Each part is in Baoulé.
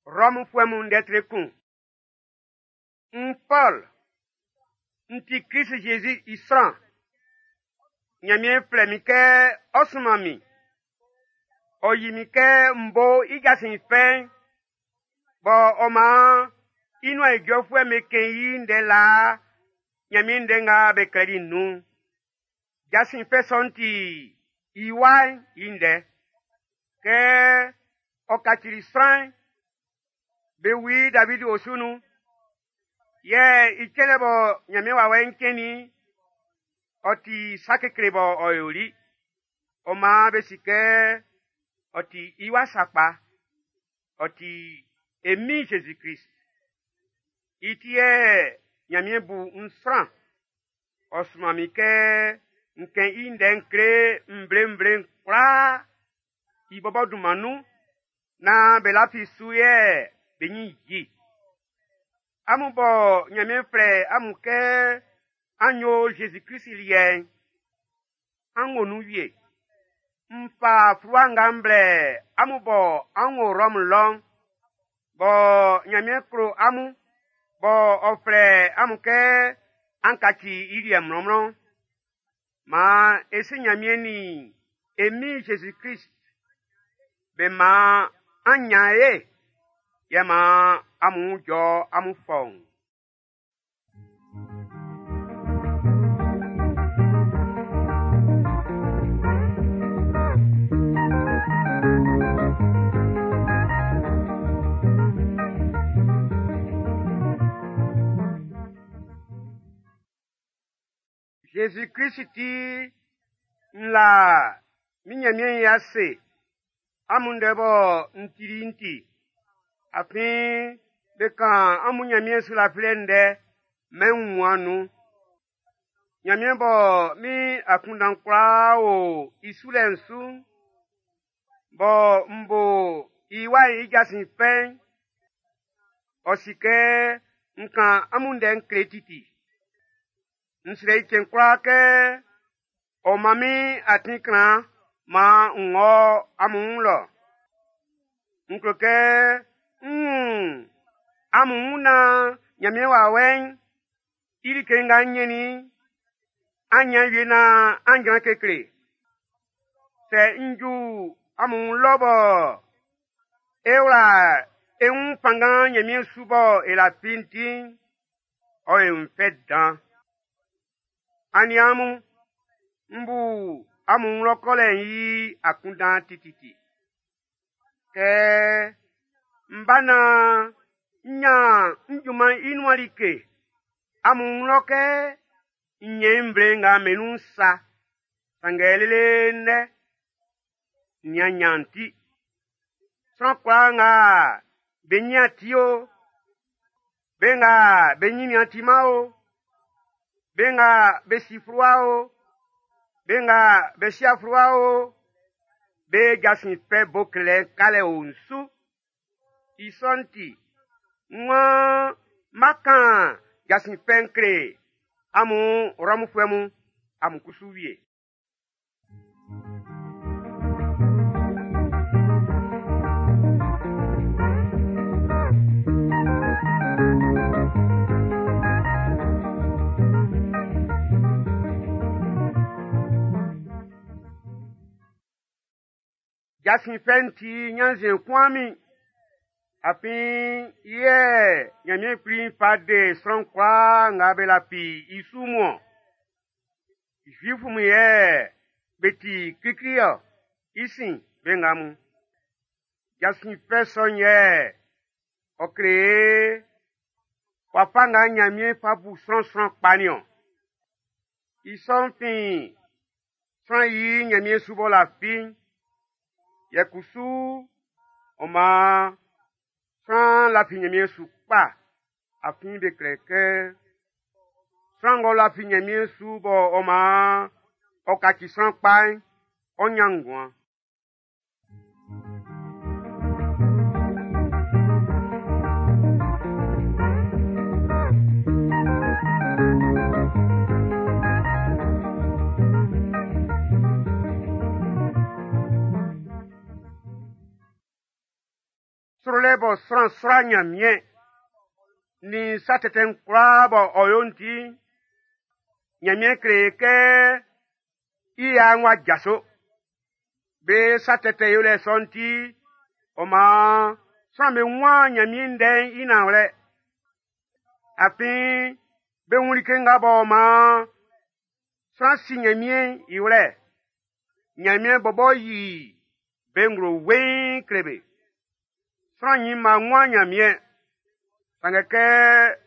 Rɔmfuɛ mun ndɛ tre kun. N Pɔl, n ti Krist-Jésus i sran. Nyanmiɛn flɛ min kɛ ɔ sunman min. Ɔ yi min kɛ m bo i jasin fɛ'n, bɔ ɔ man i nuan ijɔfuɛ'm be kɛn i ndɛ laa Nyanmiɛn ndɛ nga be klɛli'n nun'n. Jasin fɛ sɔ'n ti i Wa'n i ndɛ. Kɛ ɔ kacili sran'n, be wu David osu nun. Yɛ i cɛnlɛ bɔ Nyanmiɛn wawɛ'n cɛnnin ɔ ti sa kekle bɔ ɔ yoli. Ɔ maan be si kɛ ɔ ti i wa sakpa. Ɔ ti e Min Jésus-Christ. I ti yɛ Nyanmiɛn bu n sran. Ɔ sunman min kɛ n kɛn i ndɛ'n kle nvle-nvle'n kwlaa i bɔbɔ dunman nun naan be lafi su yɛ be nyin yi. Amun bɔ Nyanmiɛn flɛ amun kɛ an yo Jésus-Christ liɛ'n, an wo nun wie. N fa fluwa nga m blɛ amun bɔ an wo Rɔmu lɔ'n, bɔ Nyanmiɛn klo amun, bɔ ɔ flɛ amun kɛ an kaci i liɛ mlɔnmlɔn. Maan e si Nyanmiɛn nin e Min Jésus-Christ be maan an nyan ye, yɛ maan amun jɔ amun fɔun. Jésus-Christ ti n la min Nyanmiɛn i ase amun ndɛ bɔ n tili'n ti. Afin be kan amun Nyanmiɛn sulafilɛ ndɛ mɛn wunmuan'n nun. Nyanmiɛn bɔ min akunndan kwlaa o i sulɛ'n su'n, bɔ m bo i Wa'n i jasin fɛ'n, ɔ si kɛ n kan amun ndɛ'n kle titi. N srɛ i cɛn kwlaa kɛ ɔ man min atin kran maan n wɔ amun wun lɔ. N klo kɛ n wun amun wun naan Nyanmiɛn wawɛ'n i like nga n ɲɛnnin i'n, an ɲan wie naan an jran kekle. Sɛ n ju amun wun lɔ bɔ e wla e wun fanngan Nyanmiɛn su bɔ e lafi'n ti'n, ɔ yo n fɛ dan. Aniaan mun, n bu amun wun lɔ kɔlɛ'n i akunndan tititi. Kɛ n ba naan n ɲan n junman'n i nuan like amun wun lɔ kɛ n ɲɛn i nvle nga be nun'n sa. Sanngɛ lele ndɛ, n nian ɲan ti. Sran kwlaa nga be nyin ti o, be nga be nyin timan o, be nga be si fluwa o, be nga be si'a fluwa o, be jasin fɛ bo klelɛ'n kalɛ o n su. I sɔ'n ti, n waan má kán jasin fɛ'n kle amun Rɔmfuɛ mun, amun kusu wie. Jasin fɛ'n ti ɲannzuɛn kun min. Afin i yɛ Ɲanmiɛn Kpli fa de sran kwlaa nga be lafi i su mun ɔn. Zuifu mun yɛ be ti klikli-ɔ, i sin be nga mun. Jasin fɛ sɔ'n yɛ ɔ kle e wafa nga Ɲanmiɛn fa bu sran sran kpa nin-ɔn. I sɔ'n fin sran i Ɲanmiɛn su b'ɔ lafi'n. Yɛ kusu ɔ maan sran lafi Ɲanmiɛn su kpa afin be klɛ kɛ sran ng'ɔ lafi Ɲanmiɛn su bɔ ɔ maan ɔ kaci sran kpa'n, ɔ ɲan nguan. Srolɛ bɔ bɔ sran sra Nyanmiɛn nin sa tɛtɛ'n kwlaa bɔ ɔ yo'n ti'n, Nyanmiɛn kle kɛ i ya'n w'a jaso. Be sa tɛtɛ yolɛ sɔ'n ti, ɔ maan sran'm be wun Nyanmiɛn ndɛ'n i nanwlɛ. Afin be wun like nga bɔ maan sran si Nyanmiɛn i wlɛ. Nyanmiɛn bɔbɔ yi be nglo weiin kle be. Sran ɲinma wun Nyanmiɛn, sanngɛ kɛ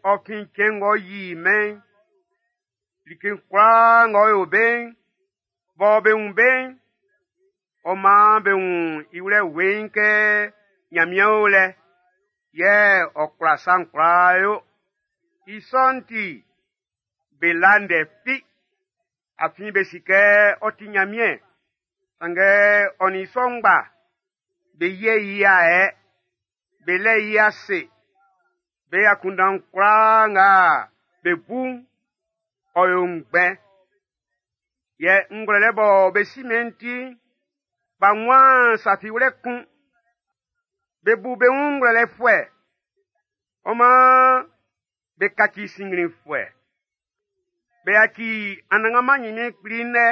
ɔ fin cɛn ng'ɔ yi mɛn'n, like kwlaa ng'ɔ yo be'n, bɔ be wun be'n, ɔ maan be wun i wlɛ weiin kɛ Nyanmiɛn o lɛ, yɛ ɔ kwla sa'n kwlaa yo. I sɔ'n ti, be la ndɛ fi, afin be si kɛ ɔ ti Nyanmiɛn, sanngɛ ɔ nin i sɔ ngba, be yɛ i ayɛ, be lɛ i ase, be akunndan kwlaa nga be bu'n, ɔ yo ngbɛn. Yɛ ngwlɛlɛ bɔ be si mɛn'n ti'n, b'a wun sa fi wlɛ kun. Be bu be wun ngwlɛlɛfuɛ, ɔ maan be kaci sinnglinfuɛ. Be yaci Anannganman Nyanmiɛn Kpli ndɛ,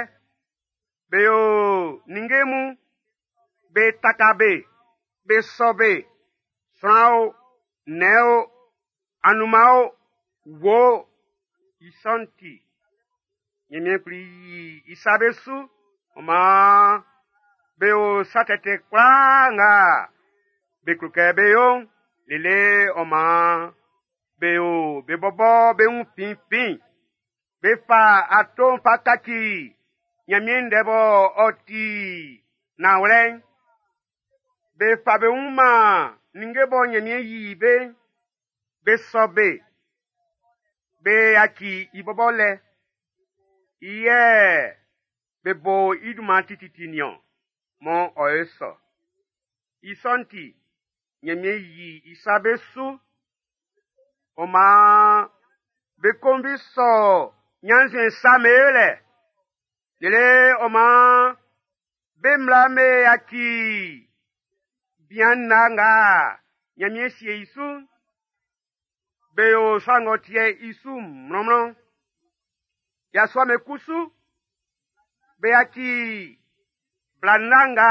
be yo ninnge mun, be taka be, be sɔ be, sran o, nnɛn o, anunman o, wuo o, i sɔ'n ti, Nyanmiɛn Kpli yi i sa be su, ɔ maan be yo sa tɛtɛ kwlaa nga be klo kɛ bé yó'n, lele ɔ maan be yo be bɔbɔ be wun finfin. Be fa ato'n fa kaci Nyanmiɛn ndɛ bɔ ɔ ti nanwlɛ'n. Be fa be wun man ninnge bɔ Nyanmiɛn yi be'n, be sɔ be. Be yaci i bɔbɔ lɛ. I yɛ be bo i dunman tititi niɔn, mɔ ɔ ye sɔ. I sɔ'n ti, Nyanmiɛn yi i sa be su. Ɔ maan be konvi sɔ ɲannzuɛn sa be lɛ. Lele ɔ maan be mmla'm be yaci bian nna nga Nyanmiɛn sie i su'n, be yo sa ng'ɔ ti'ɛ i su mlɔnmlɔn. Yasua'm be kusu, be yaci bla nna nga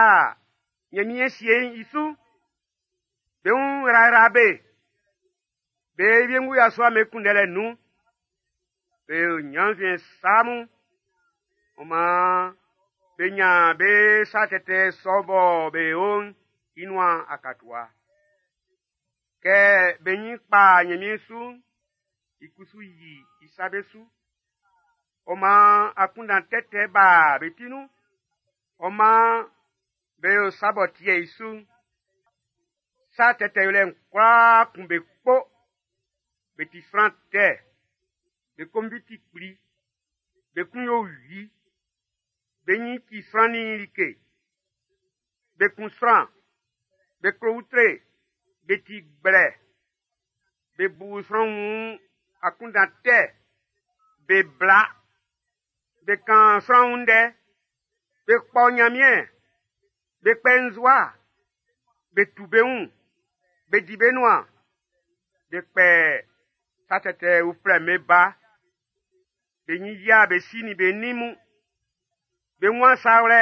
Nyanmiɛn sie i su, be wun yrayra be. Be wiengu yasua'm be kunndɛlɛ nun, be yo ɲannzuɛn sa mun. Ɔ maan be ɲan be sa tɛtɛ sɔ bɔ be yo'n i nuan akatua. Kɛ be ɲin kpa Ɲanmiɛn su'n, i kusu yi i sa be su. Ɔ maan akunndan tɛtɛ ba be ti nun. Ɔ maan be yo sa b'ɔ ti'ɛ i su'n. Sa tɛtɛ yolɛ'n kwlaa kun be kpo. Be ti sran tɛ. Be konvi ti kpli. Be kun yo wi. Be ɲin ci sran nin like. Be kun sran. Be klo utre. Be ti gblɛ. Be bu sran wun akunndan tɛ. Be bla. Be kan sran wun ndɛ. Be kpɔ Ɲanmiɛn. Be kpɛ nzua. Be tu be wun. Be di be nuan. Be kpɛ sa tɛtɛ uflɛ'm be ba. Be ɲin yia be si nin be nin mun. Be wun sa wlɛ.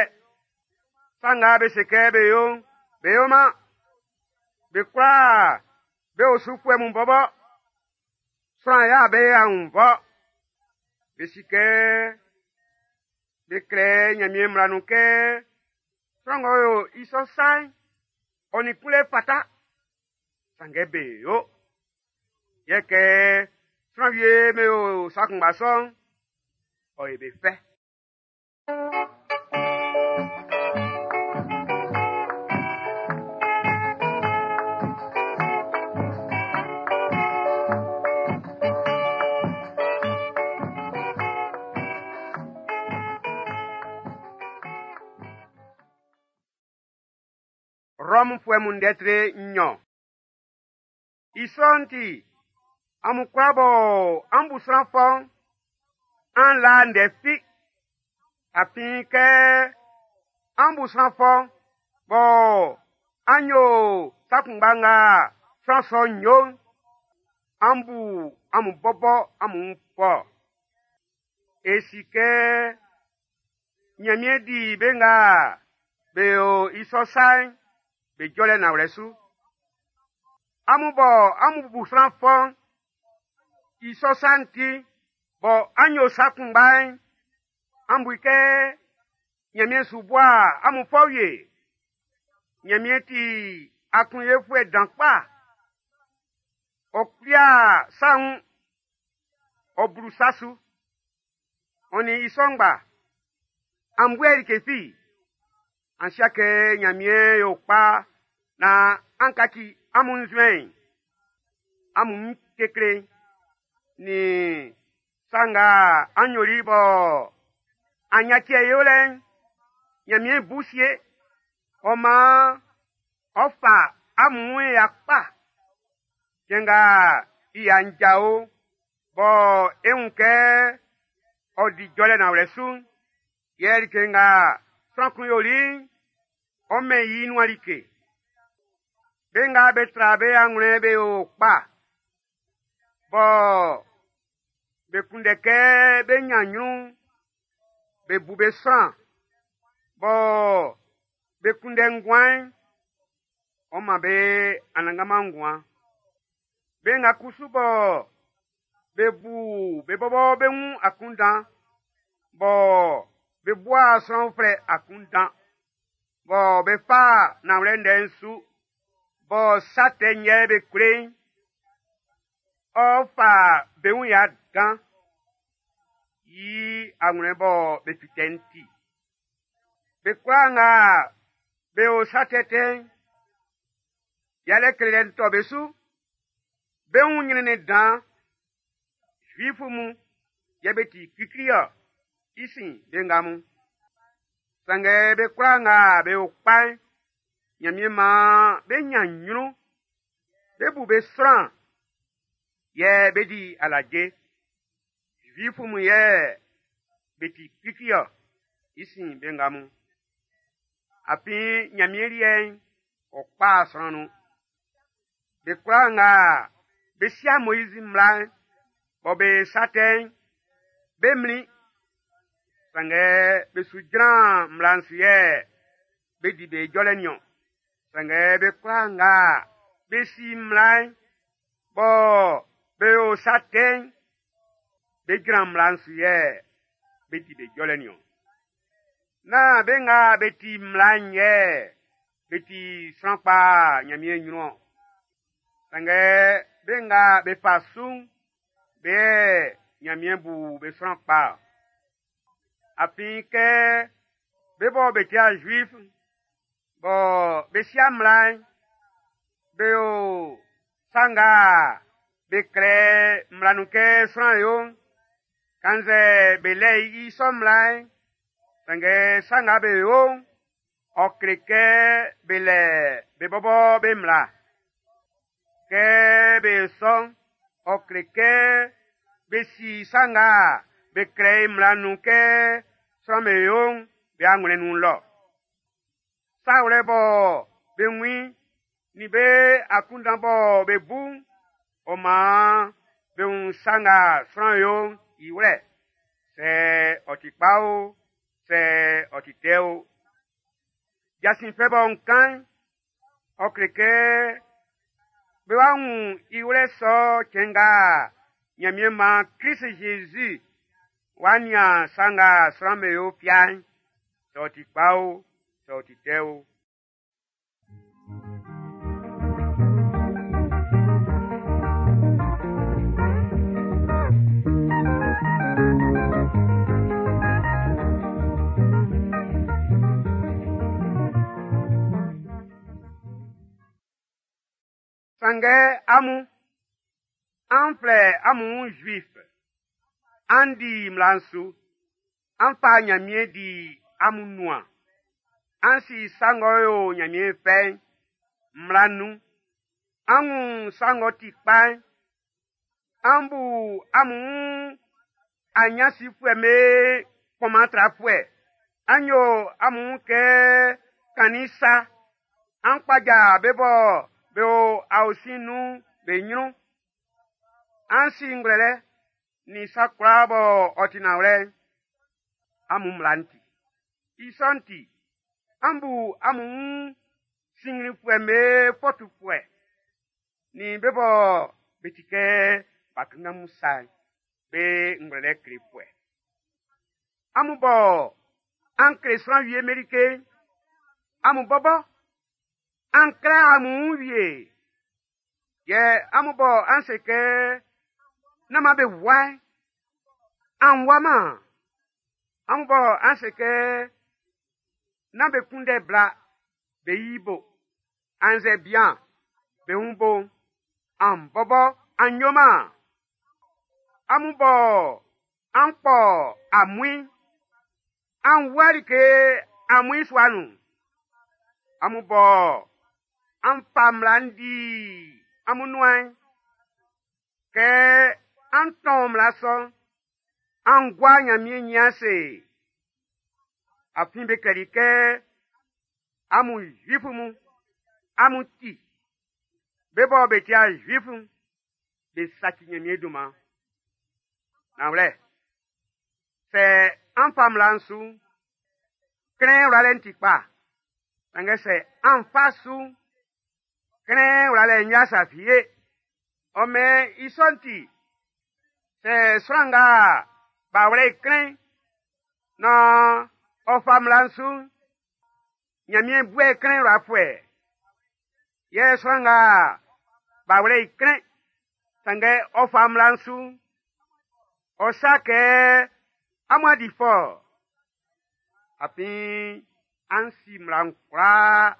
Sa nga be se kɛ be yo'n, be yoman. Be kwlaa be osufuɛ mun bɔbɔ. Sran ya be aunnvɔ. Be si kɛ be klɛ Ɲanmiɛn mmla nun kɛ sran ng'ɔ yo i sɔ sa'n, ɔ nin kunlɛ fata. Sanngɛ be yo. Yɛ kɛ sran wie be yo sa kunngba sɔ'n, ɔ ye be fɛ. Rɔmfuɛ mun ndɛ tre nnyɔn. I sɔ'n ti, amun kwlaa bɔ an bu sran fɔ'n, an la ndɛ fi. Afin kɛ an bu sran fɔ, bɔ an yo sa kunngba nga sran sɔ'n yo'n, an bu amun bɔbɔ amun wun fɔ. E si kɛ Ɲanmiɛn di be nga be yo i sɔ sa'n be jɔlɛ nanwlɛ su. Amun bɔ amun bu sran fɔ'n, i sɔ sa'n ti, bɔ an yo sa kunngba'n, an bu i kɛ Ɲanmiɛn su bua amun fɔ wie. Ɲanmiɛn ti aklunyefuɛ dan kpa. Ɔ kpia sa wun, ɔ blu sa su. Ɔ nin i sɔ ngba, an buɛ like fi. An si kɛ Ɲanmiɛn yo kpa naan an kaci amun nzuɛn'n, amun wun kekle'n, nin sa nga an yoli bɔ an yaci e yolɛ'n, Ɲanmiɛn bu sie. Ɔ maan ɔ fa amun wun ya kpa. Cɛn nga i ya'n jao bɔ e wun kɛ ɔ di jɔlɛ nanwlɛ su'n, yɛ like nga sran kun yoli'n, ɔ mɛn i nuan like. Be nga be tra be anwlɛn be yo kpa, bɔ be kunndɛ kɛ be ɲan ɲrun, be bu be sran, bɔ be kunndɛ nguan'n, ɔ man be anannganman nguan. Be nga kusu bɔ be bu be bɔbɔ be wun akunndan, bɔ be bua sran uflɛ akunndan, bɔ be fa nanwlɛ ndɛ'n su, bɔ sa tɛ'n yɛ be kle'n, ɔ fa be wun ya dan i anwlɛn bɔ be fite'n ti. Be kwlaa nga be yo sa tɛtɛ'n, yalɛ klelɛ'n tɔ be su. Be wun ɲrɛnnɛn dan. Zuifu mun yɛ be ti klikli-ɔ, i sin be nga mun. Sanngɛ be kwlaa nga be yo kpa'n, Ɲanmiɛn maan be ɲan ɲrun, be bu be sran, yɛ be di alaje. Zuifu mun yɛ be ti klikli-ɔ, i sin be nga mun. Afin Ɲanmiɛn liɛ'n, ɔ kpa sran nun. Be kwlaa nga be sia Moizi mmla'n, bɔ be sa tɛ'n, be mlin. Sanngɛ be su jran mmla'n su yɛ be di be jɔlɛ niɔn. Sanngɛ be kwlaa nga be si mmla'n, bɔ be yo sa tɛ'n, be jran mmla'n su yɛ be di be jɔlɛ niɔn. Nán be nga be ti mmla'n yɛ be ti sran kpa Ɲanmiɛn ɲrun-ɔn. Sanngɛ be nga be fa su'n, be yɛ Ɲanmiɛn bu be sran kpa. Afin kɛ be bɔ be ti Zuif, bɔ be sia mmla'n, be yo sa nga be klɛ mmla nun kɛ sran yo'n, kannzɛ be lɛ i sɔ mmla'n, sanngɛ sa nga be yo'n, ɔ kle kɛ be lɛ be bɔbɔ be mmla. Kɛ be yo sɔ'n, ɔ kle kɛ be si sa nga be klɛ i mmla nun kɛ sran'm be yo'n be anwlɛn'n nun lɔ. Sa wlɛ bɔ be wun i'n, nin be akunndan bɔ be bu'n, ɔ maan be wun sa nga sran yo'n i wlɛ, sɛ ɔ ti kpa o, sɛ ɔ ti tɛ o. Jasin fɛ bɔ n kan'n, ɔ kle kɛ bé wá wun i wlɛ sɔ cɛn nga Ɲanmiɛn maan Klist Zezi wá nían sa nga sran'm be yo fia'n, sɛ ɔ ti kpa o, sɛ ɔ ti tɛ o. Sanngɛ amun, an flɛ amun wun Zuif, an di mmla'n su, an fa Ɲanmiɛn di amun nuan, an si sa ng'ɔ yo Ɲanmiɛn fɛ'n, mmla'n nun, an wun sa ng'ɔ ti kpa'n, an bu amun wun aɲansifuɛ'm be kpɔnman trafuɛ, an yo amun wun kɛ kannin sa, an kpaja be bɔ be o aosin'n nun'n be nyrun. An si ngwlɛlɛ nin sa kwlaa bɔ ɔ ti nanwlɛ'n, amun mmla'n ti. I sɔ'n ti, an bu amun wun sinnglinfuɛ'm be fɔ tufuɛ, nin be bɔ be ti kɛ ba kanngan mun sa'n, be ngwlɛlɛ klefuɛ. Amun bɔ an kle sran wie'm be like'n, amun bɔbɔ an kle amun wun wie. Yɛ amun bɔ an se kɛ nán man be wua'n, an wuaman. Amun bɔ an se kɛ nán be kunndɛ bla be yi bo, annzɛ bian be wun bo'n, an bɔbɔ an yoman. Amun bɔ an kpɔ amuin'n, an wua like amuin sua nun. Amun bɔ an fa mmla'n di amun nuan'n, kɛ an tɔn mmla sɔ'n, an gua Nyanmiɛn nyin ase. Afin be klɛli kɛ amun Zuifu mun, amun ti, be bɔ be ti'a Zuifu'n, be saci Nyanmiɛn dunman. Nanwlɛ, sɛ an fa mmla'n su'n, klɛn wlalɛ'n ti kpa. Sanngɛ sɛ an fa su'n, klɛn wlalɛ'n nyan sa fi ye. Ɔ mɛn i sɔ'n ti, sɛ sran nga b'a wlɛ i klɛn'n, nan ɔ fa mmla'n su'n, Nyanmiɛn bu i klɛn wlafuɛ. Yɛ sran nga b'a wlɛ i klɛn, sanngɛ ɔ fa mmla'n su'n, ɔ sa kɛ amun a di fɔ. Afin an si mmla'n kwlaa.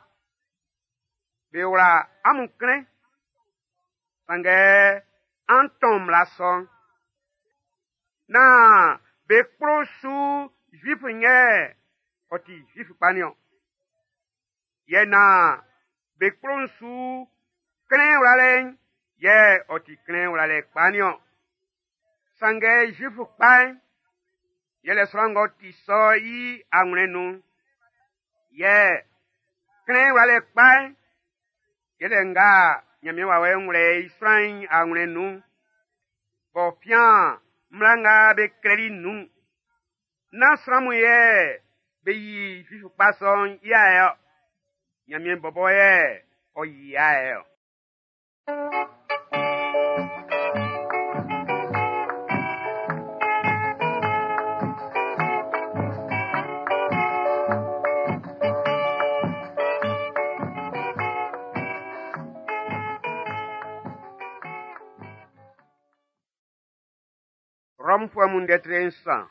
Be wla amun klɛn, sanngɛ an tɔn mmla sɔ'n. Nán be kplo su Zuif yɛ ɔ ti Zuif kpa nin-ɔn. Yɛ nán be kplo'n su klɛn wlalɛ'n yɛ ɔ ti klɛn wlalɛ kpa nin-ɔn. Sanngɛ Zuif kpa'n, yɛlɛ sran ng'ɔ ti sɔ i anwlɛn nun'n. Yɛ klɛn wlalɛ kpa'n, yɛlɛ nga Nyanmiɛn wawɛ'n wlɛ i sran'n i anwlɛn nun'n, b'ɔ fian mmla nga be klɛli nun'n. Nán sran mun yɛ be yi Zuif kpa sɔ'n i ayɛ-ɔ. Nyanmiɛn bɔbɔ yɛ ɔ yi i ayɛ-ɔ. Rɔmfuɛ mun ndɛ tre nsan.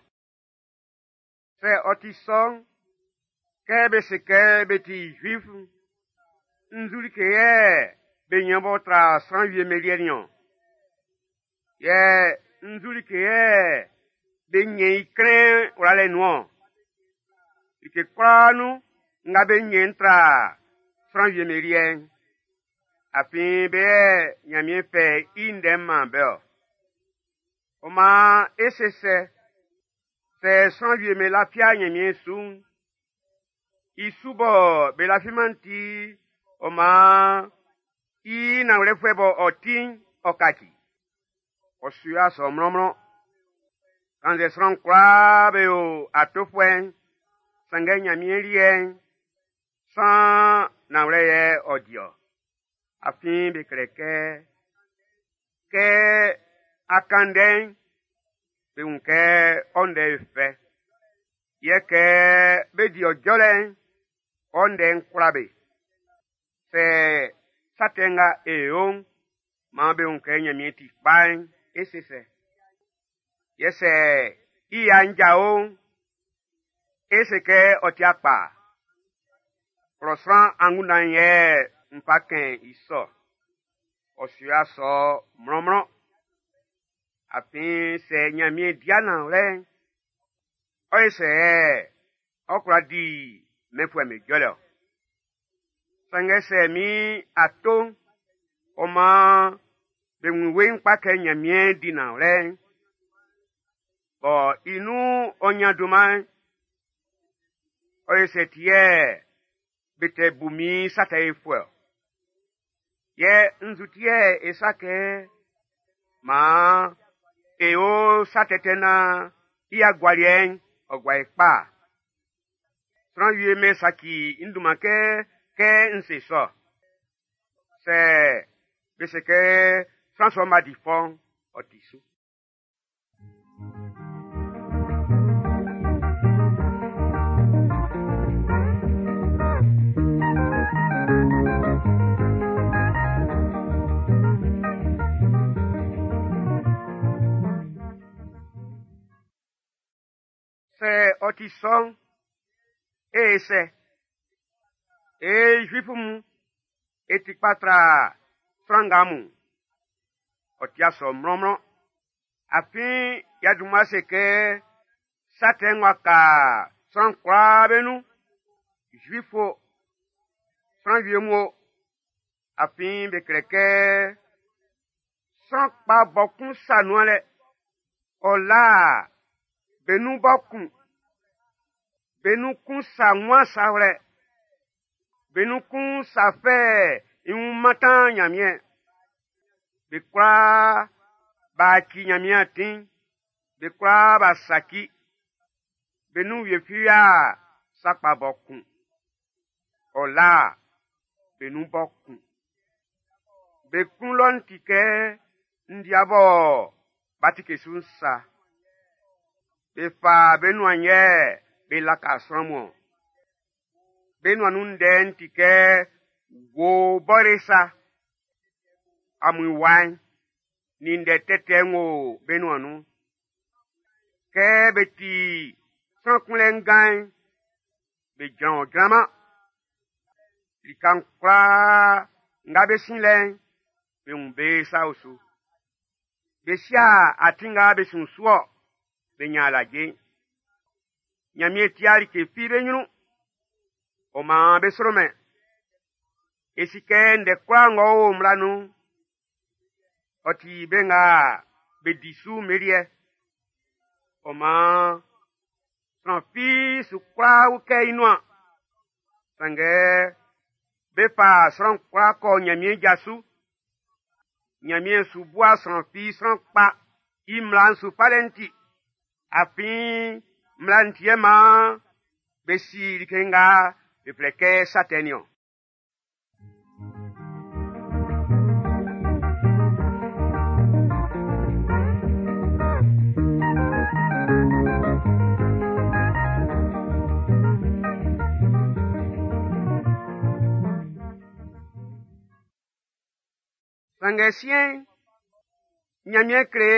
Sɛ ɔ ti sɔ'n, kɛ be se kɛ be ti Zuif'n, nzu like yɛ be nyan b'ɔ tra sran wie'm be liɛ nin-ɔn? Yɛ nzu like yɛ be nyɛn i klɛn wlalɛ nun-ɔn? Like kwlaa nun nga be nyɛn tra sran wie'm be liɛ'n, afin be yɛ Nyanmiɛn fɛ i ndɛ'n man be-ɔ. Ɔ maan e se sɛ, sɛ sran wie'm be lafia Nyanmiɛn su'n, i su bɔ be lafiman'n ti, ɔ maan i nanwlɛfuɛ bɔ ɔ ti'n, ɔ kaci. Ɔ su yo'a sɔ mlɔnmlɔn. Kannzɛ sran kwlaa be yo atofuɛ'n, sanngɛ Nyanmiɛn liɛ'n, saan nanwlɛ yɛ ɔ di-ɔ. Afin be klɛ kɛ, kɛ a kan ndɛ'n, be wun kɛ ɔ ndɛ'n fɛ. Yɛ kɛ be di ɔ jɔlɛ'n, ɔ ndɛ'n kwla be. Sɛ sa tɛ nga e yo'n, maan be wun kɛ Nyanmiɛn ti kpa'n, e se sɛ. Yɛ sɛ i ya'n jao'n, e se kɛ ɔ ti kpa. Klɔ sran angunndan yɛ n fa kɛn i sɔ. Ɔ su yo'a sɔ mlɔnmlɔn. Afin sɛ Nyanmiɛn di nanwlɛ'n, ɔ ye sɛ ɔ kwla di mɛnfuɛ'm be jɔlɛ-ɔ. Sanngɛ sɛ min ato'n, ɔ maan be wun weiin kpa kɛ Nyanmiɛn di nanwlɛ'n, bɔ i nun ɔ nyan dunman'n, ɔ ye sɛ ti yɛ be tɛ bu min sa tɛ yofuɛ-ɔ. Yɛ nzu ti yɛ e sa kɛ maan e yo sa tɛtɛ naan i agualiɛ'n ɔ gua e kpa. Sran wie me saci n dunman kɛ kɛ n se sɔ. Sɛ be se kɛ sran sɔ'n b'a di fɔ'n, ɔ ti su. Sɛ ɔ ti sɔ'n, e sɛ. E Zuifu mun, e ti kpa tra sran nga mun. Ɔ ti sɔ mlɔnmlɔn. Afin y'a dunman se kɛ sa tɛ ng'ɔ ka sran kwlaa be nun, Zuifu o, sran wie mun o, afin be klɛ kɛ sran kpa bɔ kun sa nuan lɛ, ɔ la be nun bɔ kun, be nun kun sa nwan sa wlɛ, be nun kun sa fɛ i wun mantan Nyanmiɛn. Be kwlaa b'a ci Nyanmiɛn atin, be kwlaa b'a saci, be nun wie fi a sa kpa bɔ kun. Ɔ la be nun bɔ kun. Be klun lɔ'n ti kɛ ndia bɔ b'a tike su'n sa. Be fa be nuan yɛ be laka sran mun. Be nuan nun ndɛ'n ti kɛ wo bɔre sa. Amun wa'n nin ndɛ tɛtɛ ng'ɔ o be nuan nun. Kɛ be ti sran kunlɛ ngan'n, be jran ɔ jranman. Lika'n kwlaa nga be sin lɛ'n, be wun be sa osu. Be sia atin nga be sun su-ɔ, be nyan alaje'n. Nyanmiɛn tia like fi be nyrun, ɔ maan be sromɛn. E si kɛ ndɛ kwlaa ng'ɔ o mmla nun'n, ɔ ti be nga be di su meliɛ. Ɔ maan sran fi su kwla ukɛ i nuan. Sanngɛ be fa sran kwlaa kɔ Nyanmiɛn ja su. Nyanmiɛn su bua sran fi sran kpa i mmla'n su falɛ'n ti. Afin mmla'n ti yɛ maan be si like nga be flɛ kɛ sa tɛ niɔn. Sanngɛ siɛn'n, Ɲanmiɛn kle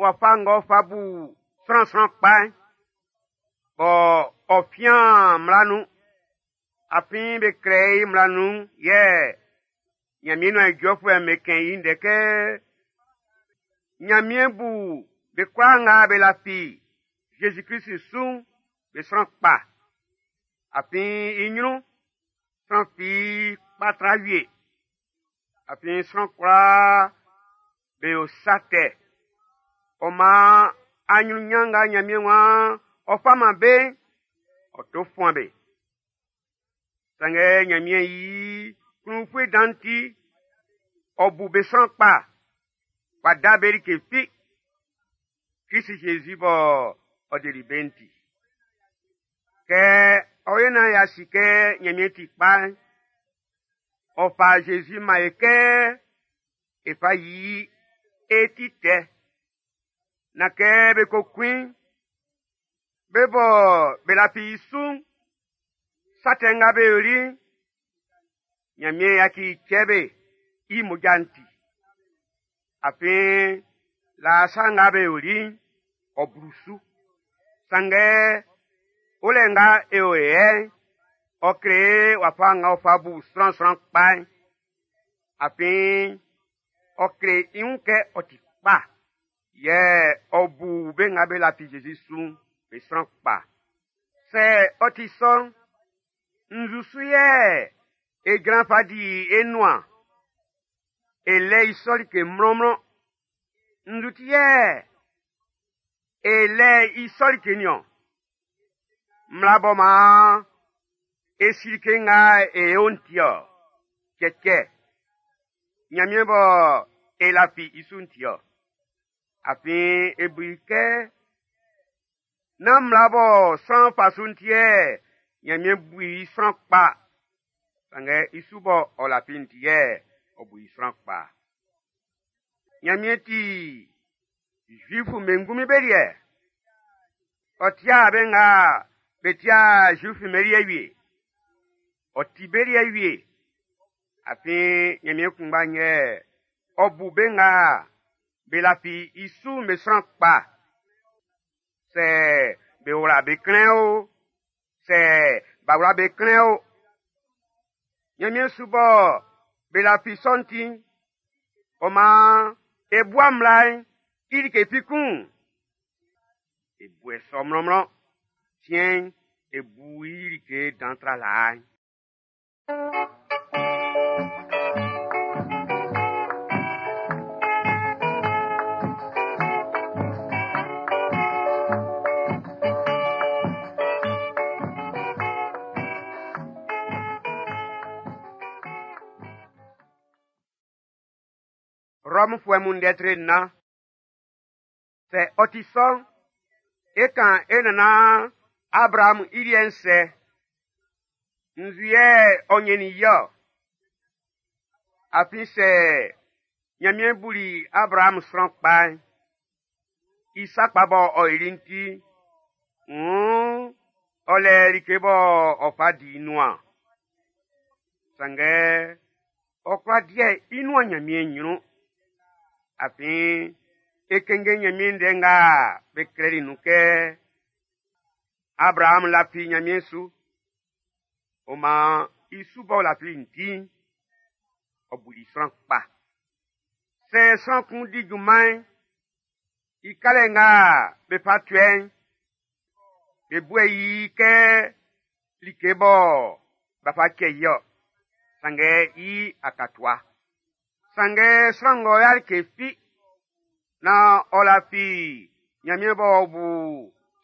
wafa ng'ɔ fa bu sran sran kpa'n, bɔ ɔ fian mmla nun. Afin be klɛ i mmla nun yɛ Ɲanmiɛn nuan ijɔfuɛ'm be kɛn i ndɛ kɛ Ɲanmiɛn bu be kwlaa nga be lafi Zezi Klisi su'n be sran kpa. Afin i ɲrun'n, sran fi kpa tra wie. Afin sran kwlaa be yo sa tɛ. Ɔ maan aɲrunɲan nga Ɲanmiɛn waan ɔ fa man be'n, ɔ to fuan be. Sanngɛ Ɲanmiɛn i klun-ufue dan'n ti, ɔ bu be sran kpa, w'a da be like fi. Krist Jésus bɔ ɔ deli be'n ti. Kɛ ɔ yo naan y'a si kɛ Ɲanmiɛn ti kpa'n, ɔ fa Jésus man e kɛ e fa yi e ti tɛ. Na kɛ be ko kun i'n, be bɔ be lafi i su'n, sa tɛ nga be yoli'n, Ɲanmiɛn yaci cɛ be i mmoja'n ti. Afin laa sa nga be yoli'n, ɔ blu su. Sanngɛ olɛ nga e o yɛ'n, ɔ kle wafa nga ɔ fa bu sran sran kpa'n. Afin ɔ kle i wun kɛ ɔ ti kpa, yɛ ɔ bu be nga be lafi Zezi su'n be sran kpa. Sɛ ɔ ti sɔ'n, nzu su yɛ e jran fa di e nuan e lɛ i sɔ like mlɔnmlɔn. Nzu ti yɛ e lɛ i sɔ like niɔn. Mmla bɔ maan e si like nga e yo'n ti ɔ. Cɛcɛ. Ɲanmiɛn bɔ e lafi i su'n ti-ɔ. Afin e bu i kɛ nán mmla bɔ sran fa su'n ti yɛ Ɲanmiɛn bu i sran kpa, sanngɛ i su bɔ ɔ lafi'n ti yɛ ɔ bu i sran kpa. Ɲanmiɛn ti Zuifu'm be ngunmin be liɛ. Ɔ tia be nga be tia Zuifu'm be liɛ wie. Ɔ ti be liɛ wie. Afin Ɲanmiɛn kunngba yɛ ɔ bu be nga be lafi i su'n be sran kpa. Sɛ be wla be klɛn o, sɛ b'a wla be klɛn o. Ɲanmiɛn su bɔ be lafi sɔ'n ti'n, ɔ maan e bua mmla'n i like fi kun. E bu e sɔ mlɔnmlɔn. Siɛn'n, e bu i like dan tra laa'n. Rɔmfuɛ mun ndɛ tre nnan. Sɛ ɔ ti sɔ'n, e kan e nannan Abraamu i liɛ'n sɛ. Nzu yɛ ɔ ɲɛnnin i ɔ? Afin sɛ Ɲanmiɛn buli Abraamu sran kpa'n, i sa kpa bɔ ɔ yoli'n ti, wuun ɔ lɛ like bɔ ɔ fa di i nuan. Sanngɛ ɔ kwla diɛ i nuan Ɲanmiɛn ɲrun. Afin e kɛnngɛn Ɲanmiɛn ndɛ nga be klɛli nun kɛ Abraamu lafi Ɲanmiɛn su. Ɔ maan i su b'ɔ lafili'n ti'n, ɔ buli sran kpa. Sɛ sran kun di junman'n, i kalɛ nga be fa tuɛ'n, be buɛ i kɛ like bɔ b'a fa cɛ i ɔ, sanngɛ i akatua. Sanngɛ sran ng'ɔ ya like fi, naan ɔ lafi Ɲanmiɛn b'ɔ bu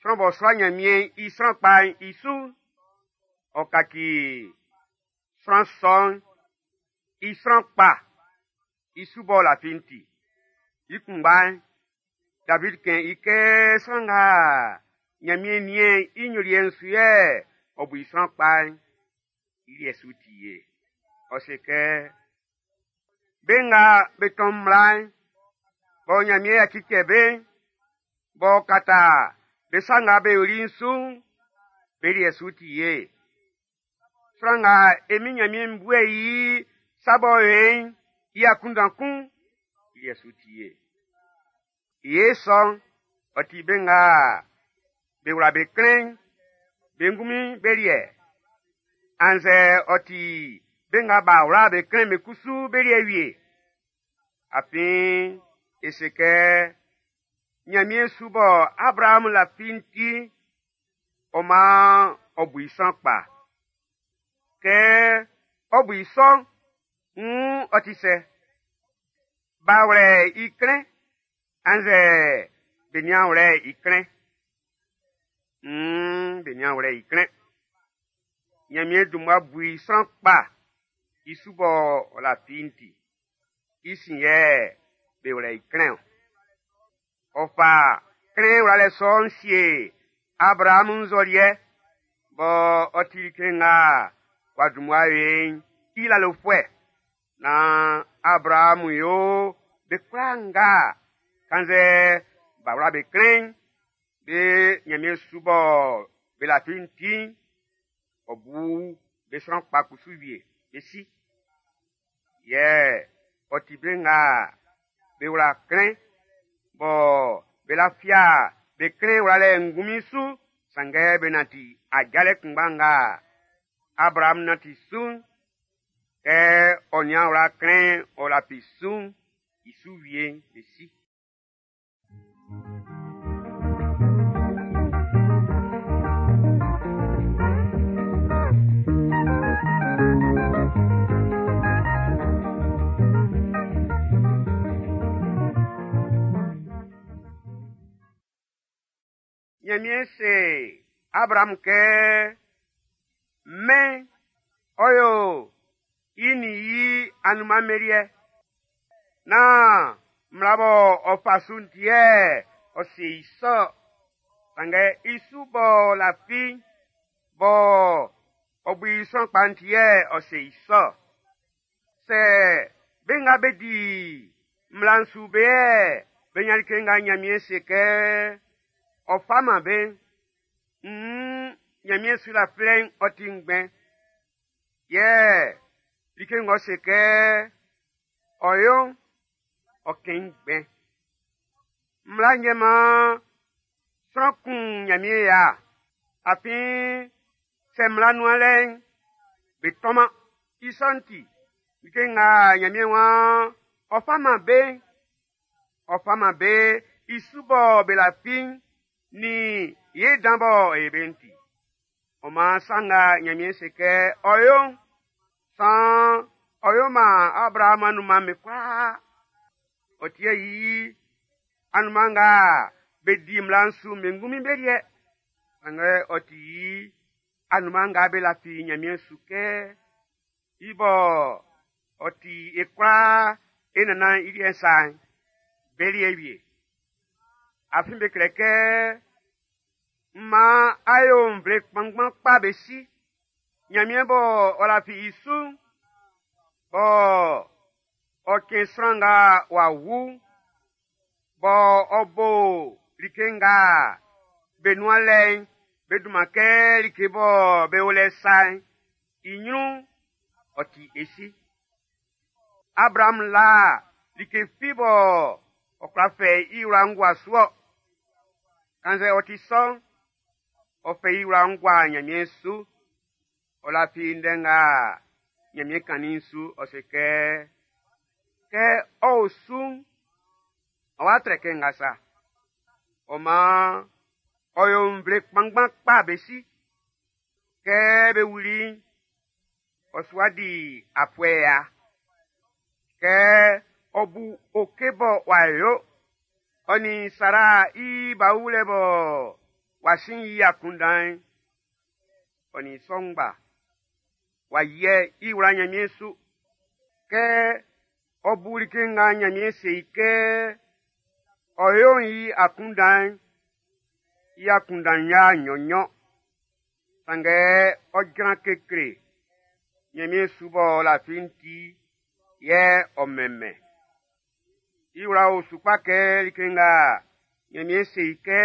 sran b'ɔ sua Ɲanmiɛn i sran kpa'n i su'n, ɔ kaci sran sɔ'n i sran kpa i su b'ɔ lafi'n ti. I kunngba'n, David kɛn i kɛ sran nga Ɲanmiɛn niɛn i nyoliɛ'n su yɛ ɔ bu i sran kpa'n, i liɛ su ti ye. Ɔ se kɛ, be nga be tɔn mmla'n, bɔ Ɲanmiɛn yaci cɛ be'n, b'ɔ kata be sa nga be yoli'n su'n, be liɛ su ti ye. Sran nga e Min Ɲanmiɛn buɛ i sa b'ɔ yo e'n i akunndan kun, i liɛ su ti ye. I ye sɔ'n, ɔ ti be nga be wla be klɛn'n, be ngunmin be liɛ. Annzɛ ɔ ti be nga b'a wla be klɛn'n be kusu be liɛ wie. Afin e se kɛ Ɲanmiɛn su bɔ Abraamu lafi'n ti, ɔ maan ɔ bu i sran kpa. Kɛ ɔ bu i sɔ'n, nn ɔ ti sɛ? B'a wlɛ i klɛn, annzɛ be nian wlɛ i klɛn? Nn be nian wlɛ i klɛn. Ɲanmiɛn dun mmua bu i sran kpa i su bɔ ɔ lafi'n ti. I sin yɛ be wlɛ i klɛn ɔ. Ɔ fa klɛn wlalɛ sɔ'n sie Abraamu nzɔliɛ bɔ ɔ ti like nga w'a dun mmua yo e'n i lalofuɛ naan Abraamu yo be kwlaa nga kannzɛ b'a wla be klɛn'n, be Ɲanmiɛn su bɔ be lafi'n ti'n, ɔ bu be sran kpa kusu wie, be si. Yɛ ɔ ti be nga be wla klɛn bɔ be lafia be klɛn wlalɛ ngunmin su, sanngɛ be nanti ajalɛ kunngba nga Abraamu nanti su'n, kɛ ɔ nian wla klɛn ɔ lafi su'n, i su wie'n be si. Ɲanmiɛn se Abraamu kɛ, mɛn ɔ yo i nin i anunman be liɛ. Nán mmla bɔ ɔ fa su'n ti yɛ ɔ se i sɔ-ɔ, sanngɛ i su b'ɔ lafi'n, bɔ ɔ bu i sran kpa'n ti yɛ ɔ se i sɔ-ɔ. Sɛ be nga be di mmla'n su be yɛ be nyan like nga Nyanmiɛn se kɛ ɔ fa man be'n, nn Nyanmiɛn su lafilɛ'n ɔ ti ngbɛn. Yɛ like ng'ɔ se kɛ ɔ yo'n, ɔ kɛn i ngbɛn. Mmla'n yɛ maan sran kun Nyanmiɛn ya, afin sɛ mmla nuan lɛ'n, be tɔnman. I sɔ'n ti, like nga Nyanmiɛn waan ɔ fa man be'n, ɔ fa man be i su bɔ be lafi'n nin ye dan bɔ ɔ yo be'n ti. Ɔ maan sa nga Nyanmiɛn se kɛ ɔ yo'n, saan ɔ yo man Abraham anunman'm be kwlaa. Ɔ ti i anunman nga be di mmla'n su'n be ngunmin be liɛ. Sanngɛ ɔ ti i anunman nga be lafi Nyanmiɛn su kɛ i bɔ ɔ ti e kwlaa e nannan i liɛ sa'n, be liɛ wie. Afin be klɛ kɛ, Mma a yo nvle kpanngban kpa be si. Nyanmiɛn bɔ ɔ lafi i su'n, bɔ ɔ cɛn sran nga w'a wu'n, bɔ ɔ bo like nga be nuan lɛ'n be dunman kɛ like bɔ be o lɛ sa'n, i nyrun'n, ɔ ti e si. Abraham la like fi bɔ ɔ kwla fɛ i wla'n gua su-ɔ. Kannzɛ ɔ ti sɔ'n, ɔ fɛ i wla'n gua Nyanmiɛn su. Ɔ lafi ndɛ nga Nyanmiɛn kannin'n su, ɔ se kɛ, kɛ ɔ o su'n, ɔ wa trɛ kɛ nga sa. Ɔ maan, ɔ yo nvle kpanngban kpa be si. Kɛ be wuli'n, ɔ su wa di afuɛ ya. Kɛ ɔ bu oke bɔ w'a yo, ɔ nin Sara i ba wulɛ bɔ w'a sin i akunndan'n, ɔ nin sɔ ngba, w'a yiɛ i wla Nyanmiɛn su. Kɛ ɔ bu like nga Nyanmiɛn se i kɛ ɔ yo'n i akunndan'n, i akunndan'n y'a nnyɔn-nnyɔn. Sanngɛ ɔ jran kekle Nyanmiɛn su b'ɔ lafi'n ti, yɛ ɔ mɛnmɛn. I wla o su kpa kɛ like nga Nyanmiɛn se i kɛ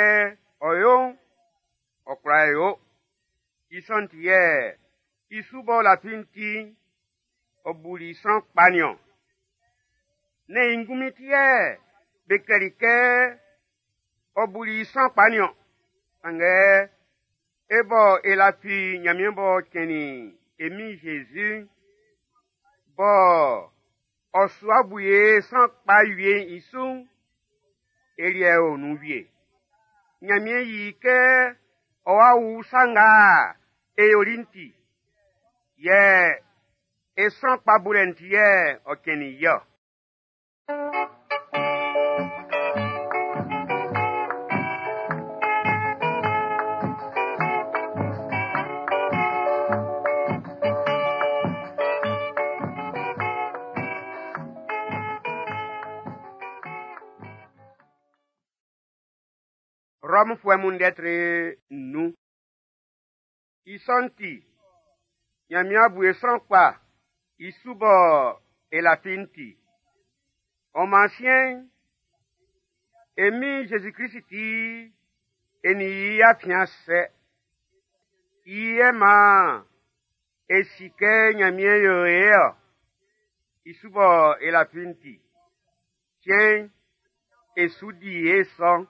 ɔ yo'n, ɔ kwla yo. I sɔ'n ti yɛ i su b'ɔ lafi'n ti'n, ɔ buli sran kpa nin-ɔn. Nɛ́n i ngunmin ti yɛ be klɛli kɛ ɔ buli sran kpa nin-ɔn. Sanngɛ e bɔ e lafi Nyanmiɛn b'ɔ cɛnnin e Min Jésus'n, bɔ ɔ su wa bu ye sran kpa wie'n i su'n, e liɛ o nun wie. Nyanmiɛn yi kɛ ɔ wa wu sa nga e yoli'n ti, yɛ e sran kpa bulɛ'n ti yɛ ɔ cɛnnin i-ɔ. Rɔmfuɛ mun ndɛ tre nnun. I sɔ'n ti, Nyanmiɛn bu e sran kpa i su bɔ e lafi'n ti. Ɔ maan siɛn'n, e Min Jésus-Christ ti, e nin i afiɛn sɛ. I yɛ maan e si kɛ Nyanmiɛn yo e-ɔ, i su bɔ e lafi'n ti. Siɛn'n, e su di e sɔ'n.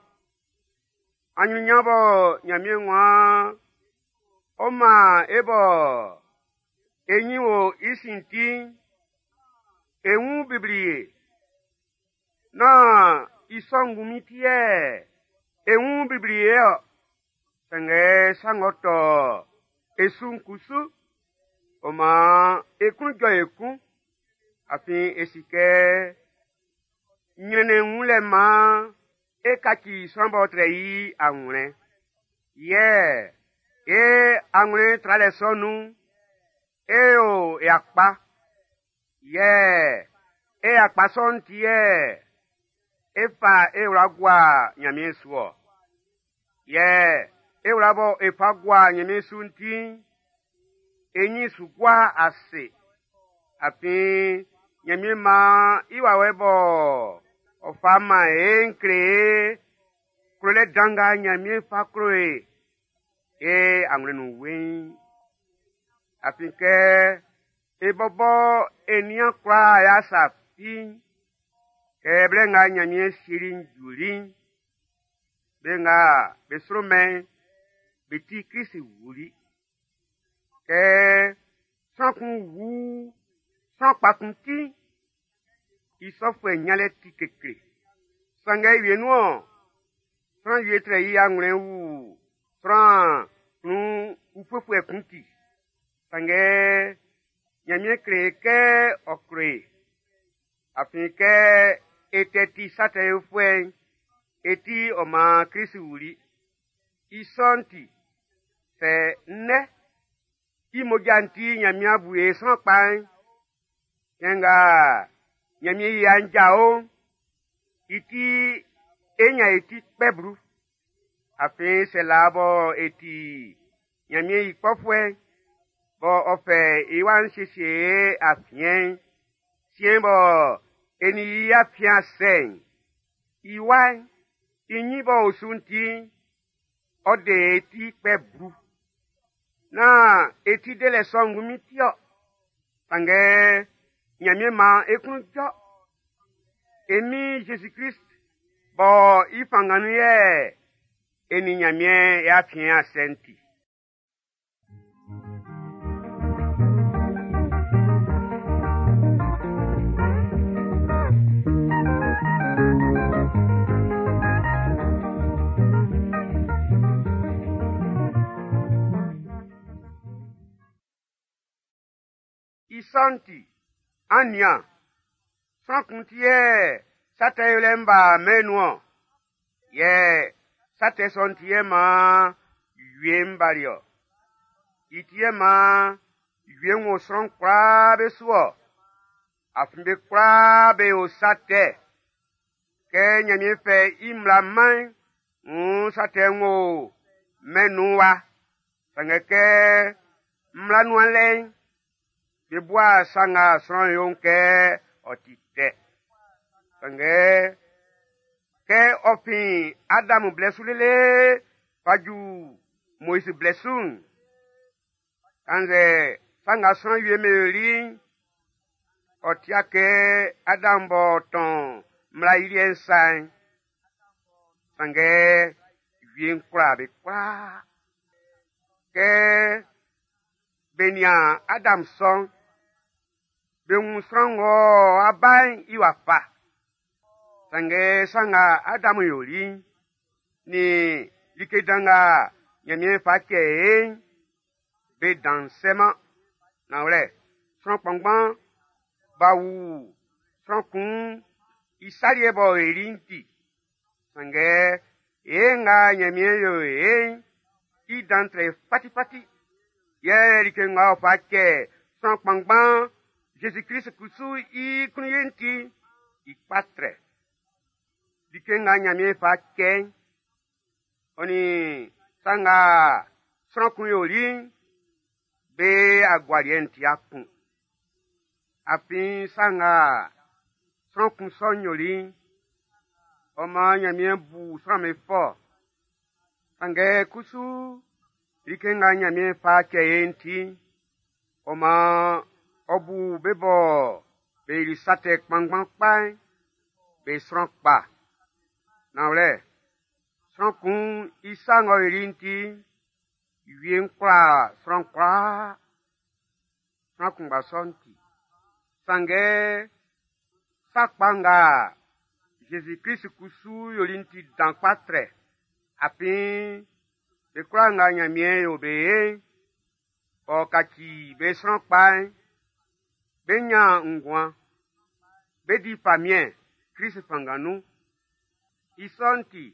Anyunyan bɔ Nyanmiɛn waan ɔ man e bɔ e nyin wo i sin ti'n, e wun blibli e. Nán i sɔ ngunmin ti yɛ e wun blibli e-ɔ. Sanngɛ sa ng'ɔ tɔ e su'n kusu, ɔ maan e klun jɔ ekun. Afin e si kɛ nyrɛnnɛn wunlɛ maan e kaci sran b'ɔ trɛ i anwlɛn. Yɛ e anwlɛn tralɛ sɔ nun'n, e yo e akpa. Yɛ E akpa sɔ'n ti yɛ e fa e wla gua Ɲanmiɛn su ɔ. Yɛ e wla bɔ e fa gua Ɲanmiɛn su'n ti'n, e ɲin su gua ase. Afin Ɲanmiɛn maan i wawɛ bɔ ɔ fa man e'n kle e klolɛ dan nga Ɲanmiɛn fa klo e, e anwlɛn nun weiin. Afin kɛ e bɔbɔ e nian kwlaa y'a sa fi'n, kɛ blɛ nga Ɲanmiɛn sieli'n juli'n, be nga be sro mɛn'n, be ti Klisi wuli. Kɛ sran kun wu sran kpa kun ti'n, i sɔfuɛ ɲanlɛ ti kekle. Sanngɛ wienun-ɔn, sran wie trɛ i anwlɛn wu sran klun ufuefuɛ kun ti. Sanngɛ Ɲanmiɛn kle kɛ ɔ klo e. Afin kɛ e tɛ ti sa tɛ yofuɛ'n, e ti ɔ maan Klisi wuli. I sɔ'n ti, sɛ nnɛ i mmoja'n ti Ɲanmiɛn bu e sran kpa'n, cɛn nga Ɲanmiɛn i ya'n jao'n, i ti e ɲan e ti kpɛ blu. Afin sɛ laa bɔ e ti Ɲanmiɛn i kpɔfuɛ'n, bɔ ɔ fɛ i wa'n siesie e afiɛn'n, siɛn bɔ e nin i afiɛn a sɛ'n, i wa'n, i ɲin b'ɔ o su'n ti'n, ɔ de e ti kpɛ blu. Nán e ti delɛ sɔ'n ngunmin ti-ɔ. Sanngɛ Ɲanmiɛn maan e klun jɔ. E Min Zezi Klist bɔ i fanngan nun yɛ e nin Ɲanmiɛn e afiɛn a sɛ'n ti. I sɔ'n ti, an nian, sran kun ti yɛ sa tɛ yolɛ'n b'a mɛn'n nun-ɔn. Yɛ sa tɛ sɔ'n ti yɛ maan wie'n bali-ɔ. I ti yɛ maan wie'n wo sran kwlaa be su-ɔ. Afin be kwlaa be yo sa tɛ. Kɛ Ɲanmiɛn fɛ i mmla man'n, wuun sa tɛ'n wo mɛn'n nun wa. Sanngɛ kɛ mmla nuan lɛ'n, be bua sa nga sran yo'n kɛ ɔ ti tɛ. Sanngɛ kɛ ɔ fin Adam blɛ su lele fa ju Moizi blɛ su'n, kannzɛ sa nga sran wie'm be yoli'n, ɔ tia kɛ Adam b'ɔ tɔn mmla i liɛ'n sa'n, sanngɛ wie'n kwlaa be kwlaa. Kɛ be nian Adam sɔ'n, be wun sran ng'ɔ wá bá'n i wafa. Sanngɛ sa nga Adam yoli'n, nin like dan nga Ɲanmiɛn fa cɛ e'n, be dan sɛman. Nanwlɛ, sran kpanngban b'a wu sran kun i sa liɛ b'ɔ yoli'n ti. Sanngɛ ye nga Ɲanmiɛn yo e'n, i dan trɛ fatifati. Yɛ like nga ɔ fa cɛ sran kpanngban Zezi Klist kusu i klun ye'n ti, i kpa trɛ. Like nga Ɲanmiɛn fa cɛ'n, ɔ nin sa nga sran kun yoli'n, be agualiɛ'n ti kun. Afin sa nga sran kun sɔ'n yoli'n, ɔ maan Ɲanmiɛn bu sran'm be fɔ. Sanngɛ kusu, like nga Ɲanmiɛn fa cɛ e'n ti'n, ɔ maan ɔ bu be bɔ be yoli sa tɛ kpanngban kpa'n, be sran kpa. Nanwlɛ, sran kun i sa ng'ɔ yoli'n ti'n, wie'n kwlaa sran kwlaa. Sran kunngba sɔ'n ti. Sanngɛ sa kpa nga Zezi Klist kusu yoli'n ti dan kpa trɛ. Afin be kwlaa nga Ɲanmiɛn yo be ye'n, ɔ kaci be sran kpa'n, be ɲan nguan, be di famiɛn Klist fanngan nun. I sɔ'n ti,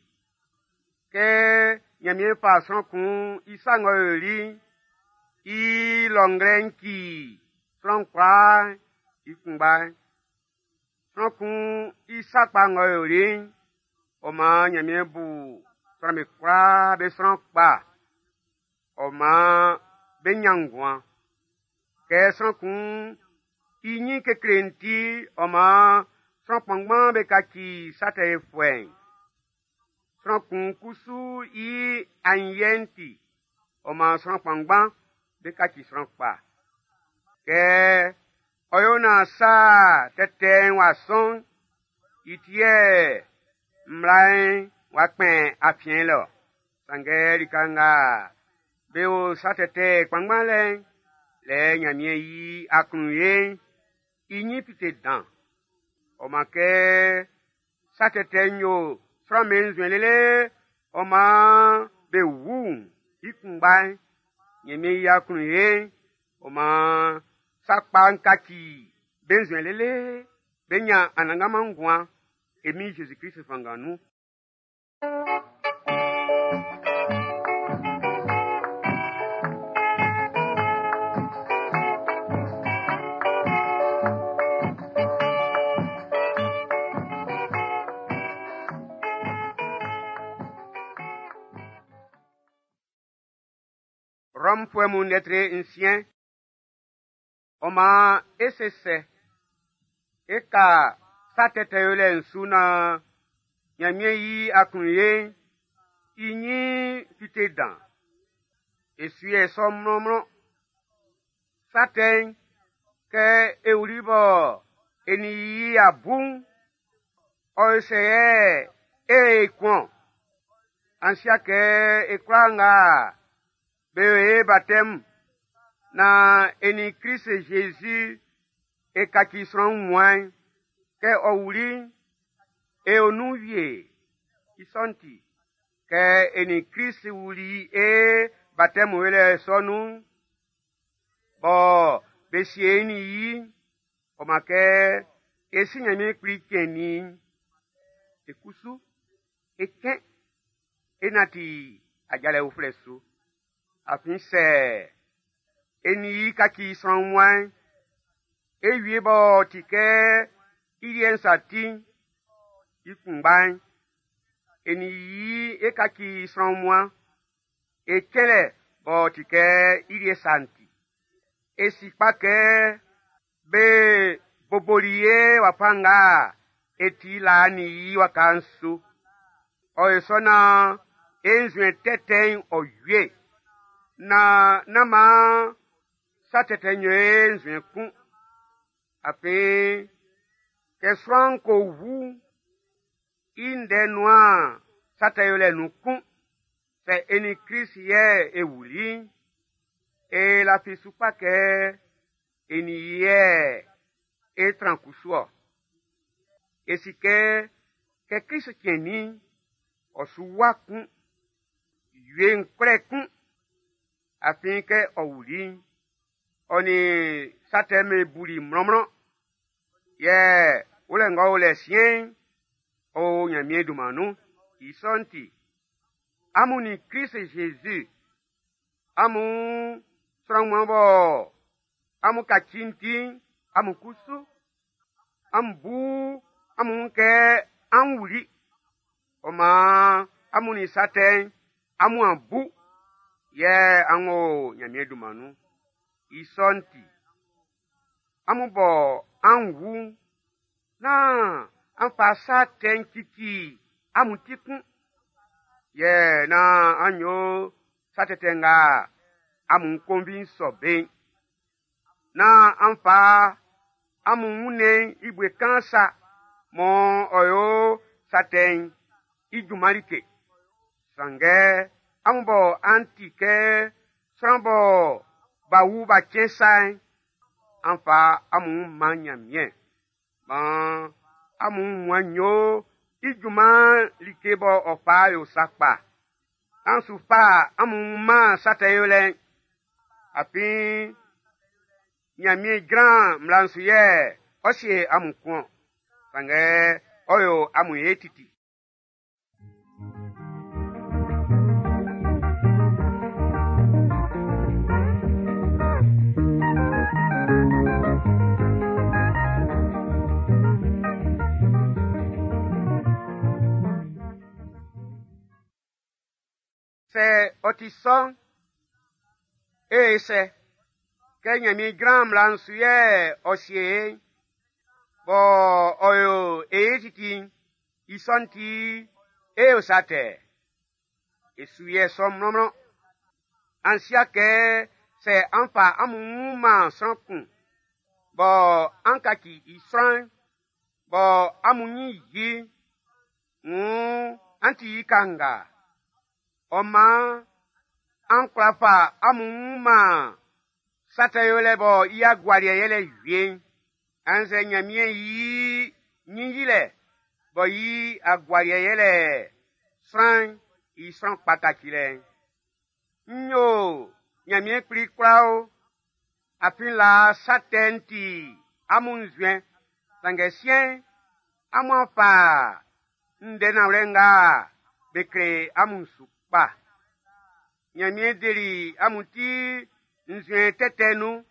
kɛ Ɲanmiɛn fa sran kun i sa ng'ɔ yoli'n, i lɔnglɛ'n ci sran kwlaa i kunngba'n. Sran kun i sa kpa ng'ɔ yoli'n, ɔ maan Ɲanmiɛn bu sran'm be kwlaa be sran kpa. Ɔ maan be ɲan nguan. Kɛ sran kun i ɲin kekle'n ti, ɔ maan sran kpanngban be kaci sa tɛ yofuɛ'n. Sran kun kusu i aɲinyiɛ'n ti, ɔ maan sran kpanngban be kaci sran kpa. Kɛ ɔ yo naan sa tɛtɛ'n w'a sɔn'n, i ti yɛ mmla'n w'a kpɛn afiɛn lɛ ɔ. Sanngɛ lika nga be o sa tɛtɛ kpanngban lɛ'n, lɛ Ɲanmiɛn yi aklunye'n i ɲin fite dan. Ɔ maan kɛ sa tɛtɛ'n yo sran'm be nzuɛn lele ɔ maan be wu'n i kunngba'n, Ɲanmiɛn yi aklunye'n, ɔ maan sa kpa'n kaci be nzuɛn lele be ɲan anannganman nguan e Min Zezi Klist fanngan nun. Rɔmfuɛ mun lɛtri nsiɛn. Ɔ maan e se sɛ? E ka sa tɛtɛ yolɛ'n su naan Ɲanmiɛn yi aklunye'n i ɲin fite dan. E su yɛ sɔ mlɔnmlɔn. Sa tɛ'n, kɛ e wuli bɔ e nin i y'a bu'n, ɔ yo sɛ yɛ e kun-ɔn? An sia kɛ e kwlaa nga be yo e batɛmu naan e nin Klist Zezi e kaci sran wunmuan'n, kɛ ɔ wuli'n, e o nun wie. I sɔ'n ti, kɛ e nin Klist wuli e batɛmu yolɛ sɔ nun'n, bɔ be sie e nin i'n, ɔ maan kɛ e si Ɲanmiɛn Kpli cɛnnin i'n, e kusu e cɛn e nanti ajalɛ uflɛ su. Afin sɛ e nin i kaci sran wunmuan'n, e wie b'ɔ ti kɛ i liɛ'n sa ti'n, i kunngba'n, e nin i e kaci sran wunmuan, e cɛnlɛ b'ɔ ti kɛ i liɛ sa'n ti. E si kpa kɛ be boboli e wafa nga e ti laa'n nin i waka'n su. Ɔ yo sɔ naan e nzuɛn tɛtɛ'n ɔ wie, naan nán maan sa tɛtɛ'n yo e nzuɛn kun. Afin kɛ sran'n ko wu'n, i ndɛ nuan sa tɛ yolɛ nun kun. Sɛ e nin Klist yɛ e wuli'n, e lafi su kpa kɛ e nin i yɛ e tran kusu ɔ. E si kɛ, kɛ Klist cɛnnin'n, ɔ su wa kun, wie'n kwlɛ kun. Afin kɛ ɔ wuli'n, ɔ nin sa tɛ'n be buli mlɔnmlɔn. Yɛ wulɛ ng'ɔ o lɛ siɛn'n, ɔ o Ɲanmiɛn dunman nun. I sɔ'n ti, amun nin Klist Zezi, amun sran wunmuan bɔ amun kaci'n ti'n, amun kusu, amun bu amun wun kɛ an wuli. Ɔ maan amun nin sa tɛ'n, amun a bu, yɛ an o Ɲanmiɛn dunman nun. I sɔ'n ti, amun bɔ an wu'n, nán an fa sa tɛ'n cici amun ti kun. Yɛ nán an yo sa tɛtɛ nga amun konvi'n sɔ be'n. Nán an fa amun wunnɛn'n i bue kaan sa mɔ ɔ yo sa tɛ'n i junman like. Sanngɛ amun bɔ an ti kɛ sran bɔ b'a wu b'a cɛn sa'n, an fa amun wun man Ɲanmiɛn. Maan amun wunmuan'n yo i junman like bɔ ɔ fa yo sa kpa. An su fa amun wun man sa tɛ yolɛ'n. Afin Ɲanmiɛn jran mmla'n su yɛ ɔ sie amun kun-ɔn. Sanngɛ ɔ yo amun ye titi. Sɛ ɔ ti sɔ'n, e yó sɛ? Kɛ Ɲanmiɛn jran mmla'n su yɛ ɔ sie e'n, bɔ ɔ yo e ye titi'n, i sɔ'n ti e yo sa tɛ? E su yɛ sɔ mlɔnmlɔn. An si'a kɛ sɛ an fa amun wun man sran kun, bɔ an kaci i sran'n, bɔ amun nyin yi i'n, wuun an ti i kanga. Ɔ maan an kwla fa amun wun man sa tɛ yolɛ bɔ i agualiɛ yɛlɛ wie'n, annzɛ Ɲanmiɛn i ɲin yilɛ bɔ i agualiɛ yɛlɛ sran'n i sran kpa kacilɛ'n. N yo Ɲanmiɛn Kpli kwla o, afin laa sa tɛ'n ti amun nzuɛn, sanngɛ siɛn'n, amun a fa ndɛ nanwlɛ nga be kle amun su kpa. Ɲanmiɛn deli amun ti nzuɛn tɛtɛ nun.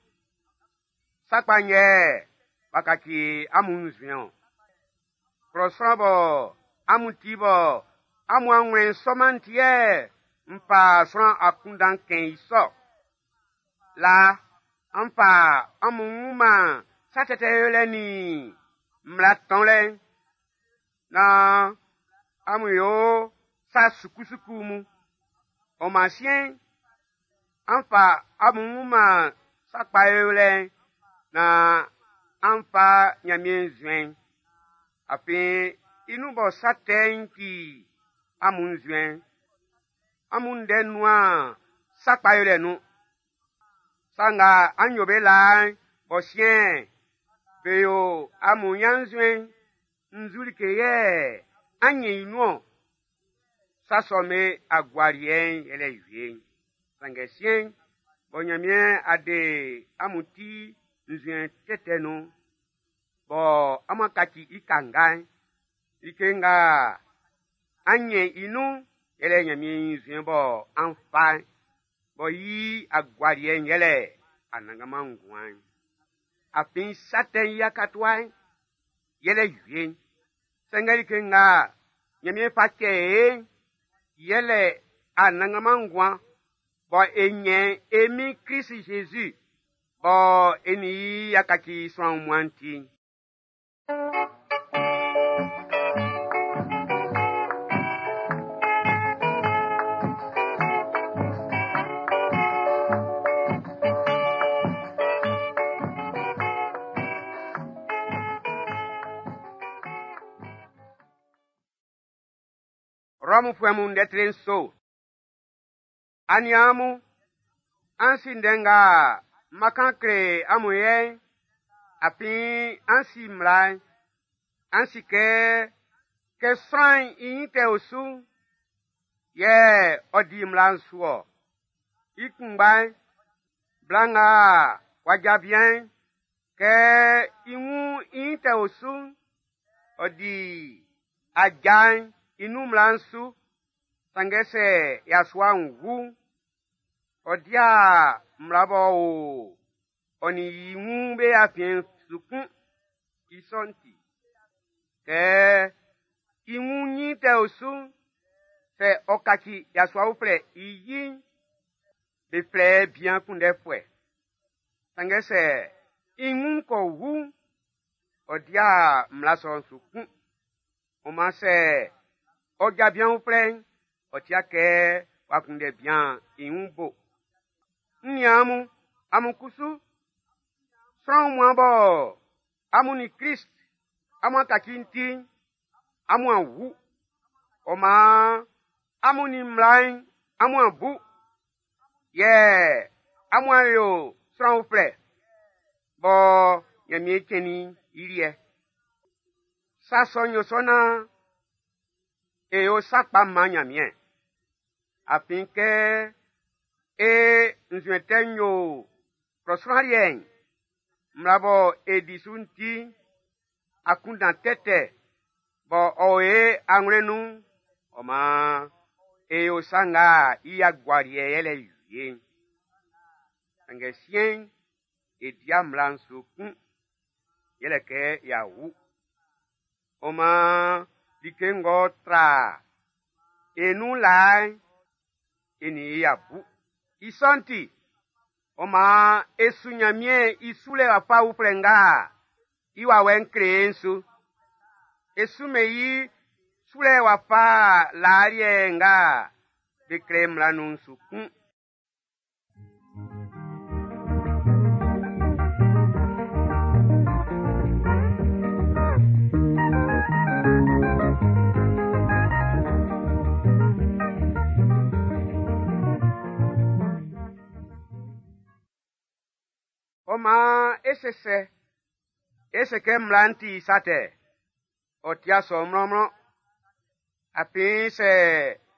Sa kpa'n yɛ w'a kaci amun nzuɛn-ɔn. Klɔ sran bɔ amun ti bɔ amun anwlɛn'n sɔ-man'n ti yɛ n fa sran akunndan kɛn i sɔ. Laa, an fa amun wun man sa tɛtɛ yolɛ nin mmla tɔnlɛ'n, naan amun yo sa sukusuku mun. Ɔ maan siɛn'n, an fa amun wun man sa kpa yolɛ'n naan an fa Ɲanmiɛn nzuɛn'n. Afin i nun bɔ sa tɛ'n ti amun nzuɛn'n, amun ndɛ nun'an sa kpa yolɛ nun. Sa nga an yo be laa'n bɔ siɛn'n be yo amun ɲannzuɛn'n, nzu like yɛ an ɲɛn i nun-ɔn? Sa sɔ'm be agualiɛ'n yɛlɛ wie'n. Sanngɛ siɛn'n, bɔ Ɲanmiɛn a de amun ti nzuɛn tɛtɛ nun'n, bɔ amun a kaci i kanga'n, like nga an ɲɛn i nun'n yɛlɛ Ɲanmiɛn i nzuɛn bɔ an fa'n, bɔ i agualiɛ'n yɛlɛ anannganman nguan'n. Afin sa tɛ'n i akatua'n yɛlɛ wie'n. Sanngɛ like nga Ɲanmiɛn fa cɛ e'n, yɛlɛ anannganman nguan bɔ e ɲɛn e Min Klisi Zezi bɔ e nin i y'a kaci sran wunmuan'n ti'n. Rɔmufuɛ mun ndɛ tre nso. Aniaan mun, an si ndɛ nga n ma kan kle amun yɛ'n, afin an si mmla'n. An si kɛ, kɛ sran'n i ɲin tɛ o su'n, yɛ ɔ di mmla'n su ɔ. I kunngba'n, bla nga w'a ja bian'n, kɛ i wun i ɲin tɛ o su'n, ɔ di aja'n i nun mmla'n su. Sanngɛ sɛ yasua'n wu'n, ɔ di'a mmla b'ɔ o ɔ nin i wun be afiɛn'n su kun. I sɔ'n ti, kɛ i wun ɲin tɛ o su'n, sɛ ɔ kaci yasua uflɛ i yi'n, be flɛ bian kunndɛfuɛ. Sanngɛ sɛ i wun kɔ wu'n, ɔ di'a mmla sɔ'n su kun. Ɔ maan sɛ ɔ ja bian uflɛ'n, ɔ ti'a kɛ w'a kunndɛ bian i wun bo. N niaan mun, amun kusu, sran wunmuan bɔ amun nin Klist amun a kaci'n ti'n, amun a wu. Ɔ maan amun nin mmla'n amun a bu, yɛ amun a yo sran uflɛ bɔ Ɲanmiɛn cɛnnin i liɛ. Sa sɔ'n yo sɔ naan e yo sa kpa man Ɲanmiɛn. Afin kɛ e nzuɛn tɛ'n yo klɔ sran liɛ'n, mmla bɔ e di su'n ti'n, akunndan tɛtɛ bɔ ɔ o e anwlɛn nun'n, ɔ maan e yo sa nga i agualiɛ yɛlɛ wie'n. Sanngɛ siɛn'n, e di'a mmla'n su kun, yɛlɛ kɛ y'a wu. Ɔ maan like ng'ɔ tra e nun laa'n, e nin i y'a bu. I sɔ'n ti, ɔ maan e su Ɲanmiɛn i sulɛ wafa uflɛ nga i wawɛ'n kle e'n su. E sumɛn i sulɛ wafa laa liɛ nga be klɛ mmla nun'n su kun. Ɔ maan é sé sɛ? E se kɛ mmla'n ti sa tɛ? Ɔ ti'a sɔ mlɔnmlɔn. Afin sɛ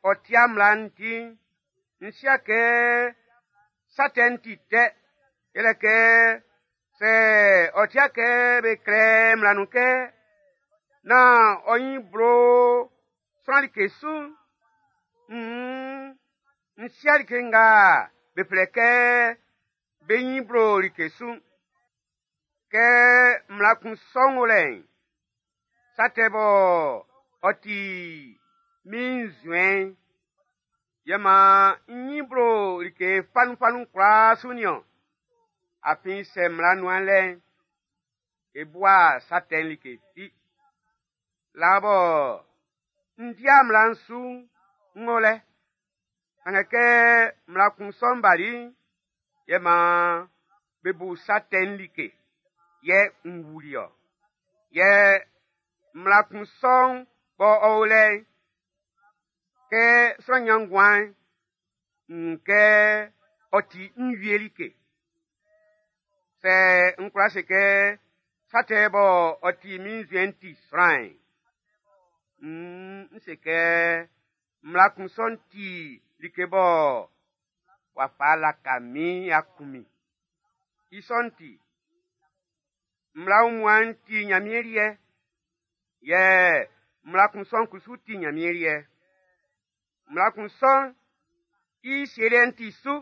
ɔ ti'a mmla'n ti'n, n si'a kɛ sa tɛ'n ti tɛ. Yɛlɛ kɛ sɛ ɔ ti'a kɛ be klɛ mmla nun kɛ nán ɔ nyin blo sran like su'n, nn n si'a like nga be flɛ kɛ be nyin blo like su'n. Kɛ mmla kun sɔ'n wo lɛ'n, sa tɛ bɔ ɔ ti min nzuɛn'n, yɛ maan n nyin blo like fanunfanun kwlaa su nin-ɔn. Afin sɛ mmla nu'an lɛ'n, e bua sa tɛ'n like fi. Laa bɔ n di'a mmla'n su'n, n o lɛ. Sanngɛ kɛ mmla kun sɔ'n bali'n, yɛ maan be bu sa tɛ'n like, yɛ n wuli-ɔ. Yɛ mmla kun sɔ'n bɔ ɔ o lɛ'n, kɛ sran nyan nguan'n, n wun kɛ ɔ ti n wie like. Sɛ n kwla se kɛ sa tɛ bɔ ɔ ti min nzuɛn'n ti sran'n, nn n se kɛ mmla kun sɔ'n ti like bɔ w'a fa laka min y'a kun min. I sɔ'n ti, mmla wunmuan'n ti Ɲanmiɛn liɛ, yɛ mmla kun sɔ'n kusu ti Ɲanmiɛn liɛ. Mmla kun sɔ'n i sielɛ'n ti su,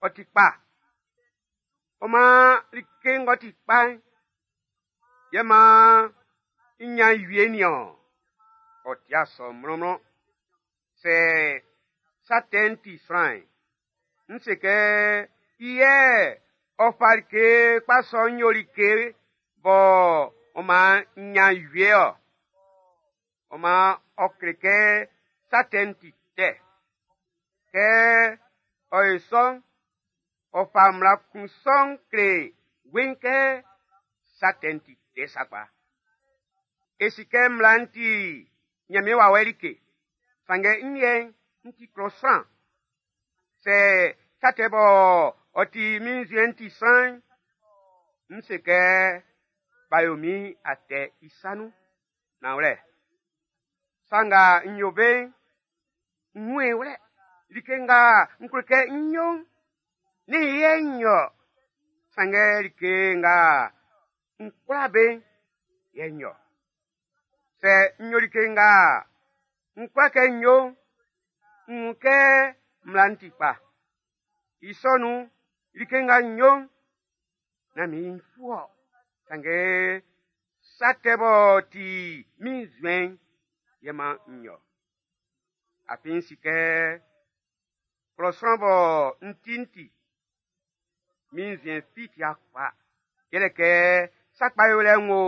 ɔ ti kpa. Ɔ maan like ng'ɔ ti kpa'n, yɛ maan n ɲan wie nin-ɔn. Ɔ ti'a sɔ mlɔnmlɔn. Sɛ sa tɛ'n ti sran'n, n se kɛ i yɛ ɔ fa like kpa sɔ'n yo like bɔ ɔ maan n ɲan wie-ɔ. Ɔ maan ɔ kle kɛ sa tɛ'n ti tɛ. Kɛ ɔ yo sɔ'n, ɔ fa mmla kun sɔ'n kle weiin kɛ sa tɛ'n ti tɛ sakpa. E si kɛ mmla'n ti Ɲanmiɛn wawɛ like, sanngɛ n liɛ'n, n ti klɔ sran. Sɛ sa tɛ bɔ ɔ ti min nzuɛn'n ti sran'n, n se kɛ b'a yo min atɛ i sa nun. Nanwlɛ, sa nga n yo be'n, n wun i wlɛ. Like nga n klo kɛ ń yó'n, nɛ́n i yɛ n yo-ɔ. Sanngɛ like nga n kwla be'n, yɛ n yo-ɔ. Sɛ n yo like nga n kwla kɛ n yo'n, n wun kɛ mmla'n ti kpa. I sɔ nun'n, like nga n yo'n, nán min ɲinfu-ɔ. Sanngɛ sa tɛ b'ɔ ti min nzuɛn'n yɛ maan n yo-ɔ. Afin n si kɛ klɔ sran bɔ n ti'n ti, min nzuɛn fi ti'a kpa. Yɛlɛ kɛ sa kpa yolɛ'n wo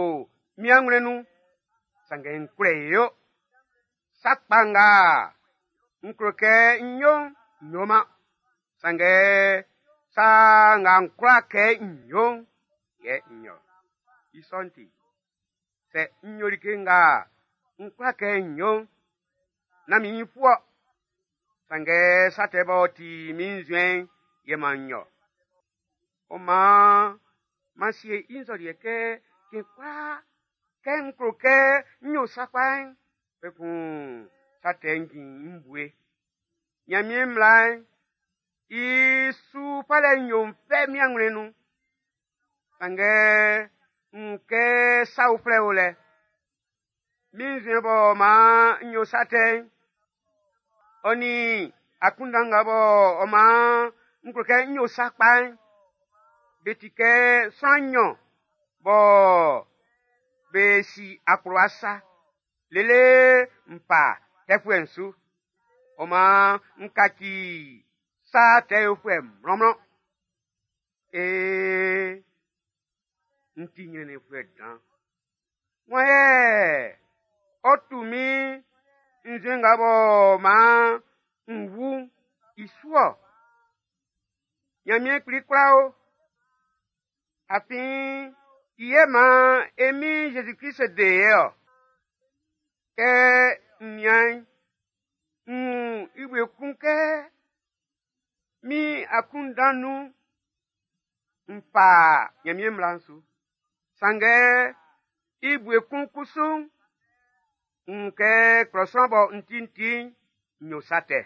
min anwlɛn nun, sanngɛ n kwlɛ i yo. Sa kpa nga n klo kɛ ń yó'n, n yoman. Sanngɛ sa nga n kwla kɛ n yo'n, yɛ n yo. I sɔ'n ti, sɛ n yo like nga n kwla kɛ n yo'n, nán min ɲinfu-ɔ. Sanngɛ sa tɛ b'ɔ ti min nzuɛn'n yɛ maan n yo. Ɔ maan m'an sie i nzɔliɛ kɛ cɛn kwlaa kɛ n klo kɛ n yo sa kpa'n, kpɛkun sa tɛ'n jin n bue. Ɲanmiɛn mmla'n i su falɛ'n yo n fɛ min anwlɛn'n nun. Sanngɛ n wun kɛ sa uflɛ o lɛ. Min nzuɛn b'ɔ maan n yo sa tɛ'n, ɔ nin akunndan nga b'ɔ maan n klo kɛ n yo sa kpa'n, be ti kɛ sran nɲɔn bɔ be si akplowa sa, lele n fa tɛfuɛ'n su. Ɔ maan n kaci sa tɛ yofuɛ mlɔnmlɔn. Ee, n ti ɲrɛnnɛnfuɛ dan. Wan yɛ ɔ tu min nzue nga bɔ maan n wu'n i su ɔ? Ɲanmiɛn Kpli kwla o. Afin i yɛ maan e Min Zezi Klist de e ɔ. Kɛ n nian'n, n wun i wie kun kɛ min akunndan nun n fa Ɲanmiɛn mmla'n su. Sanngɛ i bue kun kusu'n, n wun kɛ klɔ sran bɔ n ti'n ti'n, n yo sa tɛ.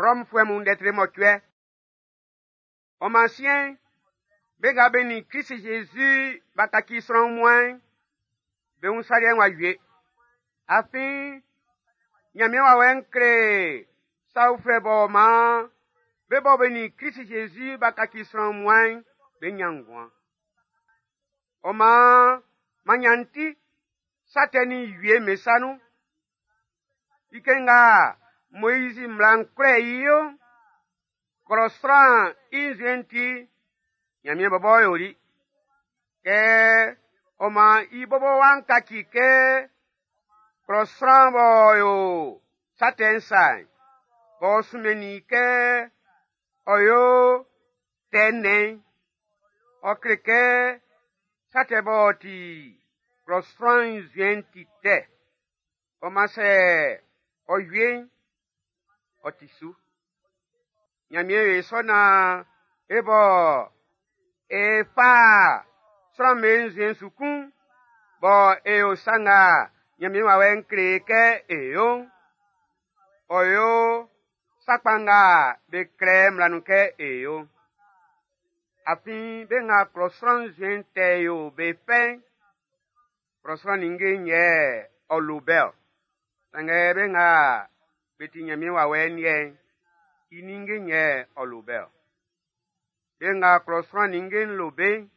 Rɔmfuɛ mun ndɛ tre mɔcuɛ. Ɔ maan siɛn'n, be nga be nin Klist Zezi b'a kaci sran wunmuan'n, be wun sa liɛ'n w'a wie. Afin Ɲanmiɛn wawɛ'n kle sa uflɛ b'ɔ maan be bɔ be nin Klist Zezi b'a kaci sran wunmuan'n, be ɲan nguan. Ɔ maan m'an ɲan n ti sa tɛ nin wie'n be sa nun. Like nga Moizi mmla'n kwlɛ i yo'n, klɔ sran'n i nzuɛn'n ti, Ɲanmiɛn bɔbɔ yoli. Kɛ ɔ maan i bɔbɔ wa'n kaci kɛ klɔ sran b'ɔ yo sa tɛ'n sa'n, b'ɔ sunmɛnnin i kɛ ɔ yo tɛ nnɛn'n, ɔ kle kɛ sa tɛ b'ɔ ti klɔ sran nzuɛn'n ti tɛ. Ɔ maan sɛ ɔ wie'n, ɔ ti su. Ɲanmiɛn yo i sɔ naan e bɔ e fa sran'm be nzuɛn'n su kun, bɔ e yo sa nga Ɲanmiɛn wawɛ'n kle e kɛ e yo'n, ɔ yo sa kpa nga be klɛ mmla nun kɛ e yo'n. Afin be nga klɔ sran nzuɛn tɛ yo be fɛ'n, klɔ sran ninnge'n yɛ ɔ lo be-ɔ. Sanngɛ be nga be ti Ɲanmiɛn wawɛ'n liɛ'n, i ninnge'n yɛ ɔ lo be-ɔ. Be nga klɔ sran ninnge'n lo be'n,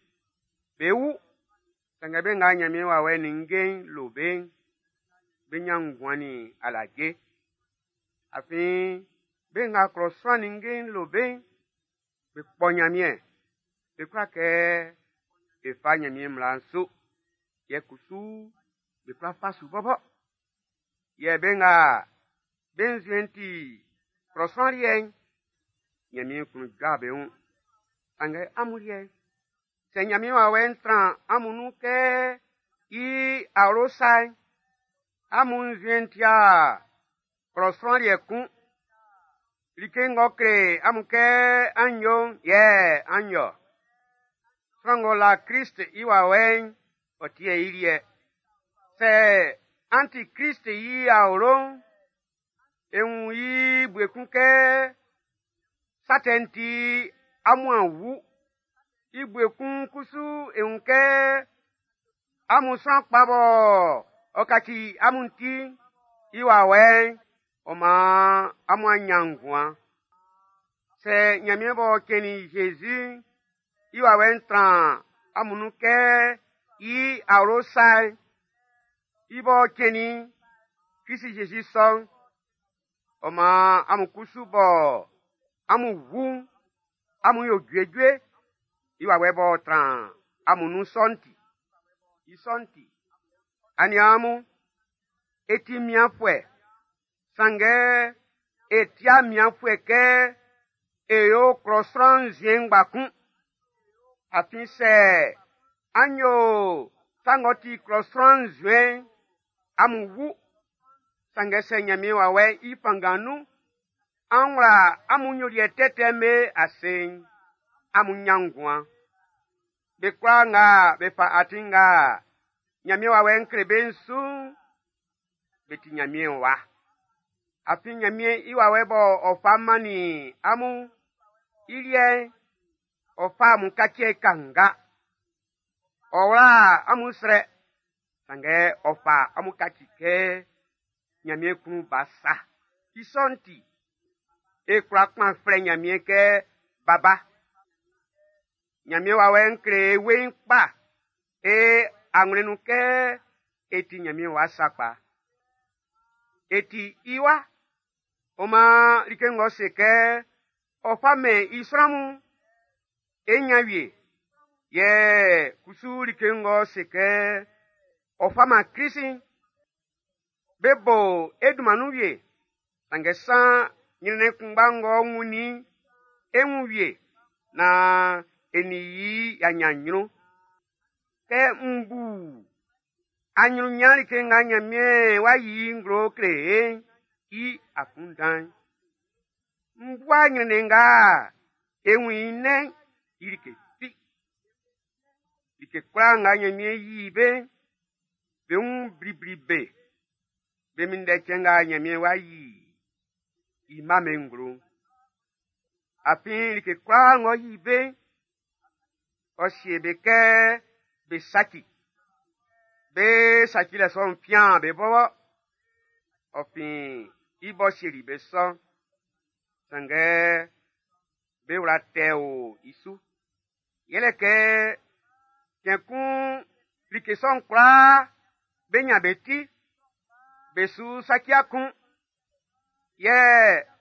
be wu. Sanngɛ be nga Ɲanmiɛn wawɛ ninnge'n lo be'n, be ɲan nguan nin alaje. Afin be nga klɔ sran ninnge'n lo be'n, be kpɔ Ɲanmiɛn. Be kwla kɛ be fa Ɲanmiɛn mmla'n su. Yɛ kusu be kwla fa su bɔbɔ. Yɛ be nga be nzuɛn'n ti klɔ sran liɛ'n, Ɲanmiɛn klun jɔ be wun. Sanngɛ amun liɛ'n, sɛ Ɲanmiɛn wawɛ'n tran amun nun kɛ i awlo sa'n, amun nzuɛn'n ti'a klɔ sran liɛ kun. Like ng'ɔ kle amun kɛ an yo'n yɛ an yo. Sran ng'ɔ la Klist i wawɛ'n, ɔ ti i liɛ. Sɛ an ti Klist i awlo'n, e wun i bue kun kɛ sa tɛ'n ti amun a wu. I bue kun kusu e wun kɛ amun sran kpa bɔ ɔ kaci amun ti i wawɛ'n, ɔ maan amun a ɲan nguan. Sɛ Ɲanmiɛn b'ɔ cɛnnin Zezi'n i wawɛ'n tran amun nun kɛ i awlo sa'n, i b'ɔ cɛnnin Klist Zezi sɔ'n, ɔ maan amun kusu bɔ amun wu'n, amun yo juejue i wawɛ b'ɔ tran amun nun sɔ'n ti. I sɔ'n ti, aniaan mun, e ti mianfuɛ, sanngɛ e ti'a mianfuɛ kɛ e yo klɔ sran nzuɛn ngba kun. Afin sɛ an yo sa ng'ɔ ti klɔ sran nzuɛn'n, amun wu. Sanngɛ sɛ Ɲanmiɛn wawɛ'n i fanngan nun, an wla amun nyoliɛ tɛtɛ'm be ase'n, amun ɲan nguan. Be kwlaa nga be fa atin nga Ɲanmiɛn wawɛ'n kle be'n su'n, be ti Ɲanmiɛn wa. Afin Ɲanmiɛn i wawɛ bɔ ɔ fa mannin amun'n, i liɛ'n, ɔ fa amun kaci kanga. Ɔ wla amun srɛ, Sanngɛ ɔ fa amun kaci kɛ Ɲanmiɛn klun ba sa. I sɔ'n ti, e kwla kpan flɛ Ɲanmiɛn kɛ Baba. Ɲanmiɛn wawɛ'n kle e weiin kpa e awlɛn'n nun kɛ e ti Ɲanmiɛn wa sakpa. E ti i wa. Ɔ maan like ng'ɔ se kɛ ɔ fa mɛn i sran mun'n, e ɲan wie. Yɛ kusu like ng'ɔ se kɛ ɔ fa man Klisi'n, be bo e dunman nun wie. Sanngɛ san ɲrɛnnɛn kunngba ng'ɔ wunnin i'n, e wun wie naan e nin i y'a ɲan ɲrun. Kɛ n bu aɲrunɲan like nga Ɲanmiɛn w'a yi i nglo kle e'n i akunndan'n, n bua ɲrɛnnɛn nga e wun i nnɛn'n i like fi. Like kwlaa nga Ɲanmiɛn yi be'n, be wun blibli be. Be minndɛ cɛn nga Ɲanmiɛn w'a yi i mma'm be nglo'n. Afin like kwlaa ng'ɔ yi be'n, ɔ sie be kɛ be saci. Be sacilɛ sɔ'n fian be bɔbɔ. Ɔ fin i b'ɔ sieli be sɔ'n. Sanngɛ be wla tɛ o i su. Yɛlɛ kɛ cɛn kun like sɔ'n kwlaa be ɲan be ti, be su saci'a kun. Yɛ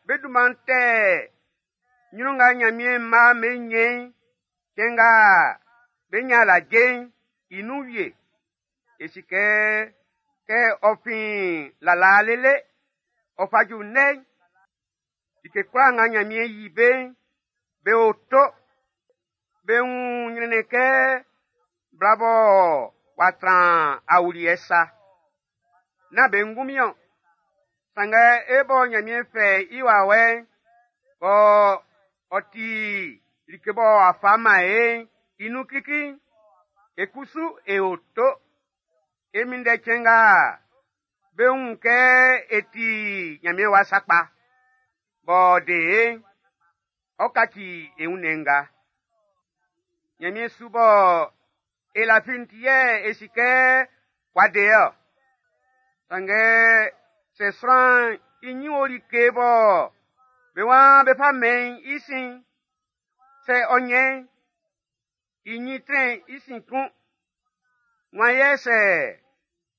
be dunman tɛ ɲrun nga Ɲanmiɛn mma'm be ɲɛn i'n, cɛn nga be ɲan alaje'n i nun wie. E si kɛ, kɛ ɔ fin lalaa lele ɔ fa ju ndɛ'n, like kwlaa nga Ɲanmiɛn yi be'n, be o to. Be wun ɲrɛnnɛn kɛ bla bɔ w'a tran awuliɛ sa. Nán be ngunmin-ɔn. Sanngɛ e bɔ Ɲanmiɛn fɛ i wawɛ'n, bɔ ɔ ti like bɔ a fa man e'n i nun klikli'n, e kusu e o to. E minndɛ cɛn nga be wun kɛ e ti Ɲanmiɛn wa sakpa, b'ɔ de e'n, ɔ kaci e wunnɛn nga. Ɲanmiɛn su bɔ e lafi'n ti yɛ e si kɛ w'a de e ɔ. Sanngɛ sɛ sran'n i ɲin o like bɔ be waan be fa mɛn i sin'n, sɛ ɔ ɲɛn i ɲin trɛn i sin kun. Wan yɛ sɛ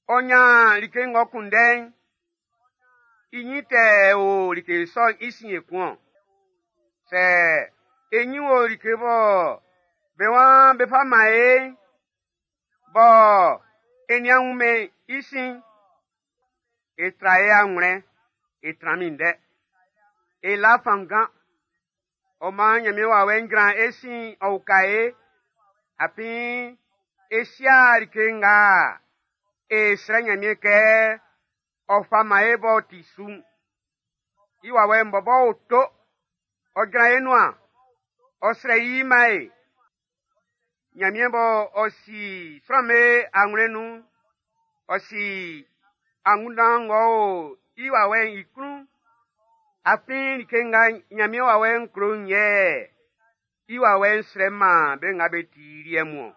ɔ ɲan like ng'ɔ kunndɛ'n, i ɲin tɛ o like sɔ'n i sin ekun-ɔn. Sɛ e ɲin o like bɔ be waan be fa man e'n, bɔ e nian wunmɛn i sin'n, e tra e awlɛn e tran minndɛ. E la fanngan. Ɔ maan Ɲanmiɛn wawɛ'n jran e sin ɔ uka e. Afin e sia like nga e srɛ Ɲanmiɛn kɛ ɔ fa man e b'ɔ ti su'n. I wawɛ'n bɔbɔ o to, ɔ jran e nuan, ɔ srɛ i man e. Ɲanmiɛn bɔ ɔ si sran'm be awlɛn nun'n, ɔ si angunndan ng'ɔ o i wawɛ'n i klun'n. Afin like nga Ɲanmiɛn wawɛ'n klo'n yɛ i wawɛ'n srɛ man be nga be ti i liɛ mun-ɔn.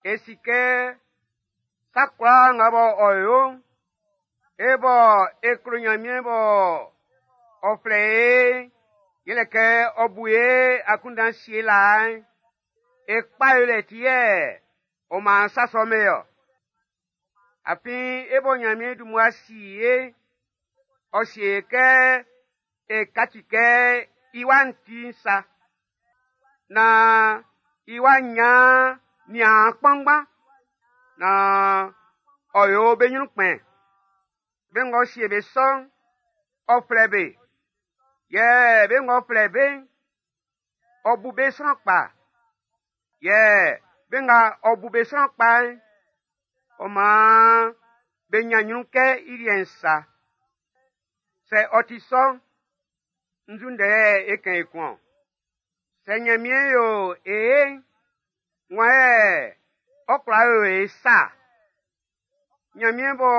E si kɛ sa kwlaa nga bɔ ɔ yo'n, e bɔ e klo Ɲanmiɛn bɔ ɔ flɛ e'n, yɛlɛ kɛ ɔ bu e akunndan sie laa'n, e kpa yolɛ ti yɛ ɔ maan sa sɔ'n be ɔ. Afin e bɔ Ɲanmiɛn dun mmua si e'n, ɔ sie e kɛ e kaci kɛ i wa'n ti'n sa, naan i wa'n ɲan niaan kpanngban, naan ɔ yo be ɲrun kpɛn. Be ng'ɔ sie be sɔ'n, ɔ flɛ be. Yɛ be ng'ɔ flɛ be'n, ɔ bu be sran kpa. Yɛ be nga ɔ bu be sran kpa'n, ɔ maan be ɲan ɲrun kɛ i liɛ'n sa. Sɛ ɔ ti sɔ'n, nzu ndɛ yɛ e kan ekun-ɔn? Sɛ Ɲanmiɛn yo e ye'n, wan yɛ ɔ kwla yo e sa. Ɲanmiɛn bɔ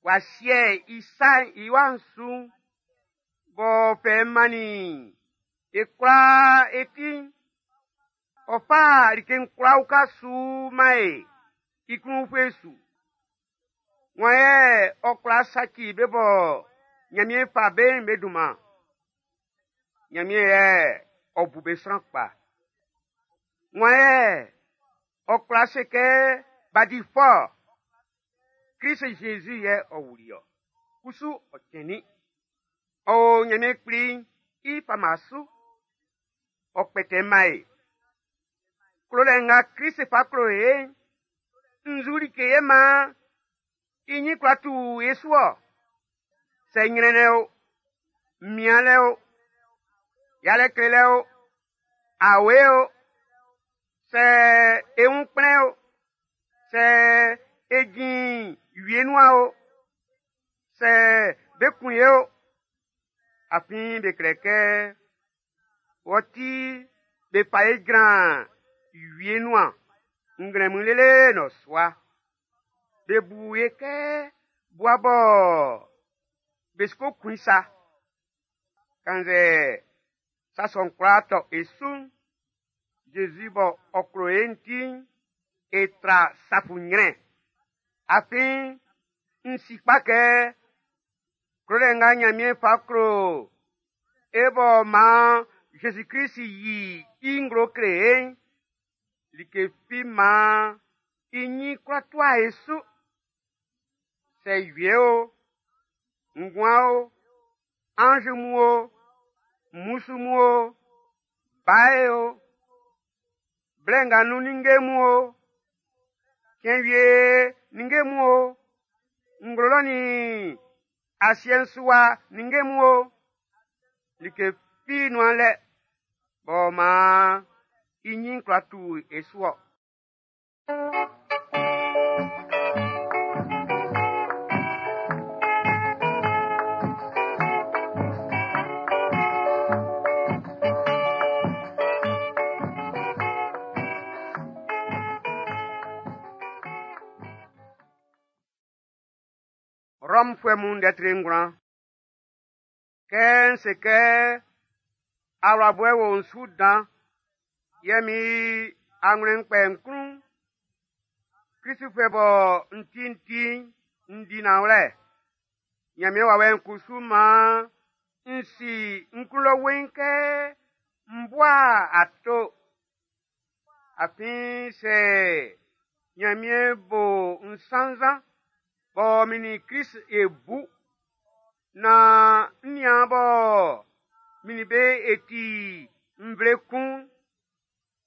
w'a sie i sa'n i wa'n su'n, b'ɔ fɛ mannin e kwlaa e ti'n, ɔ fa like'n kwlaa uka su man e i klun ufue su. Wan yɛ ɔ kwla saci be bɔ Ɲanmiɛn fa be'n be dunman? Ɲanmiɛn yɛ ɔ bu be sran kpa. Wan yɛ ɔ kwla se kɛ b'a di fɔ? Klist Zezi yɛ ɔ wuli ɔ. Kusu ɔ cɛnnin. Ɔ o Ɲanmiɛn Kpli i fama su. Ɔ kpɛtɛ man e. Klolɛ nga Klist fa klo e'n, nzu like yɛ maan i ɲin kwla tu e su ɔ? Sɛ ɲrɛnnɛn o, mianlɛ o, yalɛ klelɛ o, awe o, sɛ e wun kplɛn o, sɛ e jin wie nuan o, sɛ be kun ye o, afin be klɛ kɛ wɔ ti be fa e jran wie nuan nglɛmun lele nnɔsua. Be bu e kɛ bua bɔ be su ko kun i sa. Kannzɛ sa sɔ'n kwlaa tɔ e su'n, Zezi bɔ ɔ klo e'n ti'n, e tra safuɲrɛn. Afin n si kpa kɛ klolɛ nga Ɲanmiɛn fa klo e b'ɔ maan Zezi Klist yi i nglo kle e'n, like fi maan i ɲin kwla tua e su. Sɛ wie o, nguan o, anz mun o, mmusu mun o, bae o, blɛ nga nun ninnge mun o, cɛn wie ninnge mun o, nglo lɔ nin asiɛ'n su wa ninnge mun o, like fi nu'an lɛ b'ɔ maan i ɲin kwla tu e su ɔ. Rɔmfuɛ mun ndɛ tre ngwlan. Kɛ n se kɛ awlabɔɛ wo n su dan, yɛ min anwlɛn'n kpɛ n klun, Klistfuɛ bɔ n ti'n ti'n, n di nanwlɛ. Ɲanmiɛn wawɛ'n kusu maan n si n klun lɔ weiin kɛ n bua ato. Afin sɛ Ɲanmiɛn bo n sannzan bɔ min nin Klist e bu, naan n niaan bɔ min nin be e ti nvle kun'n,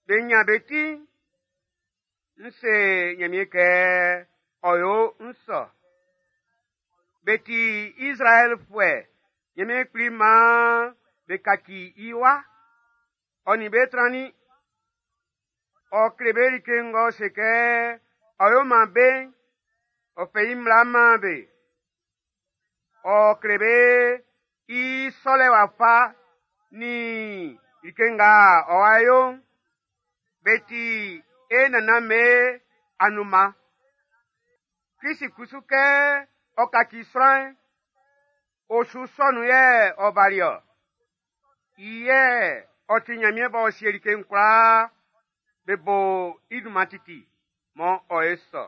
be nyan be ti'n, n se Ɲanmiɛn kɛ ɔ yo n sɔ. Be ti Izraɛlfuɛ, Ɲanmiɛn Kpli maan be kaci i wa. Ɔ nin be trannin. Ɔ kle be like ng'ɔ se kɛ ɔ yo man be'n, ɔ fɛ i mmla'n man be. Ɔ kle be i sɔlɛ wafa nin like nga ɔ wa yo'n. Be ti e nannan'm be anunman. Klist kusu kɛ ɔ kaci sran'n, osu sɔ nun yɛ ɔ bali ɔ. I yɛ ɔ ti Ɲanmiɛn b'ɔ sie like'n kwlaa, be bo i dunman titi mɔ ɔ e sɔ.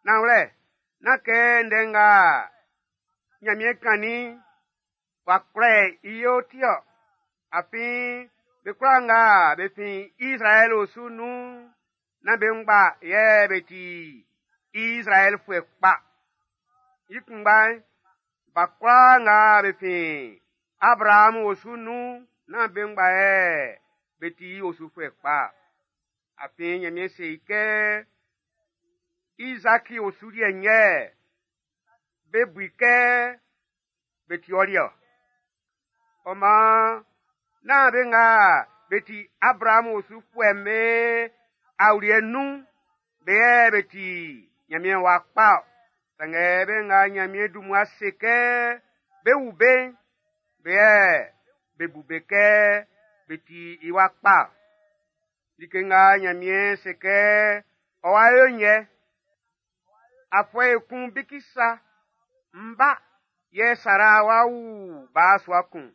Nanwlɛ, nán kɛ ndɛ nga Ɲanmiɛn kannin'n w'a kwlɛ i yo ti ɔ. Afin be kwlaa nga be fin Izraɛl osu nun'n, nán be ngba yɛ be ti Izraɛlfuɛ kpa. I kunngba'n, ba kwlaa nga be fin Abraamu osu nun'n, nán be ngba yɛ be ti i osufuɛ kpa. Afin Ɲanmiɛn se i kɛ Izaki osu liɛ'n yɛ be bu i kɛ be ti ɔ liɛ ɔ. Ɔ maan, nán be nga be ti Abraamu osufuɛ'm be awuliɛ nun'n, be yɛ be ti Ɲanmiɛn wa kpa ɔ. Sanngɛ be nga Ɲanmiɛn dun mmua se kɛ be wu be'n, be yɛ be bu be kɛ be ti i wa kpa ɔ. Like nga Ɲanmiɛn se kɛ ɔ́ wá yó'n yɛ. Afuɛ ekun bikisa, ń bá, yɛ Sara w'a wu ba sua kun.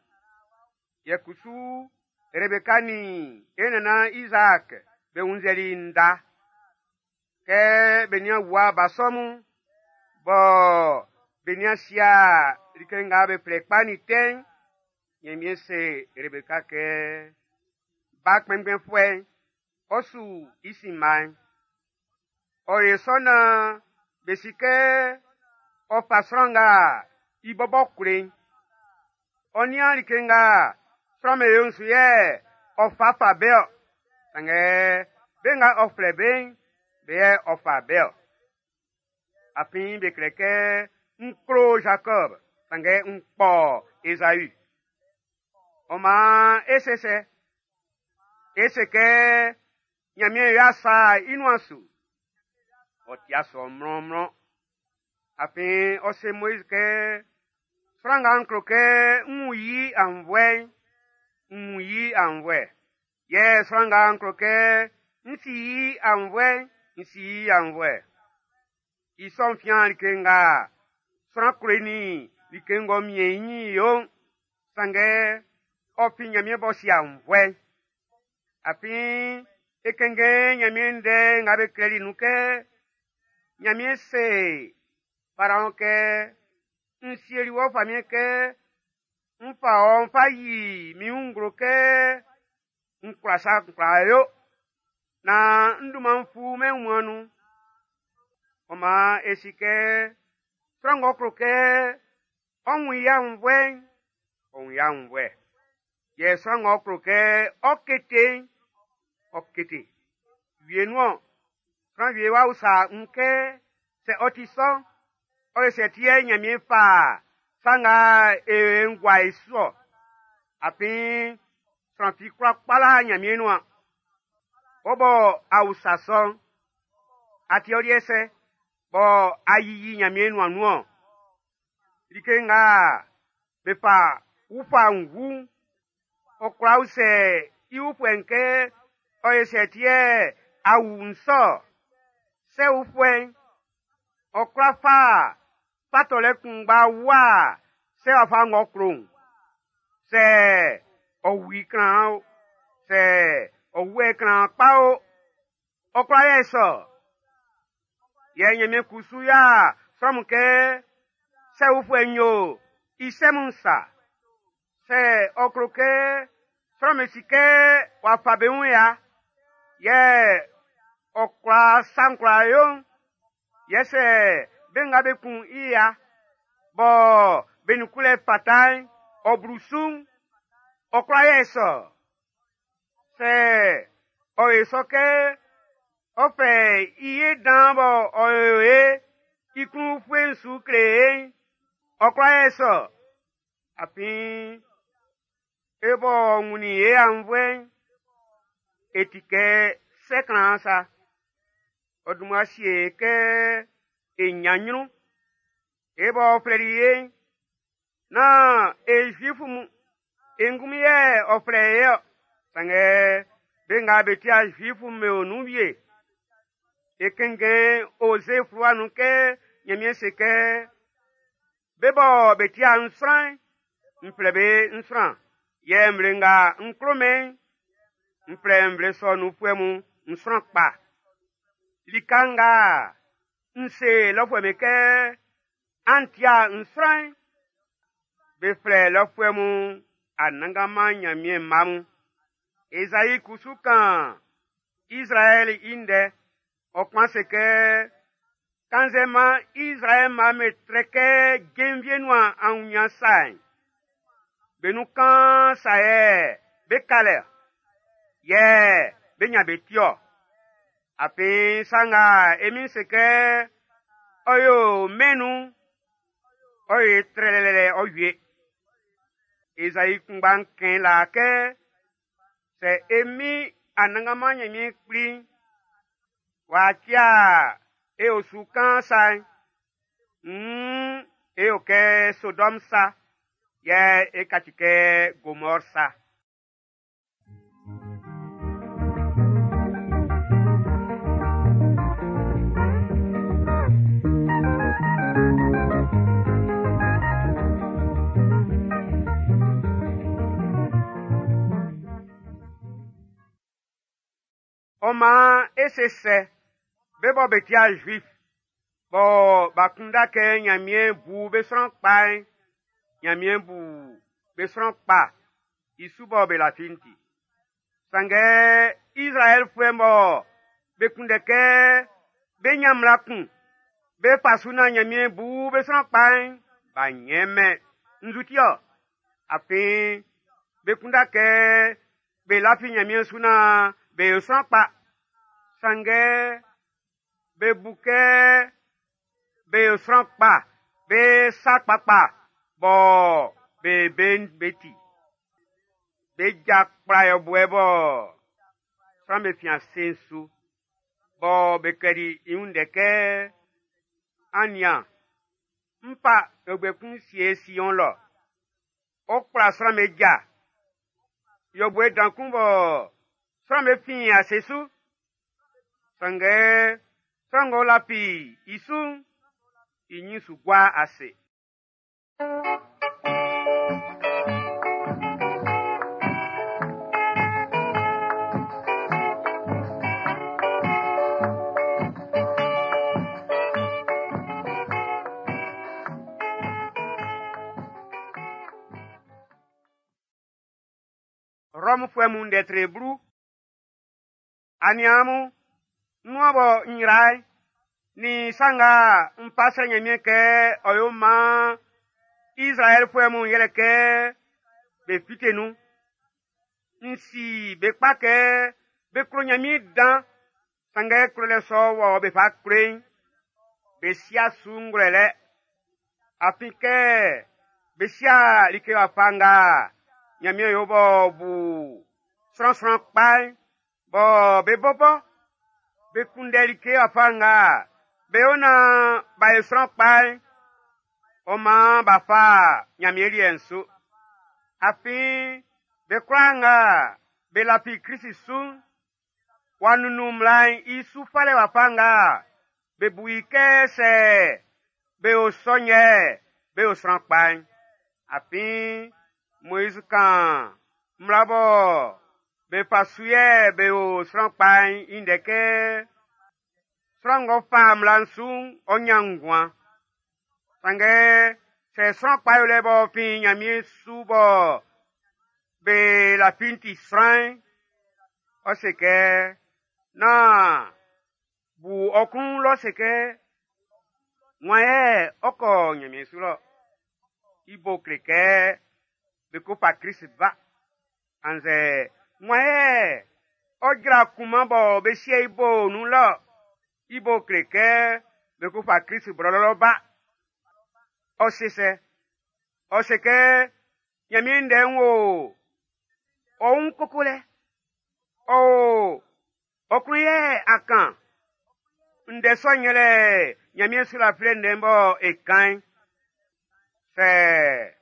Yɛ kusu Rebeka nin e nannan Izaak be wunnzɛli nda. Kɛ be nian wua ba sɔ mun, bɔ be nian sia like nga be flɛ kpa nin tɛ'n, Ɲanmiɛn se Rebeka kɛ, ba kpɛnngbɛnfuɛ'n, ɔ su i sinma'n. Ɔ yo sɔ naan be si kɛ ɔ fa sran nga i bɔbɔ klo'n. Ɔ nian like nga sran'm be yo'n su yɛ ɔ fa fa be-ɔ. Sanngɛ be nga ɔ flɛ be'n, be yɛ ɔ fa be-ɔ. Afin be klɛ kɛ n klo Jacob, sanngɛ n kpɔ Ezau. Ɔ maan e se sɛ? E se kɛ Ɲanmiɛn y'a sa i nuan su. Ɔ ti'a sɔ mlɔnmlɔn. Afin ɔ se Moiz kɛ, sran nga n klo kɛ n wun i aunnvuɛ'n, n wun i aunnvuɛ. Yɛ sran nga n klo kɛ n si i aunnvuɛ'n, n si i aunnvuɛ. I sɔ'n fian like nga sran klo nin like ng'ɔ miɛn i ɲin yo'n, sanngɛ ɔ fin Ɲanmiɛn b'ɔ si aunnvuɛ'n. Afin e kɛnngɛn Ɲanmiɛn ndɛ nga be klɛli nun kɛ, Ɲanmiɛn se Faraɔn kɛ, n sieli wɔ famiɛn kɛ n fa ɔ n fa yi min wun nglo kɛ n kwla sa kwlaa yo, naan n dunman'n fu mɛn wunmuan'n nun. Ɔ maan e si kɛ sran ng'ɔ klo kɛ ɔ wun i aunnvuɛ'n, ɔ wun i aunnvuɛ. Yɛ sran ng'ɔ klo kɛ ɔ kete'n, ɔ kete. Wienun-ɔn, sran wie w'a usa n kɛ, sɛ ɔ ti sɔ'n, ɔ yo sɛ ti yɛ Ɲanmiɛn fa sa nga e yo'n gua e su-ɔ? Afin sran fi kwla kpala Ɲanmiɛn nuan. Wɔ bɔ a usa sɔ'n, a ti ɔ liɛ sɛ bɔ a yiyi Ɲanmiɛn nuan nun-ɔn? Like nga be fa ufa wu'n, ɔ kwla usɛ i wufuɛ'n kɛ, ɔ yo sɛ ti yɛ a wu n sɔ-ɔ? Sɛ wufuɛ'n, ɔ kwla fa fa tɔlɛ kunngba wua sɛ wafa ng'ɔ klo'n. Sɛ ɔ wu i kran o, sɛ ɔ wu i kran kpa o, ɔ kwla yɛ sɔ. Yɛ Ɲanmiɛn kusu y'a sran mun kɛ sɛ wufuɛ'n yo i sɛ mun sa. Sɛ ɔ klo kɛ sran'm be si kɛ w'a fa be wun ya, yɛ ɔ kwla sa'n kwlaa yo'n, yɛ sɛ be nga be kun i ya, bɔ be nun kunlɛ fata'n, ɔ blu su'n, ɔ kwla yɛ sɔ. Sɛ ɔ yo sɔ kɛ ɔ fɛ i ye dan bɔ ɔ yo e i klun ufue'n su kle e'n, ɔ kwla yɛ sɔ. Afin e bɔ wunnin e aunnvuɛ'n, e ti kɛ sɛ klan sa. Ɔ dun mmua sie e kɛ e ɲan ɲrun. E b'ɔ flɛli e'n, nán e Zuifu mun e ngunmin yɛ ɔ flɛ e-ɔ. Sanngɛ be nga be ti'a Zuifu'm be o nun wie. E kɛnngɛn Oze fluwa nun kɛ Ɲanmiɛn se kɛ, be bɔ be ti'a n sran'n, n flɛ be n sran. Yɛ nvle nga n klo mɛn'n, n flɛ nvle sɔ nunfuɛ mun n sran kpa. Lika nga n se lɔfuɛ'm be kɛ, an ti'a n sran'n, be flɛ lɔfuɛ mun Anannganman Ɲanmiɛn mma mun. Ezai kusu kan Izraɛli i ndɛ. Ɔ kpan se kɛ, kannzɛ man Izraɛl mma'm be trɛ kɛ jenvie nuan aunɲan sa'n, be nun kaan sa yɛ bé ká lɛ-ɔ, yɛ bé ɲán be ti-ɔ. Afin sa nga e Min'n se kɛ ɔ yo mɛn'n nun'n, ɔ yo i trɛlɛlɛ ɔ wie. Ezai kunngba'n kɛn laa kɛ, sɛ e Min Anannganman Ɲanmiɛn Kpli'n w'a cia e osu kaan sa'n, nn e yo kɛ Sodɔm sa, yɛ e kaci kɛ Gomɔr sa. Ɔ maan e se sɛ, be bɔ be ti'a Zuif, bɔ b'a kunndɛ kɛ Nyanmiɛn bu be sran kpa'n, Nyanmiɛn bu be sran kpa i su bɔ be lafi'n ti. Sanngɛ Izraɛlfuɛ bɔ be kunndɛ kɛ be nyan mmla kun, be fa su nan Nyanmiɛn bu be sran kpa'n, b'a nyɛn-mɛn. Nzu ti-ɔ? Afin be kunndɛ kɛ be lafi Nyanmiɛn su nan be yo sran kpa. Sanngɛ be bu kɛ be yo sran kpa, be sa kpakpa bɔ be be'n be ti. Be ja kpla yɔbuɛ bɔ sran be fin ase'n su, bɔ be klɛli i wun ndɛ kɛ, An nian, n fa yɔbuɛ kun sie Sion lɔ. Ɔ kpla sran be ja. Yɔbuɛ dan kun bɔ sran be fin ase su. Sanngɛ sran ng'ɔ lafi i su'n, i nyin su gua ase. Rɔmfuɛ mun ndɛ tre blu. Aniaan mun, nuan bɔ n yra'n, nin sa nga n fa srɛ Nyanmiɛn kɛ ɔ yo maan Izraɛlfuɛ mun yɛlɛ kɛ be fite nun. N si be kpa kɛ be klo Nyanmiɛn dan, sanngɛ klolɛ sɔ wɔ be fa klo'n, be sia su ngwlɛlɛ. Afin kɛ be sia like wafa nga Nyanmiɛn yo b'ɔ bu sran sran kpa'n, bɔ be bɔbɔ be kunndɛ like wafa nga be yo nan b'a yo sran kpa'n, ɔ maan b'a fa Nyanmiɛn liɛ'n su. Afin be kwlaa nga be lafi Krist su'n, w'a nunnun mmla'n i su falɛ wafa nga be bu i kɛ sɛ be yo sɔ yɛ be yo sran kpa'n. Afin Moiz kan mmla bɔ be fa su yɛ be yo sran kpa'n i ndɛ kɛ sran ng'ɔ fa mmla'n su'n, ɔ nyan nguan. Sanngɛ sɛ sran kpa yolɛ b'ɔ fin Nyanmiɛn su bɔ be lafi'n ti sran'n, ɔ se kɛ, nán bu ɔ klun lɔ se kɛ, wan yɛ ɔ kɔ Nyanmiɛn su lɔ? I bo kle kɛ be ko fa Krist ba. Annzɛ wan yɛ ɔ jra kunman bɔ be sie i bo nun lɔ? I bo kle kɛ be ko fa Krist blɔlɔ ba. Ɔ se sɛ? Ɔ se kɛ Nyanmiɛn ndɛ'n wo ɔ wun koko lɛ. Ɔ o ɔ klun yɛ a kan. Ndɛ sɔ'n yɛlɛ Nyanmiɛn su lafilɛ ndɛ'n bɔ e kan'n. Sɛ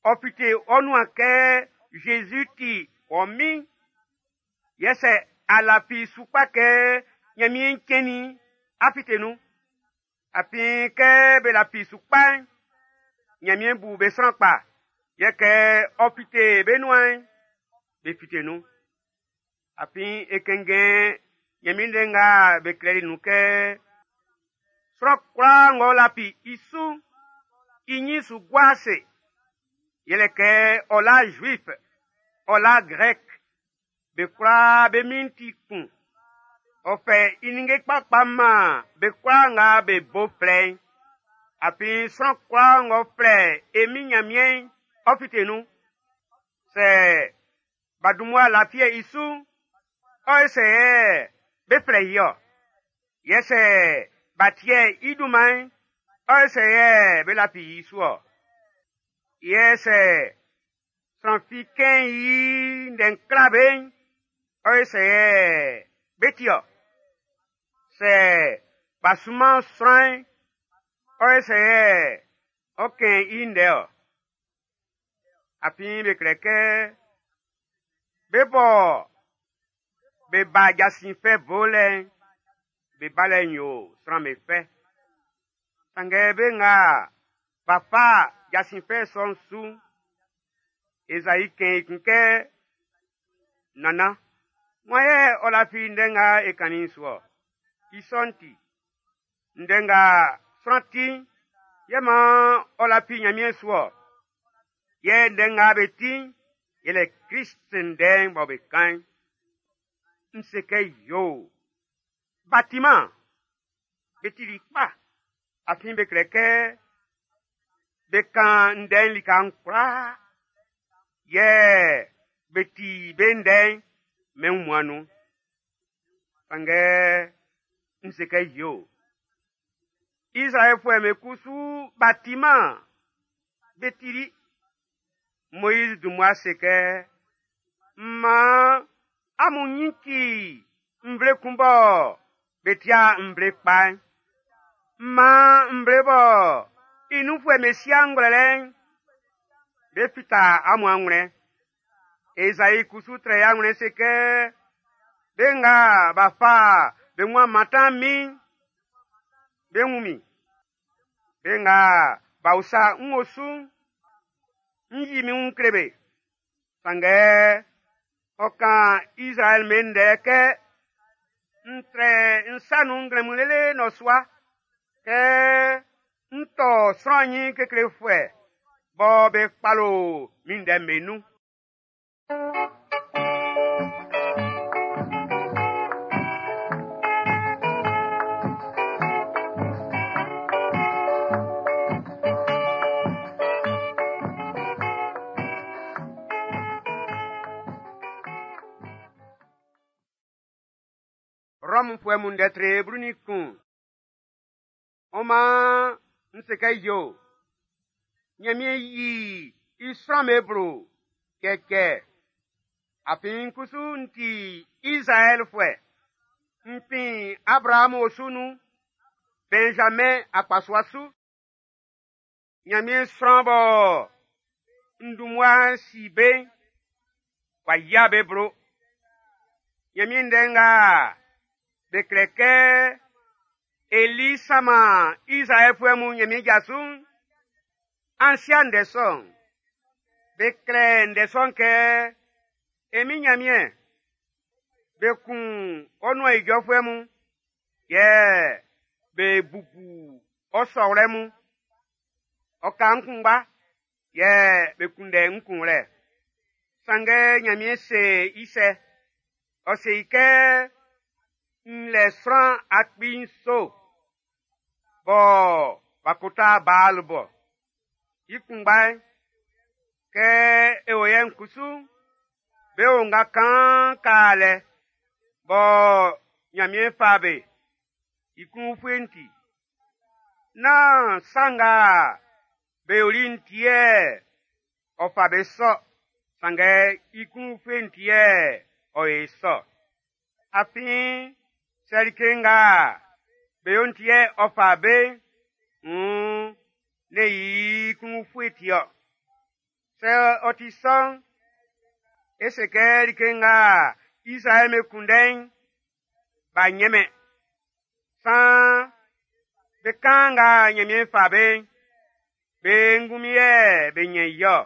ɔ fite ɔ nuan kɛ Jésus ti ɔ min, yɛ sɛ a lafi su kpa kɛ Nyanmiɛn cɛnnin a fite nun. Afin kɛ be lafi su kpa'n, Nyanmiɛn bu be sran kpa, yɛ kɛ ɔ fite be nuan'n, be fite nun. Afin e kɛnngɛn Nyanmiɛn ndɛ nga be klɛli nun kɛ sran kwlaa ng'ɔ lafi i su'n, i nyin su gua ase. Yɛlɛ kɛ ɔ la Juif, ɔ la Grɛk, be kwlaa be min'n ti kun. Ɔ fɛ i ninnge kpakpa man be kwlaa nga be bo flɛ'n. Afin sran kwlaa ng'ɔ flɛ e min Nyanmiɛn'n, ɔ fite nun. Sɛ b'a dun mmua lafiɛ i su'n, ɔ ye sɛ yɛ be flɛ i-ɔ? Yɛ sɛ b'a tiɛ i dunman'n, ɔ ye sɛ yɛ be lafi i su-ɔ? Yɛ sɛ sran fi kɛn i ndɛ'n kla be'n, ɔ ye sɛ yɛ be ti-ɔ? Sɛ b'a sunman sran'n, ɔ ye sɛ yɛ ɔ kɛn i ndɛ-ɔ? Afin be klɛ kɛ be bɔ be ba jasin fɛ bolɛ'n, be balɛ'n yo sran be fɛ. Sanngɛ be nga b'a fa jasin fɛ sɔ'n su'n, Ezayi kɛn i kun kɛ, Nana, Wan yɛ ɔ lafi ndɛ nga e kannin'n su-ɔ? I sɔ'n ti, ndɛ nga sran ti'n, yɛ maan ɔ lafi Ɲanmiɛn su-ɔ. Yɛ ndɛ nga be ti'n, yɛlɛ Klist ndɛ'n bɔ be kan'n. N se kɛ yoo, b'a timan, be tili kpa, afin be klɛ kɛ be kan ndɛ'n lika'n kwlaa, yɛ be ti be ndɛ'n mɛn wunmuan'n nun. Sanngɛ n se kɛ yoo, Izraɛlfuɛ'm be kusu b'a timan, be tili. Moiz dun mmua se kɛ, maan amun nyin ci nvle kun bɔ be ti'a nvle kpa'n. Maan nvle bɔ i nunfuɛ'm be si'a ngwlɛlɛ'n, be fita amun anwlɛn. Ezai kusu trɛ i anwlɛn se kɛ, be nga b'a fa be wun a mantan min'n, be wun min. Be nga b'a usa n osu'n, n yi min wun kle be. Sanngɛ ɔ kan Izraɛl be ndɛ kɛ, n trɛ n sa nun nglɛmun lele nnɔsua kɛ n tɔ sran nyin keklefuɛ bɔ be kpalo min ndɛ'm be nun. Rɔmfuɛ mun ndɛ tre 11. Ɔ maan n se kɛ yo, Ɲanmiɛn yi i sran'm be blo cɛcɛ. Afin n kusu n ti Izraɛlfuɛ. N fin Abraamu osu nun, Benjamin akpasua su. Ɲanmiɛn sran bɔ n dun mmua si be'n, w'a yia be blo. Ɲanmiɛn ndɛ nga be klɛ kɛ Eli sama Izraɛlfuɛ mun Ɲanmiɛn ja su'n, an sia ndɛ sɔ'n. Be klɛ ndɛ sɔ'n kɛ, e Min Ɲanmiɛn, be kun ɔ nuan ijɔfuɛ mun, yɛ be bubu ɔ sɔwlɛ mun. Ɔ ka n kunngba, yɛ be kunndɛ n kunwlɛ. Sanngɛ Ɲanmiɛn se i sɛ? Ɔ se i kɛ, n lɛ sran 7000 bɔ b'a kota Baal bɔ. I kunngba'n, kɛ e o yɛ'n kusu, be o nga kan ka lɛ bɔ Ɲanmiɛn fa be, i klun ufue'n ti. Nán sa nga be yoli'n ti yɛ ɔ fa be sɔ, sanngɛ i klun ufue'n ti yɛ ɔ yo i sɔ. Afin sɛ like nga be yo'n ti yɛ ɔ fa be'n, nn ne i klun ufue ti-ɔ. Sɛ ɔ ti sɔ'n, e se kɛ like nga Izraɛl be kunndɛ'n, b'a ɲɛnmɛn. Saan be kan nga Ɲanmiɛn fa be'n, be ngunmin yɛ be ɲɛn i-ɔ.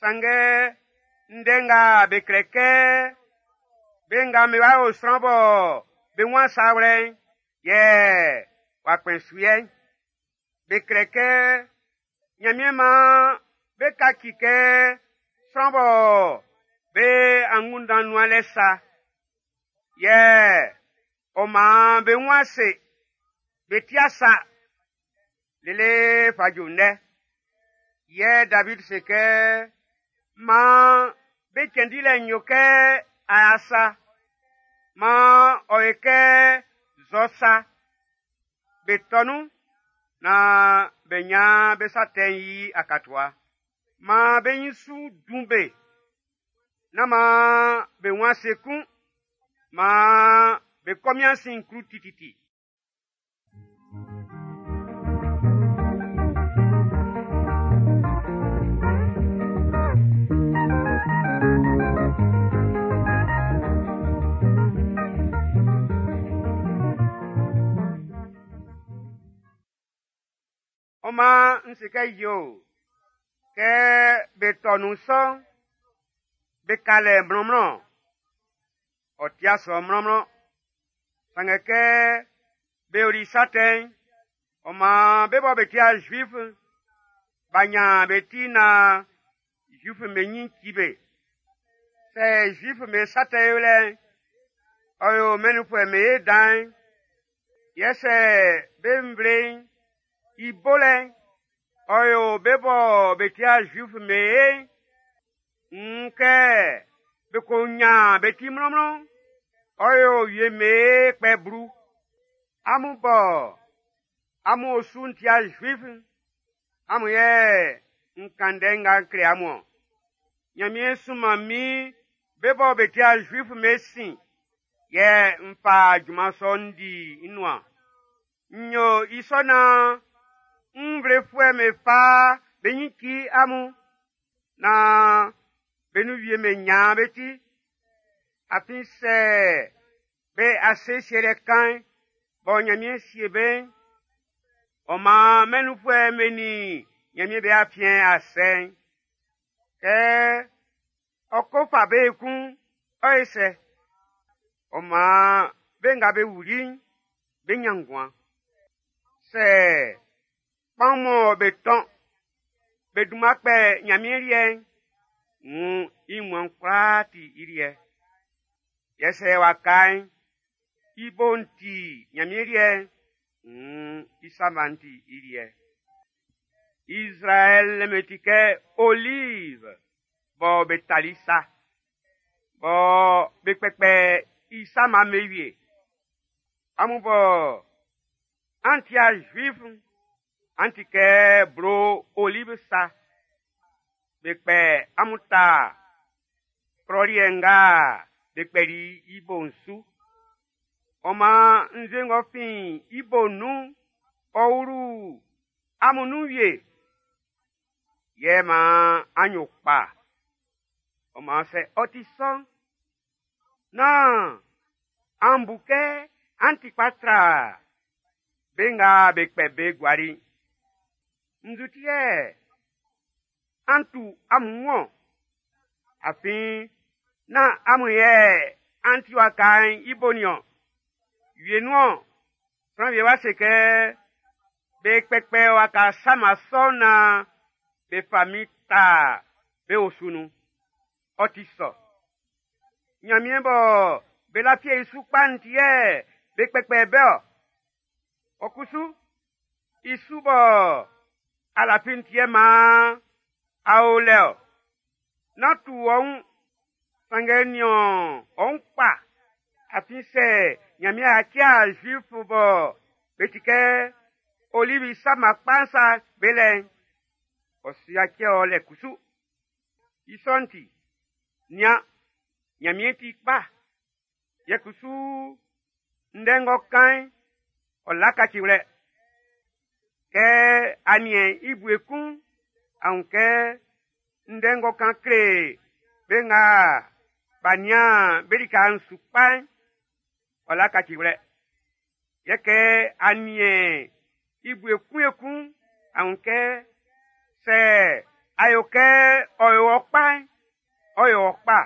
Sanngɛ ndɛ nga be klɛ kɛ be nga be w'a yo sran bɔ be wun sa wlɛ'n, yɛ w'a kpɛn su yɛ'n. Be klɛ kɛ Ɲanmiɛn maan be kaci kɛ sran bɔ be angunndan nuan lɛ sa. Yɛ ɔ maan be wun ase, be tia sa lele fa ju ndɛ. Yɛ David se kɛ, maan be cɛn dilɛ'n yo kɛ aya sa, maan ɔ yo kɛ zɔ sa. Be tɔ nun naan be ɲan be sa tɛ'n i akatua. Maan be ɲin su dun be, nán maan be wun ase kun, maan be kɔmin sin klu tititi. Ɔ maan n se kɛ yo, kɛ be tɔ nun sɔ'n, be ka lɛ mlɔnmlɔn. Ɔ ti'a sɔ mlɔnmlɔn. Sanngɛ kɛ be yoli sa tɛ'n, ɔ maan be bɔ be ti'a Zuif'n, b'a nyan be ti naan Zuif'm be ɲin ci be. Sɛ Zuif'm be sa tɛ yolɛ'n, ɔ yo mɛn nunfuɛ'm be ye dan'n, yɛ sɛ be nvle'n i bolɛ'n, ɔ yo be bɔ be ti'a Zuif'm be ye'n, nn kɛ be ko nyan be ti mlɔnmlɔn'n, ɔ yo wie'm be ye kpɛ blu. Amun bɔ amun osu'n ti'a Zuif'n, amun yɛ n kan ndɛ nga n kle amun-ɔn. Nyanmiɛn sunman min be bɔ be ti'a Zuif'm be sin, yɛ n fa junman sɔ'n n di i nuan. N yo i sɔ naan nvlefuɛ'm be fa be ɲin ci amun, naan be nun wie'm be nyan be ti. Afin sɛ be ase sielɛ kan'n bɔ Nyanmiɛn sie be'n, ɔ maan mɛn nunfuɛ'm be nin Nyanmiɛn be afiɛn a sɛ'n, kɛ ɔ ko fa be ekun'n, ɔ ye sɛ? Ɔ maan be nga be wuli'n, be nyan nguan. Sɛ kpaun mɔ be tɔn be dunman kpɛ Nyanmiɛn liɛ'n, wuun i nguan'n kwlaa ti i liɛ. Yɛ sɛ waka'n i bo'n ti Nyanmiɛn liɛ'n, wuun i sama'n ti i liɛ. Izraɛl me ti kɛ olive bɔ be tali sa, bɔ be kpɛkpɛ i sama'm be wie. Amun bɔ an ti'a Zuif'n, an ti kɛ blo olive sa. Be kpɛ amun ta klɔ liɛ nga be kpɛli i bo'n su. Ɔ maan nzue ng'ɔ fin i bo'n nun'n, ɔ wlu amun nun wie. Yɛ maan an yo kpa. Ɔ maan sɛ ɔ ti sɔ'n, nán an bu kɛ an ti kpa tra be nga be kpɛ be guali'n. Nzu ti yɛ an tu amun wun-ɔn? Afin nán amun yɛ an ti waka'n i bo nin-ɔn. Wienun-ɔn, sran wie wá se kɛ be kpɛkpɛ waka sama sɔ'n naan be fa min ta be osu nun. Ɔ ti sɔ. Nyanmiɛn bɔ be lafi i su kpa'n ti yɛ be kpɛkpɛ be-ɔ. Ɔ kusu, i su bɔ a lafi'n ti yɛ maan a o lɛ-ɔ. Nán tu ɔ wun, sanngɛ nian ɔ wun kpa. Afin sɛ Nyanmiɛn a cia Zuif bɔ be ti kɛ olivi sama kpa'n sa be lɛ'n, ɔ su yaci ɔ lɛ kusu. I sɔ'n ti, nian, Nyanmiɛn ti kpa. Yɛ kusu ndɛ ng'ɔ kan'n, ɔ laka kaciwlɛ. Kɛ a niɛn i bue kun'n, a wun kɛ ndɛ ng'ɔ kan kle be nga b'a nian be lika'n su kpa'n, ɔ la kaciwlɛ. Yɛ kɛ a niɛn i bue kun ekun'n, a wun kɛ sɛ a yo kɛ ɔ yo ɔ kpa'n, ɔ yo ɔ kpa.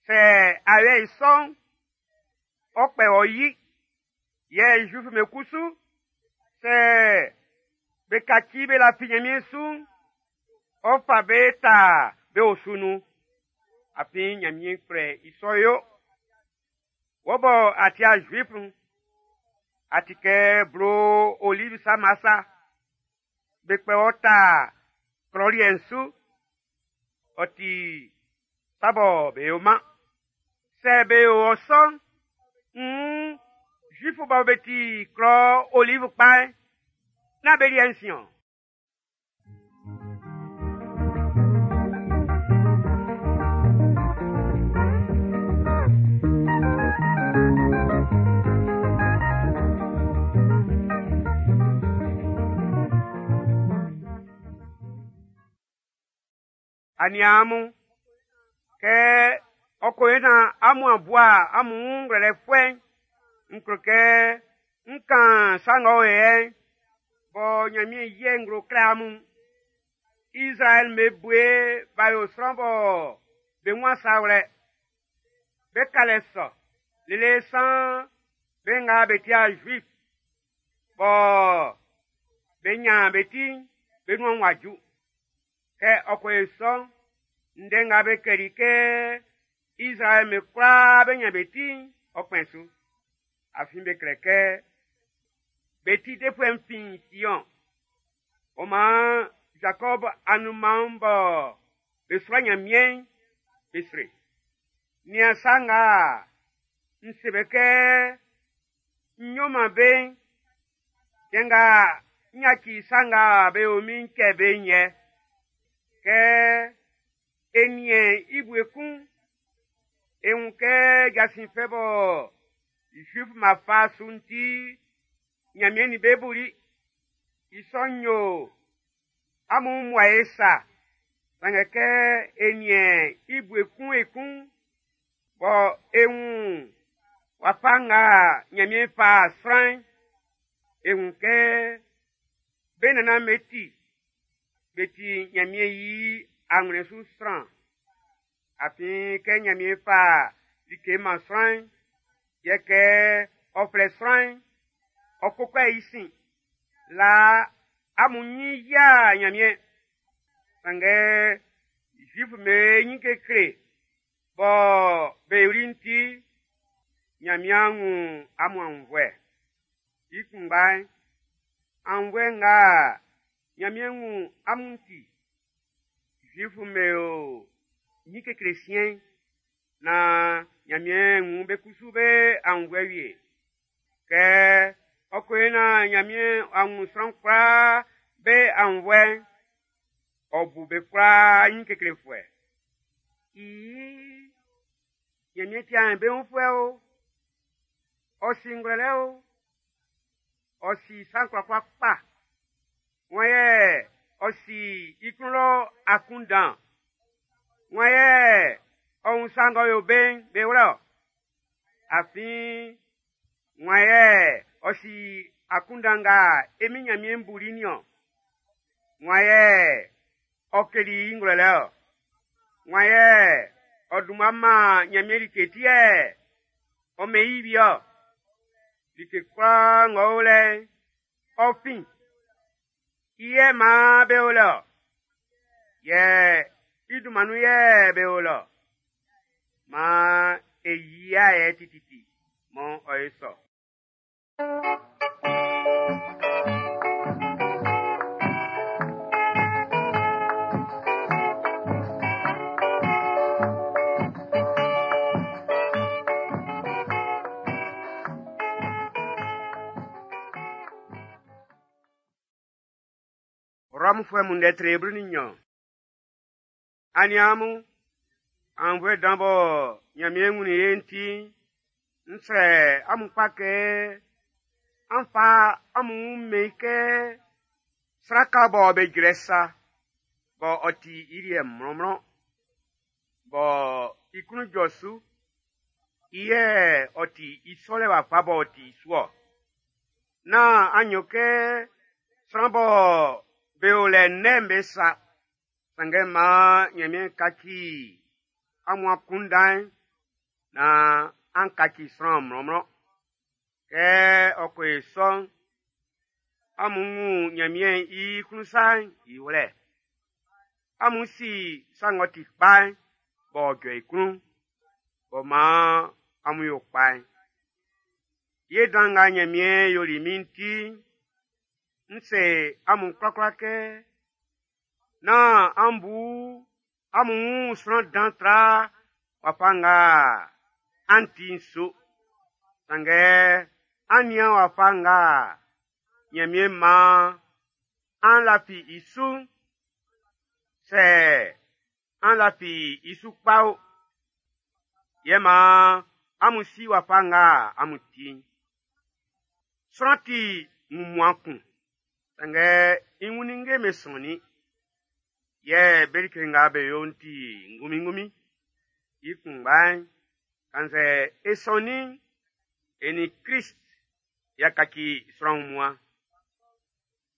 Sɛ a yo i sɔ'n, ɔ kpɛ ɔ yi. Yɛ Zuif'm be kusu, sɛ be kaci be lafi Nyanmiɛn su'n, ɔ fa be ta be osu nun. Afin Nyanmiɛn kplɛ i sɔ yo. Wɔ bɔ a ti'a Zuif'n, a ti kɛ blo olive sama sa. Be kpɛ wɔ ta klɔ liɛ'n su. Ɔ ti sa bɔ be yo-man. Sɛ be yo ɔ sɔ'n, nn Zuif bɔ be ti klɔ olive kpa'n, nán be liɛ'n sin-ɔn. Aniaan mun, kɛ ɔ ko yo naan amun a bua amun wun ngwlɛlɛfuɛ'n, n klo kɛ n kan sa ng'ɔ o yɛ'n, bɔ Nyanmiɛn yi nglo kle amun. Izraɛl be bue b'a yo sran bɔ be wun sa wlɛ. Be kalɛ sɔ lele san be nga be tia Juif bɔ be nyan be ti'n be nuan wa ju. Kɛ ɔ ko yo sɔ'n, ndɛ nga be klɛli kɛ Izraɛl be kwlaa be nyan be ti'n, ɔ kpɛn su. Afin be klɛ kɛ be ti defuɛ'n fin Sion. Ɔ maan Jacob anunman'n bɔ be sua Nyanmiɛn'n, be sri. Nian sa nga n se be kɛ n yo man be'n, cɛn nga n yaci sa nga be yo min'n cɛ be'n yɛ. Kɛ e niɛn i bue kun, e wun kɛ jasin fɛ bɔ Zuif ma fa su'n ti, Nyanmiɛn nin be buli. I sɔ'n yo amun muae sa. Sanngɛ kɛ e niɛn i bue kun ekun, bɔ e wun wafa nga Nyanmiɛn fa sran'n, e wun kɛ be nannan be ti, be ti Nyanmiɛn i anwlɛn su sran. Afin kɛ Nyanmiɛn fa like man sran'n, yɛ kɛ ɔ flɛ sran'n, ɔ koko i sin. Laa amun nyin yia Nyanmiɛn. Sanngɛ Zuif be nyin kekle bɔ be yoli'n ti, Nyanmiɛn wun amun aunnvuɛ. I kunngba'n, aunnvuɛ nga Nyanmiɛn wun amun ti, Zuif'm be o nyin kekle siɛn'n, na Nyanmiɛn wun be kusu be aunnvuɛ wie. Kɛ ɔ ko yo naan Nyanmiɛn a wun sran kwlaa be aunnvuɛ'n, ɔ bu be kwlaa nyin keklefuɛ. I Nyanmiɛn ti aɲanbeunfuɛ o, ɔ si ngwlɛlɛ o, ɔ si sa'n kwlakwla kpa. Wan yɛ ɔ si i klun lɔ akunndan? Wan yɛ ɔ wun sa ng'ɔ yo be'n be wlɛ-ɔ? Afin wan yɛ ɔ si akunndan nga e Min Nyanmiɛn buli niɔn? Wan yɛ ɔ keli i ngwlɛlɛ-ɔ? Wan yɛ ɔ dunman man Nyanmiɛn like ti yɛ ɔ mɛn i wie-ɔ? Like kwlaa ng'ɔ o lɛ'n, ɔ fin. I yɛ maan be o lɛ-ɔ. Yɛ i dunman nun yɛ be o lɛ-ɔ. Maan e yia yɛ tititi mɔ ɔ ye sɔ. Rɔmfuɛ mun ndɛ tre 12. Aniaan mun, aunnvuɛ dan bɔ Nyanmiɛn wunnin e'n ti'n, n srɛ amun kpa kɛ an fa amun wun mɛn i kɛ sraka bɔ be jrɛ sa, bɔ ɔ ti i liɛ mlɔnmlɔn, bɔ i klun jɔ su. I yɛ ɔ ti i sɔlɛ wafa b'ɔ ti su-ɔ. Nán an yo kɛ sran bɔ be o lɛ nnɛn'n be sa, sanngɛ maan Nyanmiɛn kaci amun akunndan'n naan an kaci sran mlɔnmlɔn. Kɛ ɔ ko yo sɔ'n, amun wun Nyanmiɛn i klun sa'n i wlɛ. Amun si sa ng'ɔ ti kpa'n b'ɔ jɔ i klun, b'ɔ maan amun yo kpa'n. Ye dan nga Nyanmiɛn yoli min'n ti'n, n se amun kwlakwla kɛ, nán an bu amun wun sran dan tra wafa nga an ti'n su. Sanngɛ an nian wafa nga Nyanmiɛn maan an lafi i su'n, sɛ an lafi i su kpa o, yɛ maan amun si wafa nga amun ti'n. Sran ti wunmuan kun, sanngɛ i wun ninnge'm be sɔnnin, yɛ be like nga be yo'n ti ngunminngunmin. I kunngba'n, kannzɛ e sɔnnin'n, e nin Krist y'a kaci sran wunmuan.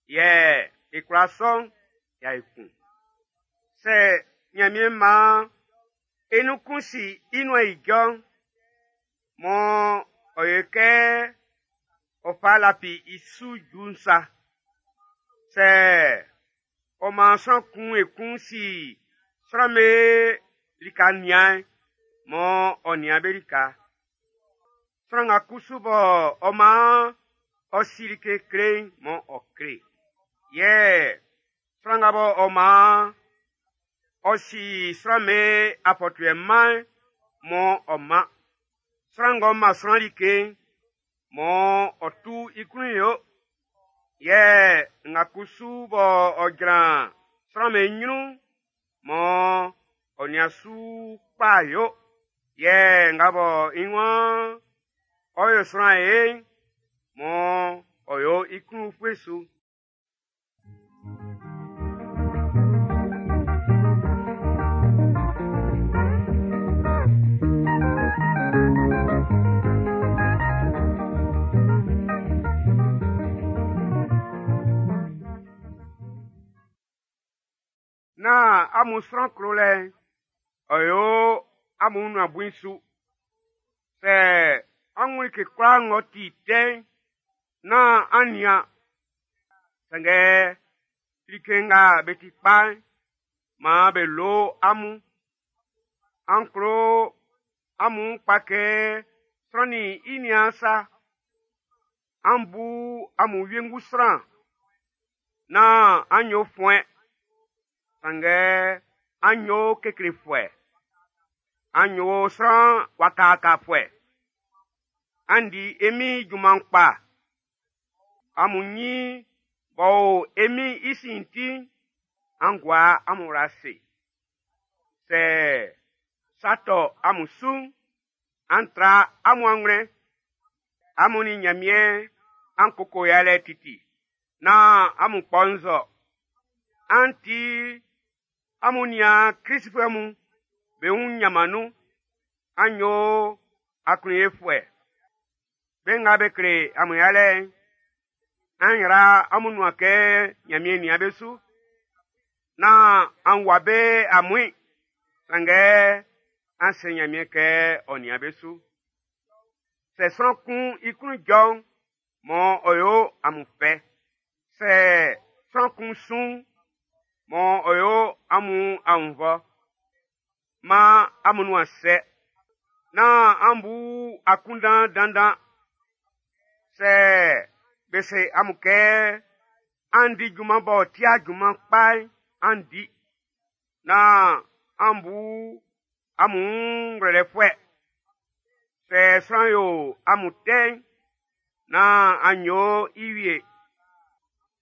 Yɛ e kwlaa sɔ'n y'a yo kun. Sɛ Nyanmiɛn maan e nun kun si i nuan ijɔ'n, Mɔ ɔ yo kɛ ɔ fa lafi i su ju'n sa. Sɛ ɔ maan sran kun ekun si sran'm be lika nian'n, mɔ ɔ nian be lika. Sran nga kusu bɔ ɔ maan ɔ si like kle'n, mɔ ɔ kle. Yɛ sran nga bɔ ɔ maan ɔ si sran'm be afɔtuɛ man'n, mɔ ɔ man. Sran ng'ɔ man sran like'n, mɔ ɔ tu i klun yo. Yɛ nga kusu bɔ ɔ jran sran'm be ɲrun'n, mɔ ɔ nian su kpa yo. Yɛ nga bɔ i waan ɔ yo sran ye'n, mɔ ɔ yo i klun ufue su. Nán amun sran klolɛ'n, ɔ yo amun nuan bui su. Sɛ an wun like kwlaa ng'ɔ ti tɛ'n, nán an nian. Sanngɛ like nga be ti kpa'n, maan be lo amun. An klo amun kpa kɛ sran nin i niaan sa. An bu amun wiengu sran. Nán an yo fuɛn, sanngɛ an yo keklefuɛ. An yo sran wakawakafuɛ. An di e Min'n i junman kpa. Amun ɲin b'ɔ o e Min'n i sin'n ti'n, an gua amun wla ase. Sɛ sa tɔ amun su'n, an tra amun anwlɛn. Amun nin Ɲanmiɛn an koko yalɛ titi, nán amun kpɔ nzɔ. An ti amun niaan Klistfuɛ mun be wun ɲanman nun. An yo aklunyefuɛ. Be nga be kle amun yalɛ'n, an yra amun nuan kɛ Ɲanmiɛn nian be su. Nán an wua be amuin, sanngɛ an se Ɲanmiɛn kɛ ɔ nian be su. Sɛ sran kun i klun jɔ'n, mɔ ɔ yo amun fɛ. Sɛ sran kun sun'n, mɔ ɔ yo amun aunnvɔ. Maan amun nuan sɛ. Nán an bu akunndan dandan. Sɛ be se amun kɛ an di junman b'ɔ ti'a junman kpa'n, an di. Nán an bu amun wun ngwlɛlɛfuɛ. Sɛ sran yo amun tɛ'n, nán an yo i wie.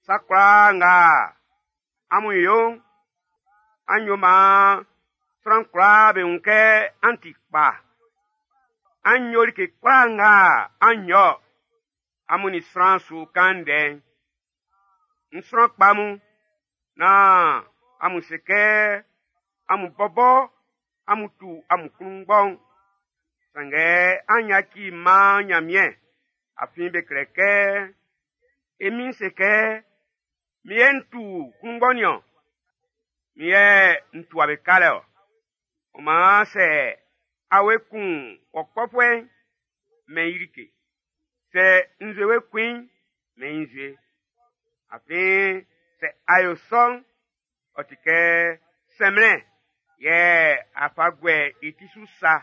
Sa kwlaa nga amun yo'n, an yo maan sran kwlaa be wun kɛ an ti kpa. An yo like kwlaa nga an yo amun nin sran su kan ndɛ'n. N sran kpa mun, nán amun se kɛ amun bɔbɔ amun tu amun klunngbɔ'n. Sanngɛ an yaci man Ɲanmiɛn, afin be klɛ kɛ, e Min'n se kɛ, min yɛ n tu klunngbɔ nin-ɔn, min yɛ n tua be kalɛ ɔ. Ɔ maan sɛ awe kun ɔ kpɔfuɛ'n, mɛn i like. Sɛ nzue we kun i'n, mɛn i nzue. Afin sɛ a yo sɔ'n, ɔ ti kɛ sɛnmlɛn yɛ a fa guɛ i ti su sa.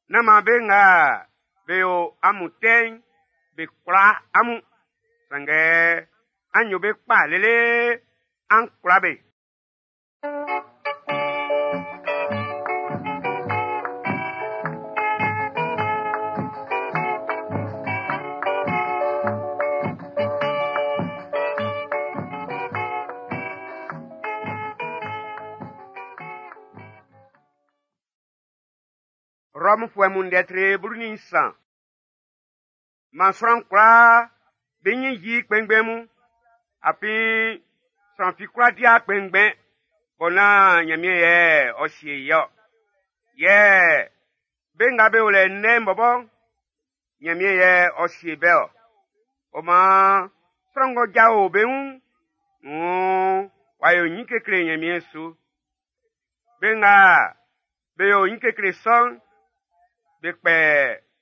Nán maan be nga be yo amun tɛ'n be kwla amun, sanngɛ an yo be kpa lele an kwla be. Rɔmfuɛ mun ndɛ tre 13. Man sran kwlaa be ɲin yi kpɛnngbɛn mun, afin sran fi kwla dia kpɛnngbɛn bɔ nán Ɲanmiɛn yɛ ɔ sie i-ɔ. Yɛ be nga be o lɛ nnɛn'n bɔbɔ, Ɲanmiɛn yɛ ɔ sie be-ɔ. Ɔ maan sran ng'ɔ jao be wun'n, wuun w'a yo ɲin kekle Ɲanmiɛn su. Be nga be yo ɲin kekle sɔ'n, be kpɛ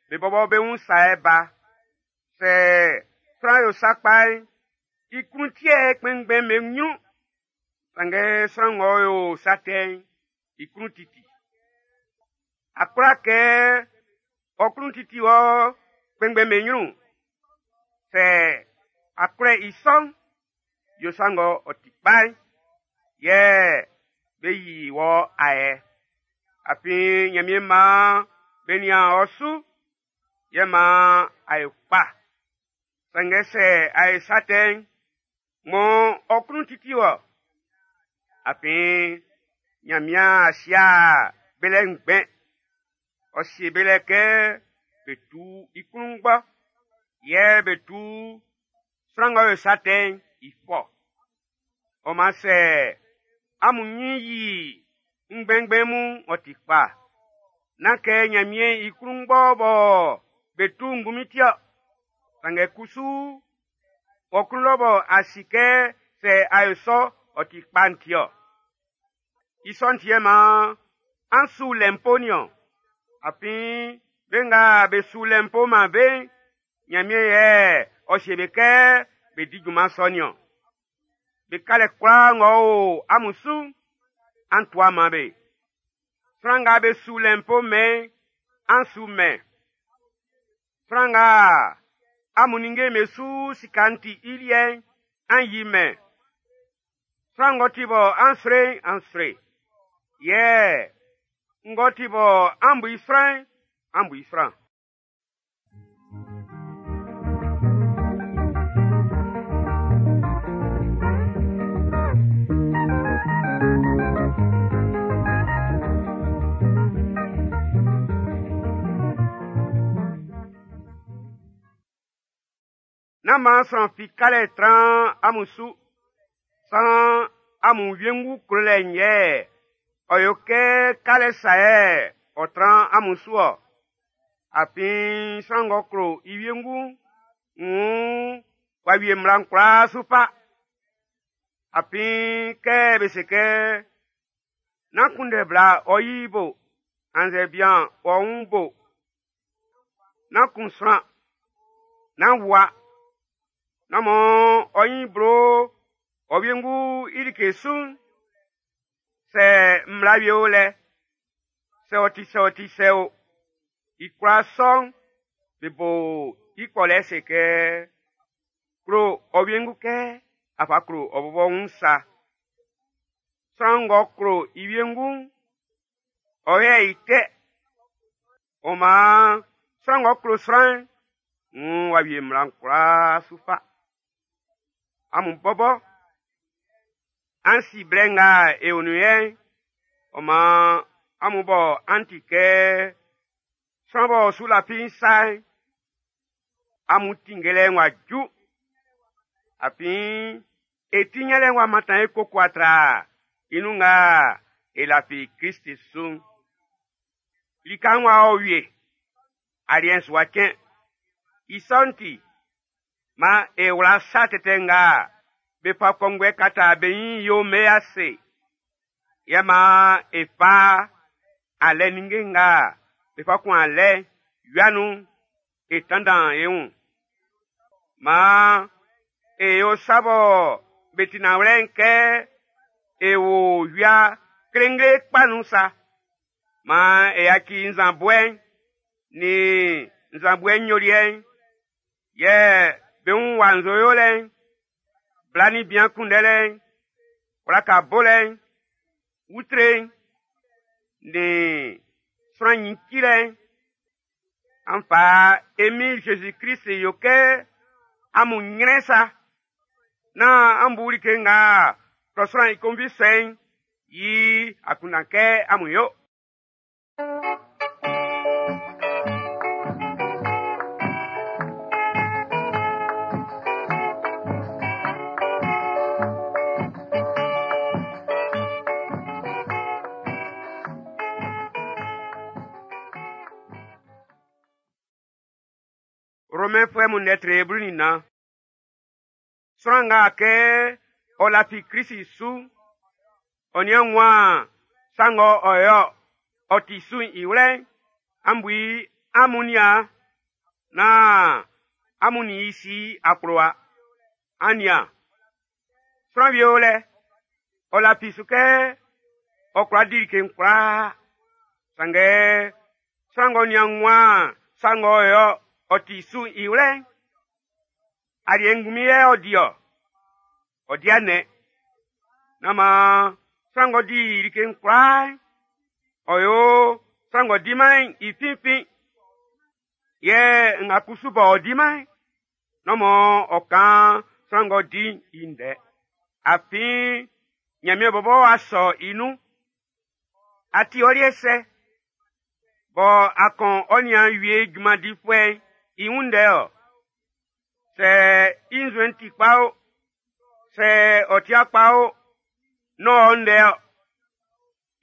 Be bɔbɔ be wun sa ba. Sɛ sran yo sa kpa'n, i klun tiɛ kpɛnngbɛn be ɲrun. Sanngɛ sran ng'ɔ yo sa tɛ'n, i klun titi. A kwla kɛ ɔ klun titi wɔ kpɛnngbɛn be ɲrun. Sɛ a kwlɛ i sɔ'n, yo sa ng'ɔ ɔ ti kpa'n, yɛ be yi wɔ ayɛ. Afin Ɲanmiɛn maan be nian ɔ su, yɛ maan a yo kpa. Sanngɛ sɛ a yo sa tɛ'n, mɔ ɔ klun titi wɔ. Afin Ɲanmiɛn a sia be lɛ ngbɛn. Ɔ sie be lɛ kɛ be tu i klunngbɔ, yɛ be tu sran ng'ɔ yo sa tɛ'n i fɔ. Ɔ maan sɛ amun ɲin yi ngbɛnngbɛn mun ɔ ti kpa. Nán kɛ Ɲanmiɛn i klunngbɔ bɔ be tu ngunmin ti-ɔ. Sanngɛ kusu, ɔ klun lɔ bɔ a si kɛ sɛ a yo sɔ ɔ ti kpa'n ti-ɔ. I sɔ'n ti yɛ maan an su lɛnpo niɔn. Afin be nga be su lɛnpo man be'n, Ɲanmiɛn yɛ ɔ sie be kɛ be di junman sɔ niɔn. Be kalɛ kwlaa ng'ɔ o amun su'n, an tua man be. Sran nga be su lɛnpo mɛn'n, an su mɛn. Sran nga amun ninnge'm be su sika'n ti i liɛ'n, an yi mɛn. Sran ng'ɔ ti bɔ an sro'n, an sro. Yɛ ng'ɔ ti bɔ an bu i sran'n, an bu i sran. Nán maan sran fi kalɛ tran amun su. San amun wiengu klolɛ'n yɛ ɔ yo kɛ kalɛ sa yɛ ɔ tran amun su ɔ. Afin sran ng'ɔ klo i wiengu'n, wuun w'a wie mmla'n kwlaa su fa. Afin kɛ be se kɛ, nán kunndɛ bla ɔ yi bo, annzɛ bian ɔ wun bo. Nán kun sran, nán wua, nán mɔ ɔ ɲin blo ɔ wiengu i like su'n, sɛ mmla wie o lɛ, sɛ ɔ ti sɛ ɔ ti sɛ o, i kwlaa sɔ'n, be bo i kpɔlɛ se kɛ, klo ɔ wiengu kɛ a fa klo ɔ bɔbɔ wun sa. Sran ng'ɔ klo i wiengu'n, ɔ yɛ i tɛ. Ɔ maan sran ng'ɔ klo sran'n, wuun w'a wie mmla'n kwlaa su fa. Amun bɔbɔ, an si blɛ nga e o nun yɛ'n, ɔ maan amun bɔ an ti kɛ sran b'ɔ su lafi'n sa'n, amun tinngelɛ'n w'a ju. Afin e ti ɲanlɛ'n w'a mantan e koko atra i nun nga e lafi Klist su'n. Lika'n w'a ɔ wie, aliɛ'n su wa cɛn. I sɔ'n ti, maan e wla sa tɛtɛ nga be fa kɔnguɛ kata be ɲin yo'n be ase. Yɛ maan e fa alɛ ninnge nga be fa kun alɛ wia nun'n, e tanndan e wun. Maan e yo sa bɔ be ti nanwlɛ'n kɛ e wo wia klengle kpa nun sa. Maan e yaci nzanbɔɛ'n nin nzanbɔɛ nyoliɛ'n, yɛ be wun wa nzo yolɛ'n, bla nin bian kunndɛlɛ'n, wlaka bolɛ'n, utre'n, nin sran ɲin cilɛ'n. An fa e Min Zezi Klist yo kɛ amun ɲrɛn sa. Nán an bu like nga klɔ sran i konvi sɔ'n i akunndan kɛ amun yo. Romɛnfuɛ mun lɛtri 14. Sran nga kɛ ɔ lafi Klisi su'n, ɔ nian wun sa ng'ɔ ɔ yo ɔ ti su'n i wlɛ'n, an bu i amun nian. Naan amun nin i si akplowa. An nian, sran wie o lɛ, ɔ lafi su kɛ ɔ kwla di like'n kwlaa. Sanngɛ sran ng'ɔ nian wunman sa ng'ɔ yo ɔ ti su'n i wlɛ'n, aliɛ ngunmin yɛ ɔ di-ɔ. Ɔ di anɛ. Nán maan sran ng'ɔ di like'n kwlaa'n, ɔ yo sran ng'ɔ diman'n i finfin. Yɛ nga kusu b'ɔ diman'n, nán maan ɔ kan sran ng'ɔ di'n i ndɛ. Afin Ɲanmiɛn bɔbɔ w'a sɔ i nun. A ti ɔ liɛ sɛ? Bɔ a kɔn ɔ niaan wie junman difuɛ'n i wun ndɛ ɔ? Sɛ i nzuɛn'n ti kpa o, sɛ ɔ ti kpa o, nán ɔ ndɛ ɔ.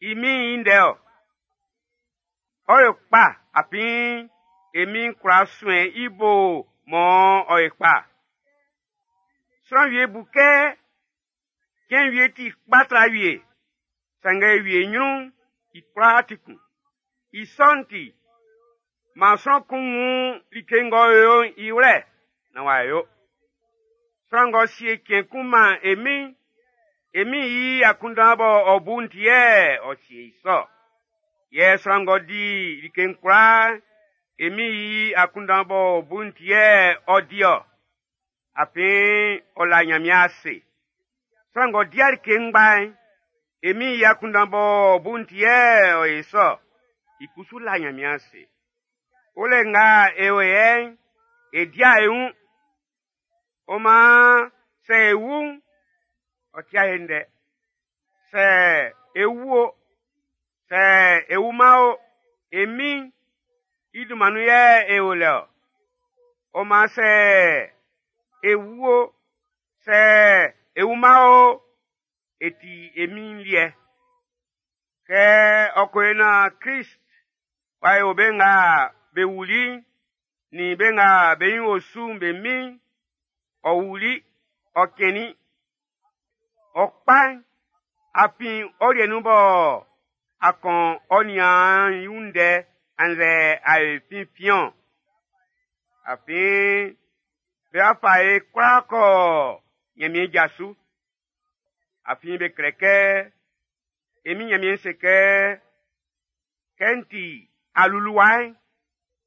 I min'n i ndɛ ɔ. Ɔ yo kpa afin e min'n kwla suɛn i bo mɔ ɔ ye kpa. Sran wie bu kɛ cɛn wie ti kpa tra wie, sanngɛ wie ɲrun'n, i kwlaa ti kun. I sɔ'n ti, maan sran kun wun like ng'ɔ yo'n i wlɛ naan w'a yo. Sran ng'ɔ sie cɛn kun man e min'n, e min'n i akunndan bɔ ɔ bu'n ti yɛ ɔ sie i sɔ. Yɛ sran ng'ɔ di like'n kwlaa, e min'n i akunndan b'ɔ bu'n ti yɛ ɔ di-ɔ. Afin ɔ la Nyanmiɛn ase. Sran ng'ɔ di like ngba'n, e min'n i akunndan b'ɔ bu'n ti yɛ ɔ yo sɔ. I kusu la Nyanmiɛn ase. Olɛ nga e o yɛ'n, e dia e wun. Ɔ maan sɛ e wu'n, ɔ tia e ndɛ. Sɛ e wu o, sɛ e wuman o, e min'n i dunman nun yɛ e o lɛ ɔ. Ɔ maan sɛ e wu o, sɛ e wuman o, e ti e min'n liɛ. Kɛ ɔ ko yo naan Klist w'a yo be nga be wuli'n nin be nga be ɲin o su'n be min'n, ɔ wuli, ɔ cɛnnin. Ɔ kpa'n, afin ɔ liɛ nun bɔ a kɔn ɔ niaan'n i wun ndɛ annzɛ a yo i finfin-ɔn. Afin be wa fa e kwlaa kɔ Ɲanmiɛn ja su. Afin be klɛ kɛ, e min Ɲanmiɛn se kɛ, kɛ n ti aluluwa'n,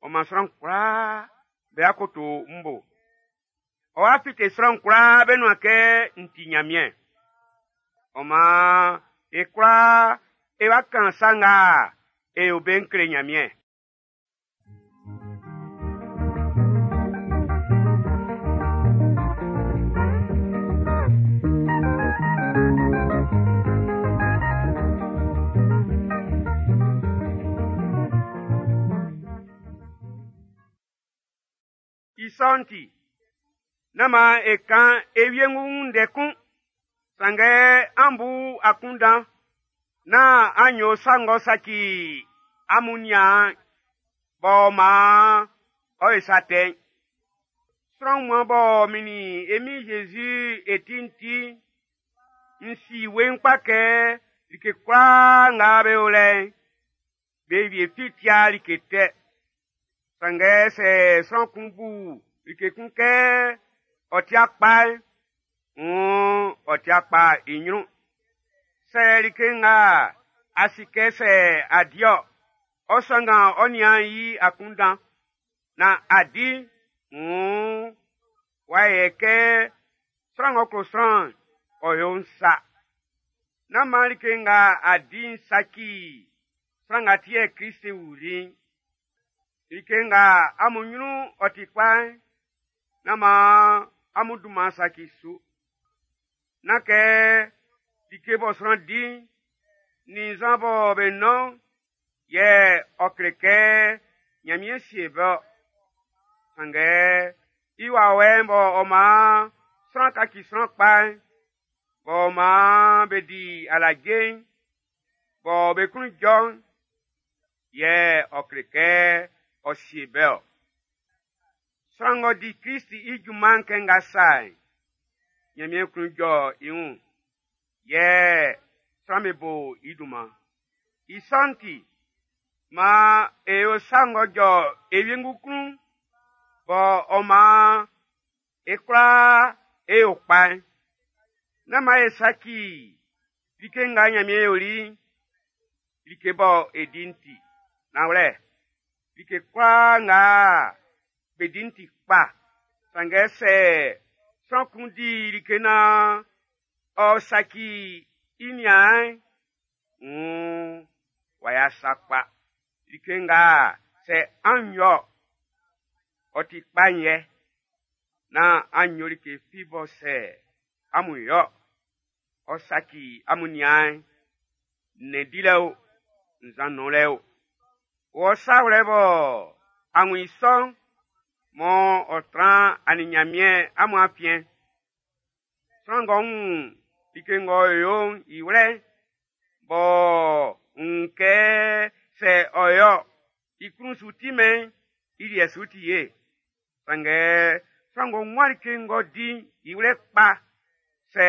ɔ man sran kwlaa be akoto n bo. Ɔ wa fite sran kwlaa be nuan kɛ n ti Ɲanmiɛn. Ɔ maan e kwlaa e wa kan sa nga e yo be'n kle Ɲanmiɛn. I sɔ'n ti, nán maan e kan e wiengu wun ndɛ kun. Sanngɛ an bu akunndan naan an yo sa ng'ɔ saci amun niaan'n, b'ɔ maan ɔ yo sa tɛ'n. Sran wunmuan bɔ min nin e Min Jésus e ti'n ti, n si weiin kpa kɛ like kwlaa nga be o lɛ'n, be wie fi tia like tɛ. Sanngɛ sɛ sran kun bu like kun kɛ ɔ tia kpa'n, wuun ɔ tia kpa i ɲrun. Sɛ like nga a si kɛ sɛ a di-ɔ, ɔ sanngan ɔ niaan'n i akunndan, naan a di, wuun w'a yɛ kɛ sran ng'ɔ klo sran'n, ɔ yo'n sa. Nán maan like nga a di'n saci sran nga ti yɛ Klist wuli'n. Like nga amun ɲrun ɔ ti kpa'n, nán maan amun dunman saci su. Nán kɛ like bɔ sran di'n, nin nzan bɔ be nɔn'n, yɛ ɔ kle kɛ Ɲanmiɛn sie be-ɔ. Sanngɛ i wawɛ'n bɔ ɔ maan sran kaci sran kpa'n, b'ɔ maan be di alaje'n, bɔ be klun jɔ'n, yɛ ɔ kle kɛ ɔ sie be-ɔ. Sran ng'ɔ di Klist i junman'n kɛ nga sa'n, Ɲanmiɛn klun jɔ i wun, yɛ sran be bo i dunman. I sɔ'n ti, maan e yo sa ng'ɔ jɔ e wiengu klun'n, Bɔ ɔ maan e kwlaa e yo kpa'n. Nán maan e saci like nga Ɲanmiɛn yoli'n, like bɔ e di'n ti. Nanwlɛ, like kwlaa nga be di'n ti kpa, sanngɛ sɛ sran kun di like naan ɔ saci i niaan'n, wuun w'a ya sa kpa. Like nga sɛ an yo ɔ ti kpa'n yɛ, nán an yo like fi bɔ sɛ amun yo ɔ saci amun niaan'n, nnɛn dilɛ o, nzan nɔnlɛ o. Wɔ sa wlɛ bɔ a wun i sɔ'n, mɔ ɔ tran a nin Ɲanmiɛn amun afiɛn. Sran ng'ɔ wun like ng'ɔ yo'n i wlɛ'n, b'ɔ wun kɛ sɛ ɔ yo i klun su timɛn i liɛ su ti ye. Sanngɛ sran ng'ɔ wun like ng'ɔ di'n i wlɛ kpa, sɛ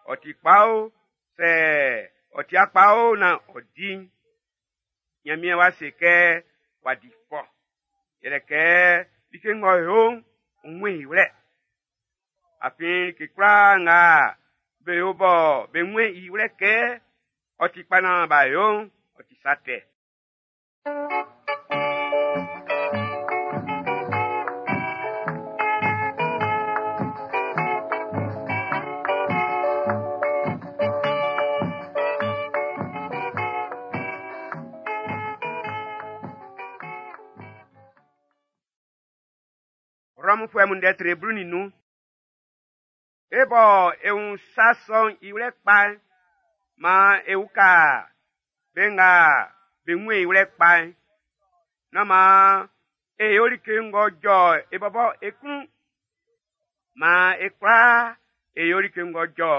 ɔ ti kpa o, sɛ ɔ ti kpa o naan ɔ di'n, Ɲanmiɛn wá se kɛ w'a di fɔ. Yɛlɛ kɛ like ng'ɔ yo'n, ɔ wun i wlɛ. Afin like kwlaa nga be yo bɔ be wun i wlɛ kɛ ɔ ti kpa naan b'a yo'n, ɔ ti sa tɛ. Rɔmfuɛ mun ndɛ tre 15. E bɔ e wun sa sɔ'n i wlɛ kpa'n, maan e uka be nga be wun i wlɛ kpa'n. Nán maan e yo like ng'ɔ jɔ e bɔbɔ e klun. Maan e kwlaa e yo like ng'ɔ jɔ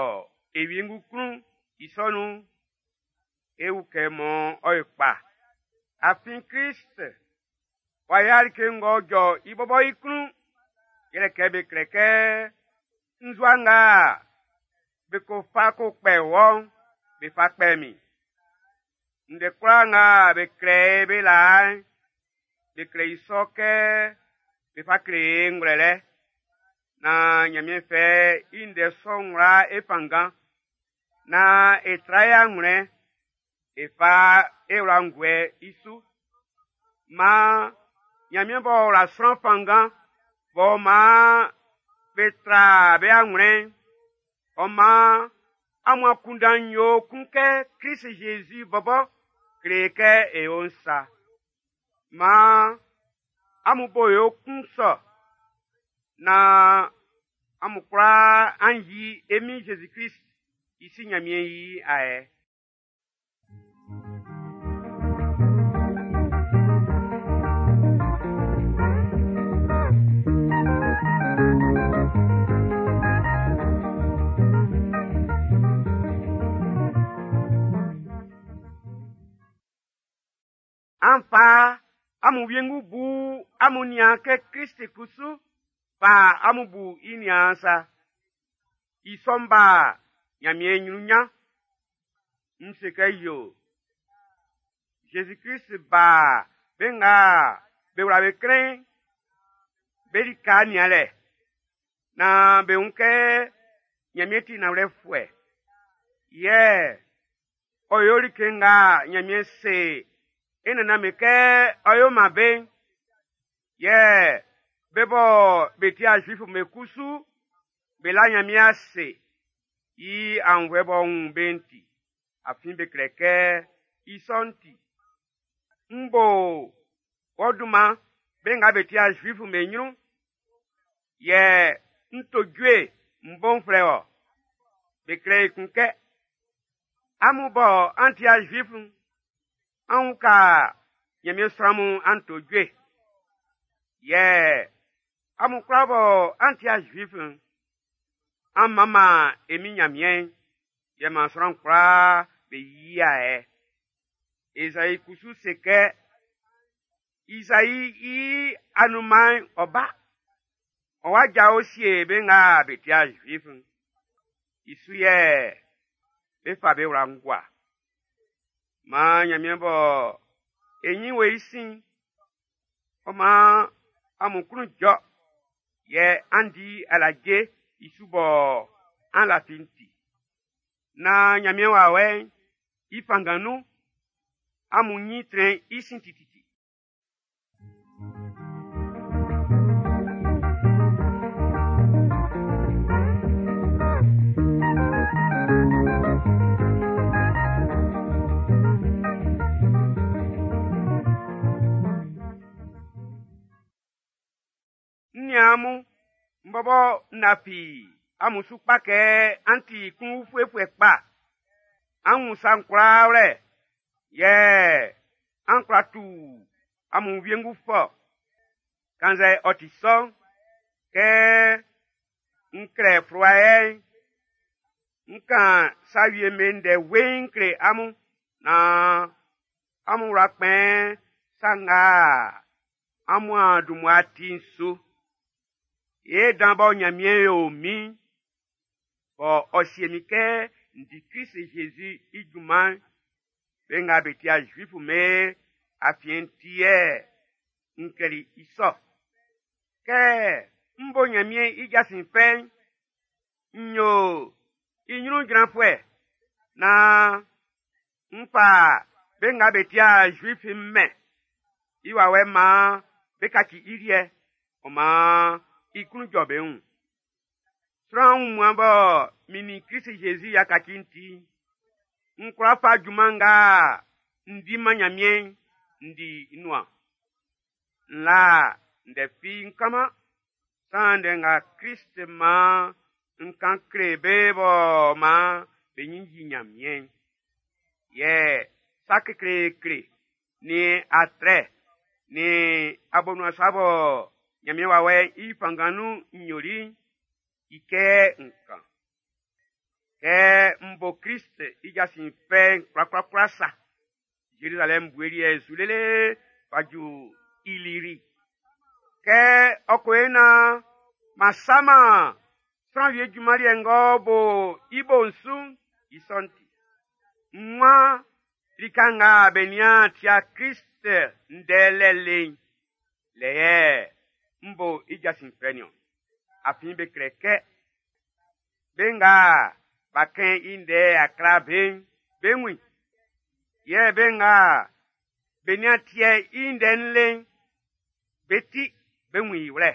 e wiengu klun i sɔ nun'n, e ukɛ mɔ ɔ yo kpa. Afin Klist w'a yo like ng'ɔ jɔ i bɔbɔ i klun, yɛlɛ kɛ be klɛ kɛ nzua nga be ko fa ko kpɛ wɔ'n, be fa kpɛ min. Ndɛ kwlaa nga be klɛ be laa'n, be klɛ i sɔ kɛ be fa kle e ngwlɛlɛ. Naan Ɲanmiɛn fɛ i ndɛ sɔ'n wla e fanngan. Naan e tra e anwlɛn, e fa e wla'n guɛ i su. Maan Ɲanmiɛn b'ɔ wla sran fanngan, b'ɔ maan be tra be anwlɛn'n, ɔ maan amun akunndan'n yo kun kɛ Klist Zezi bɔbɔ kle kɛ e yo'n sa. Maan amun bo yo kun sɔ naan amun kwlaa an yi e Min Zezi Klist i Si Ɲanmiɛn i ayɛ. An fa amun wiengu bu amun niaan kɛ Klist kusu fa amun bu i niaan sa. I sɔ'n ba Ɲanmiɛn ɲrun ɲan. N se kɛ yo. Zezi Klist ba be nga be wla be klɛn'n, be lika nianlɛ naan be wun kɛ Ɲanmiɛn ti nanwlɛfuɛ. Yɛ ɔ yo like nga Ɲanmiɛn se e nannan'm be kɛ ɔ yo man be'n. Yɛ be bɔ be ti Zuifu'm be kusu be la Ɲanmiɛn ase i aunnvuɛ b'ɔ wun be'n ti. Afin be klɛ kɛ i sɔ'n ti. N bo wɔ dunman be nga be ti Zuifu'm be ɲrun. Yɛ n to jue n bo n flɛ wɔ. Be klɛ ekun kɛ, amun bɔ an ti Zuifu'n, an uka Ɲanmiɛn sran mun an to jue. Yɛ amun kwlaa bɔ an ti Zuifu'n, an manman e Min Ɲanmiɛn'n, yɛ maan sran kwlaa be yia ɛ. Ezai kusu se kɛ, Izai i anunman'n ɔ ba. Ɔ wa jao sie be nga be ti Zuifu'n. I su yɛ be fa be wla'n gua. Maan Ɲanmiɛn bɔ e ɲin wo i sin'n, ɔ maan amun klun jɔ, yɛ an di alaje i su bɔ an lafi'n ti. Naan Ɲanmiɛn wawɛ'n i fanngan nun, amun ɲin trɛn i sin tititi. N niaan mun, m bɔbɔ n lafi amun su kpa kɛ an ti klun-ufuefuɛ kpa. An wun sa'n kwlaa wlɛ, yɛ an kwla tu amun wiengu fɔ. Kannzɛ ɔ ti sɔ'n, kɛ n klɛ fluwa yɛ'n, n kan sa wie'm be ndɛ weiin n kle amun naan amun wla kpɛn sa nga amun a dun mmua ti'n su. Ye dan bɔ Nyanmiɛn yo min'n, bɔ ɔ sie min kɛ n di Krist Jésus i junman'n, be nga be ti'a Zuif'm be afiɛn'n ti yɛ n klɛli i sɔ. Kɛ m bo Nyanmiɛn i jasin fɛ'n, n yo i nyrun jranfuɛ naan n fa be nga be ti'a Zuif'n mɛn i wawɛ'n maan be kaci i liɛ, ɔ maan i klun jɔ be wun. Sran wunmuan bɔ min nin Krist Jésus y'a kaci'n ti'n, n kwla fa junman nga n di man Nyanmiɛn'n n di i nuan. N la ndɛ fi n kanman, saan ndɛ nga Krist maan n kan kle be bɔ maan be nyin yi Nyanmiɛn'n. Yɛ sa kekleekle nin atrɛ nin abonuan sa bɔ Nyanmiɛn wawɛ'n i fanngan nun n yoli'n, i kɛ n kan. Kɛ m bo Krist i jasin fɛ'n kwlakwlakwla sa, Zerizalɛm bue liɛ'n su lele fa ju Iliri. Kɛ ɔ ko yo naan m'an saman sran wie junman liɛ ng'ɔ bo i bo'n su'n, i sɔ'n ti. N waan lika nga be nian tia Krist ndɛ lɛ le'n, lɛ yɛ m bo i jasin fɛ niɔn. Afin be klɛ kɛ, be nga b'a kɛn i ndɛ a kla be'n, be wun i. Yɛ be nga be nian tiɛ i ndɛ'n le'n, be ti, be wun i wlɛ.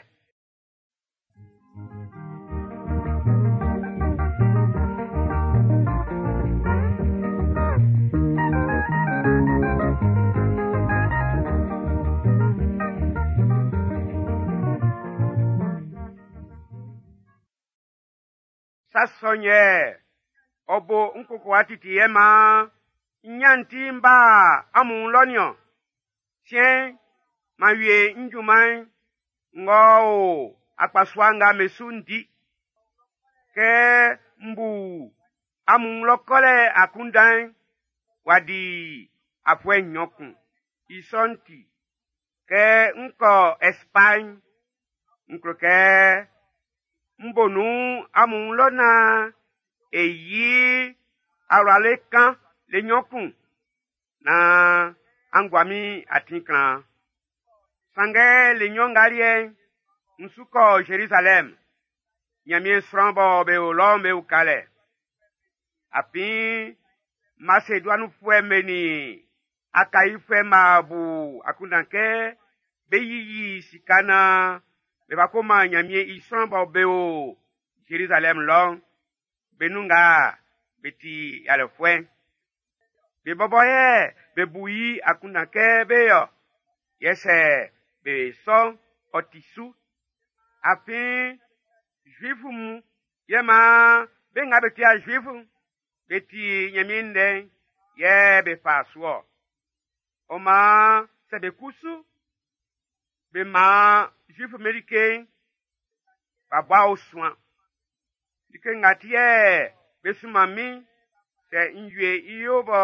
Sa sɔ'n yɛ ɔ bo n kokowa titi yɛ maan n ɲan ti n ba amun wun lɔ niɔn. Siɛn'n, m'an wie n junman'n ng'ɔ o akpasua nga be su'n di. Kɛ m bu amun wun lɔ kɔlɛ akunndan'n, w'a di afuɛ nɲɔn kun. I sɔ'n ti, kɛ n kɔ Ɛspaɲi'n, n klo kɛ m bo nun amun wun lɔ naan e yi awlabɛ kan le nɲɔn kun naan an gua min atin klan. Sanngɛ le nɲɔn nga liɛ'n, n su kɔ Zerizalɛm, Nyanmiɛn sran bɔ be o lɔ'n be ukalɛ. Afin Maseduanifuɛ'm be nin Akaifuɛ'm b'a bu akunndan kɛ be yiyi sika naan be fa ko man Nyanmiɛn i sran bɔ be o Zerizalɛm lɔ'n, be nun nga be ti yalɛfuɛ'n. Be bɔbɔ yɛ be bu i akunndan kɛ be yɔ, yɛ sɛ be sɔ'n ɔ ti su. Afin Zuifu mun yɛ maan be nga be ti'a Zuifu'n, be ti Ɲanmiɛn ndɛ'n yɛ be fa su ɔ. Ɔ maan sɛ be kusu be man Zuifu'm be like'n, b'a bua osuan. Like nga ti yɛ be sunman min'n, sɛ n wie i yo bɔ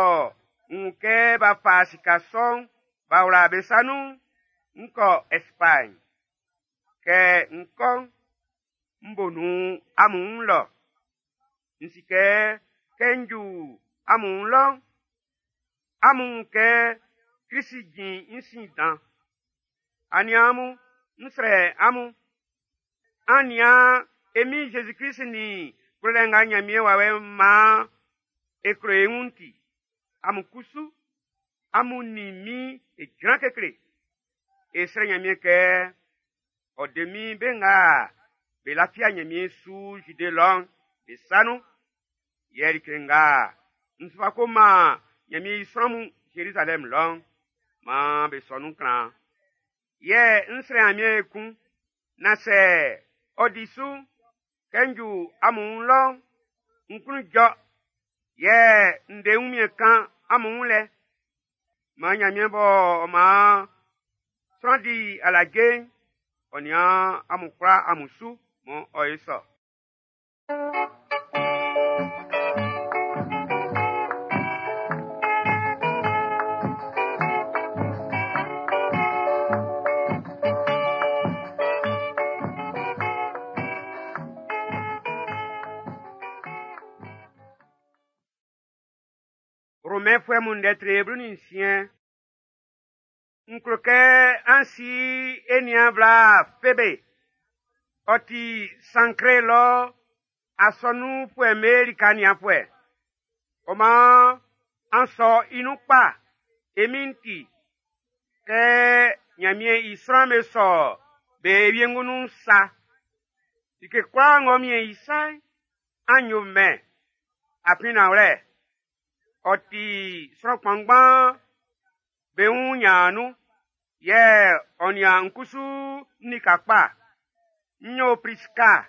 n wun kɛ b'a fa sika sɔ'n b'a wla be sa nun'n, n kɔ Ɛspaɲi. Kɛ n kɔ'n, n bo nun amun wun lɔ. N si kɛ, kɛ n ju amun wun lɔ'n, amun wun kɛ Krist jin n sin dan. Aniaan mun, N srɛ amun, an nian e Min Jésus-Krist nin klolɛ nga Nyanmiɛn Wawɛ'n maan e klo e wun'n ti, amun kusu, amun nin min e jran kekle. E srɛ Nyanmiɛn kɛ ɔ de min be nga be lafia Nyanmiɛn su Zide lɔ'n be sa nun. Yɛ like nga n su fa ko man Nyanmiɛn i sran mun Zerizalɛm lɔ'n, maan be sɔ nun klan. Yɛ n srɛ Nyanmiɛn ekun, na sɛ ɔ di su kɛ n ju amun wun lɔ'n, n klun jɔ, yɛ n de wunmiɛn kan amun wun lɛ. Maan Nyanmiɛn bɔ ɔ maan sran di alaje'n, ɔ nian amun kwlaa amun su mɔ ɔ ye sɔ. Romɛnfuɛ mun ndɛ tre 16. N klo kɛ an si e niaan bla Febe. Ɔ ti Sankre lɔ asɔnunfuɛ'm be lika nianfuɛ. Ɔ maan an sɔ i nun kpa, e Min'n ti, kɛ Nyanmiɛn i sran'm be sɔ be wiengu nun sa. Like kwlaa ng'ɔ miɛn i sa'n, an yo mɛn. Afin nanwlɛ, ɔ ti sran kpanngban be wun nyan nun, yɛ ɔ nian n kusu n lika kpa. N yo Priska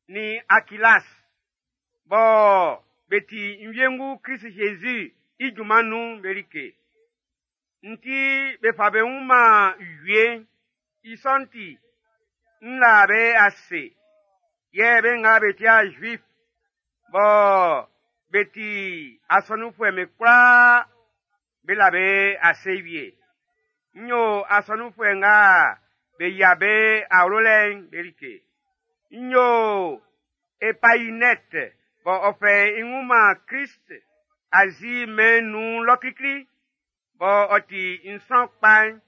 nin Akilas, bɔ be ti n wiengu Krist Jésus i junman nun'n be like. N ti be fa be wun man wie'n, i sɔ'n ti, n la be ase. Yɛ be nga be ti a Juif, bɔ be ti asɔnunfuɛ'm be kwlaa, be la be ase wie. N yo asɔnunfuɛ nga be yia be awlo lɛ'n be like. N yo Epainette bɔ ɔ fɛ i wun man Krist Azi mɛn'n nun lɔ klikli, bɔ ɔ ti n sran kpa'n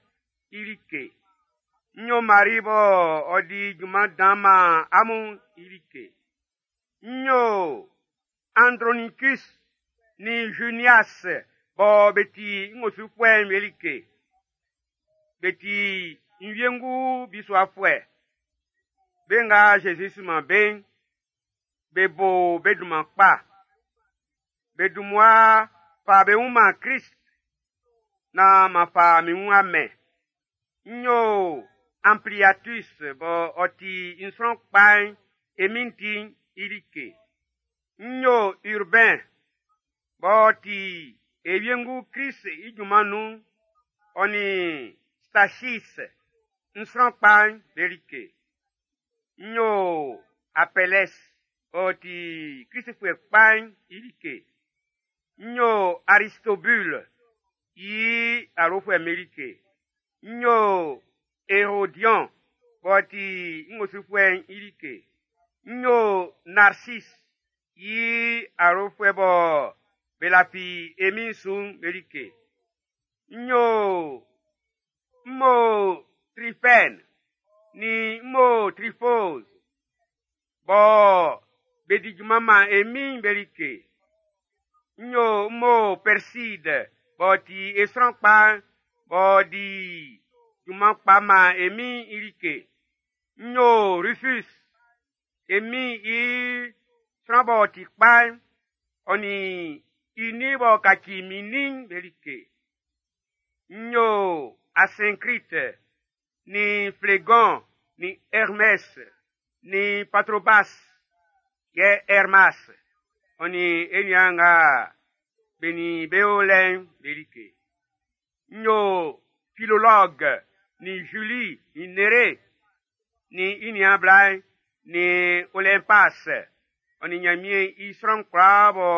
i like. N yo Mari bɔ ɔ di junman dan man amun i like. N yo Andronicus nin Junias bɔ be ti n osufuɛ'n be like. Be ti n wiengu bisuafuɛ. Be nga Jésus sunman be'n, be bo be dunman kpa. Be dun mmua fa be wun man Krist, na ma fa min wun amɛn. N yo Ampliatus bɔ ɔ ti n sran kpa'n e Min'n ti'n i like. N yo Urbain bɔ ɔ ti e wiengu Krist i junman nun'n, ɔ nin Stachys n sran kpa'n be like. N yo Apelles b'ɔ ti Kristfuɛ kpa'n i like. N yo Aristobule i awlofuɛ'm be like. N yo Hérodion b'ɔ ti n osufuɛ'n i like. N yo Narcisse i awlofuɛ bɔ be lafi e Min'n su'n be like. N yo Mo Trifène ni Mo Trifose bɔ be di junman man e Min'n be like. N yo Mo Perside b'ɔ ti e sran kpa'n b'ɔ di junman kpa man e Min'n i like. N yo Rufus e Min'n i sran b'ɔ ti kpa'n, ɔ nin i nin b'ɔ kaci min nin'n be like. N yo Asyncrite nin Phlégon nin Hermès nin Patrobas yɛ Hermas ɔ nin e niaan nga be nin be o lɛ'n be like. N yo Philologue nin Julie nin Nérée nin i niaan bla'n nin Olympas ɔ nin Nyanmiɛn i sran kwlaa bɔ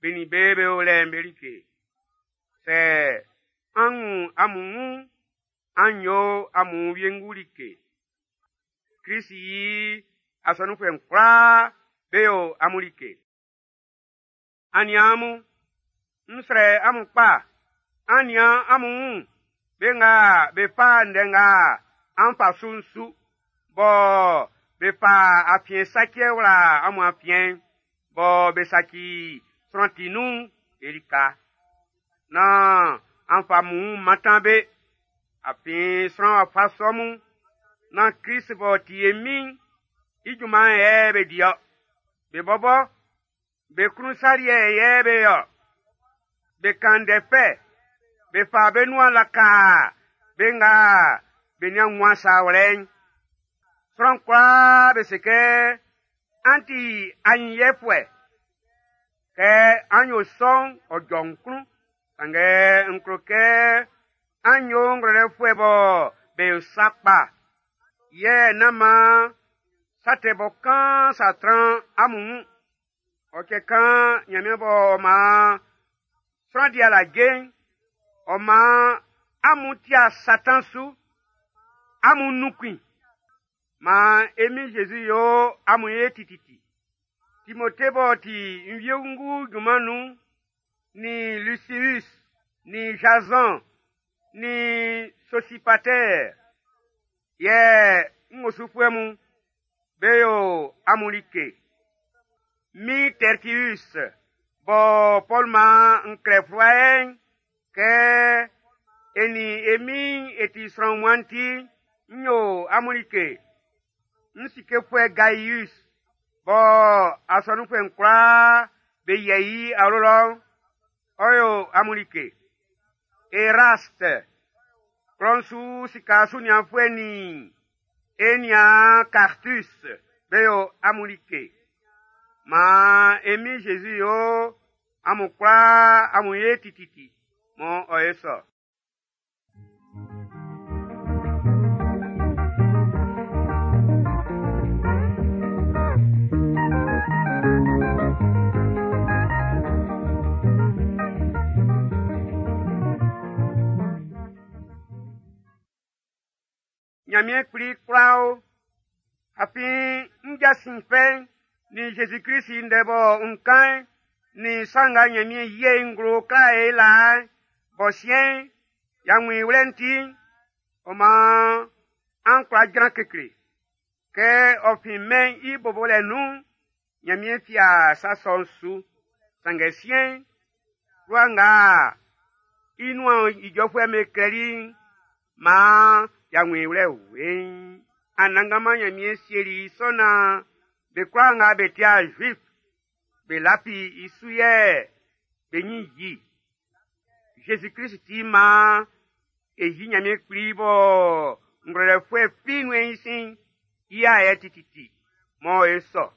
be nin be be o lɛ'n be like. Sɛ an wun amun wun, an yo amun wiengu like. Krist i asɔnunfuɛ'n kwlaa be yo amun like. Aniaan mun, n srɛ amun kpa, an nian amun wun, be nga be fa ndɛ nga an fa su'n su, bɔ be fa afiɛn saciɛ wla amun afiɛn'n, bɔ be saci sran ti nun'n be lika. Nán an fa amun wun mantan be, afin sran wafa sɔ mun, nán Krist b'ɔ ti e Min'n i junman'n yɛ be di-ɔ. Be bɔbɔ, be klun sa liɛ yɛ be yo-ɔ. Be kan ndɛ fɛ, be fa be nuan laka be nga be nian wun-man sa wlɛ'n. Sran kwlaa be se kɛ an ti anyinyiɛfuɛ. Kɛ an yo sɔ'n, ɔ jɔ n klun, sanngɛ n klo kɛ an yo ngwlɛlɛfuɛ bɔ be yo sa kpa, yɛ nán man sa tɛ bɔ kaan sa tran amun wun. Ɔ cɛ kan Nyanmiɛn b'ɔ man sran di alaje'n, ɔ man amun tia Satan su, amun nunkun i. Maan e Min Jésus yo amun ye tititi. Timote b'ɔ ti n wiengu junman nun'n, nin Lusius, nin Jazɔn, nin Sosipater, yɛ n osufuɛ mun, be yo amun like. Min Tertius, bɔ Pɔl man n klɛ fluwa yɛ'n, kɛ e nin e Min'n e ti sran wunmuan'n ti, n yo amun like. N sikefuɛ Gaius, bɔ asɔnunfuɛ'n kwlaa be yɛ i awlo lɔ'n, ɔ yo amun like. Erast, klɔ'n su sika sunianfuɛ nin e niaan Kartus, be yo amun like. Maan e Min Jésus yo amun kwlaa amun ye tititi, mɔ ɔ ye sɔ. Ɲanmiɛn kpli kwla o, afin n jasin fɛ'n nin Zezi Klist i ndɛ bɔ n kan'n, nin sa nga Ɲanmiɛn yi i nglo kla e laa'n, bɔ siɛn'n, y'a wun i wlɛ'n ti'n, ɔ maan an kwla jran kekle. Kɛ ɔ fin mɛn'n i bobolɛ nun'n, Ɲanmiɛn fia sa sɔ'n su. Sanngɛ siɛn'n, fluwa nga i nuan ijɔfuɛ'm be klɛli'n, maan y'a wun i wlɛ weiin. Anannganman Ɲanmiɛn sieli i sɔ naan be kwlaa nga be ti'a Zuif, be lafi i su yɛ be ɲin yi. Zezi Klist ti maan e yi Ɲanmiɛn Kpli bɔ ngwlɛlɛfuɛ fi nun'ɛn i sin'n, i ayɛ tititi, mɔ e sɔ.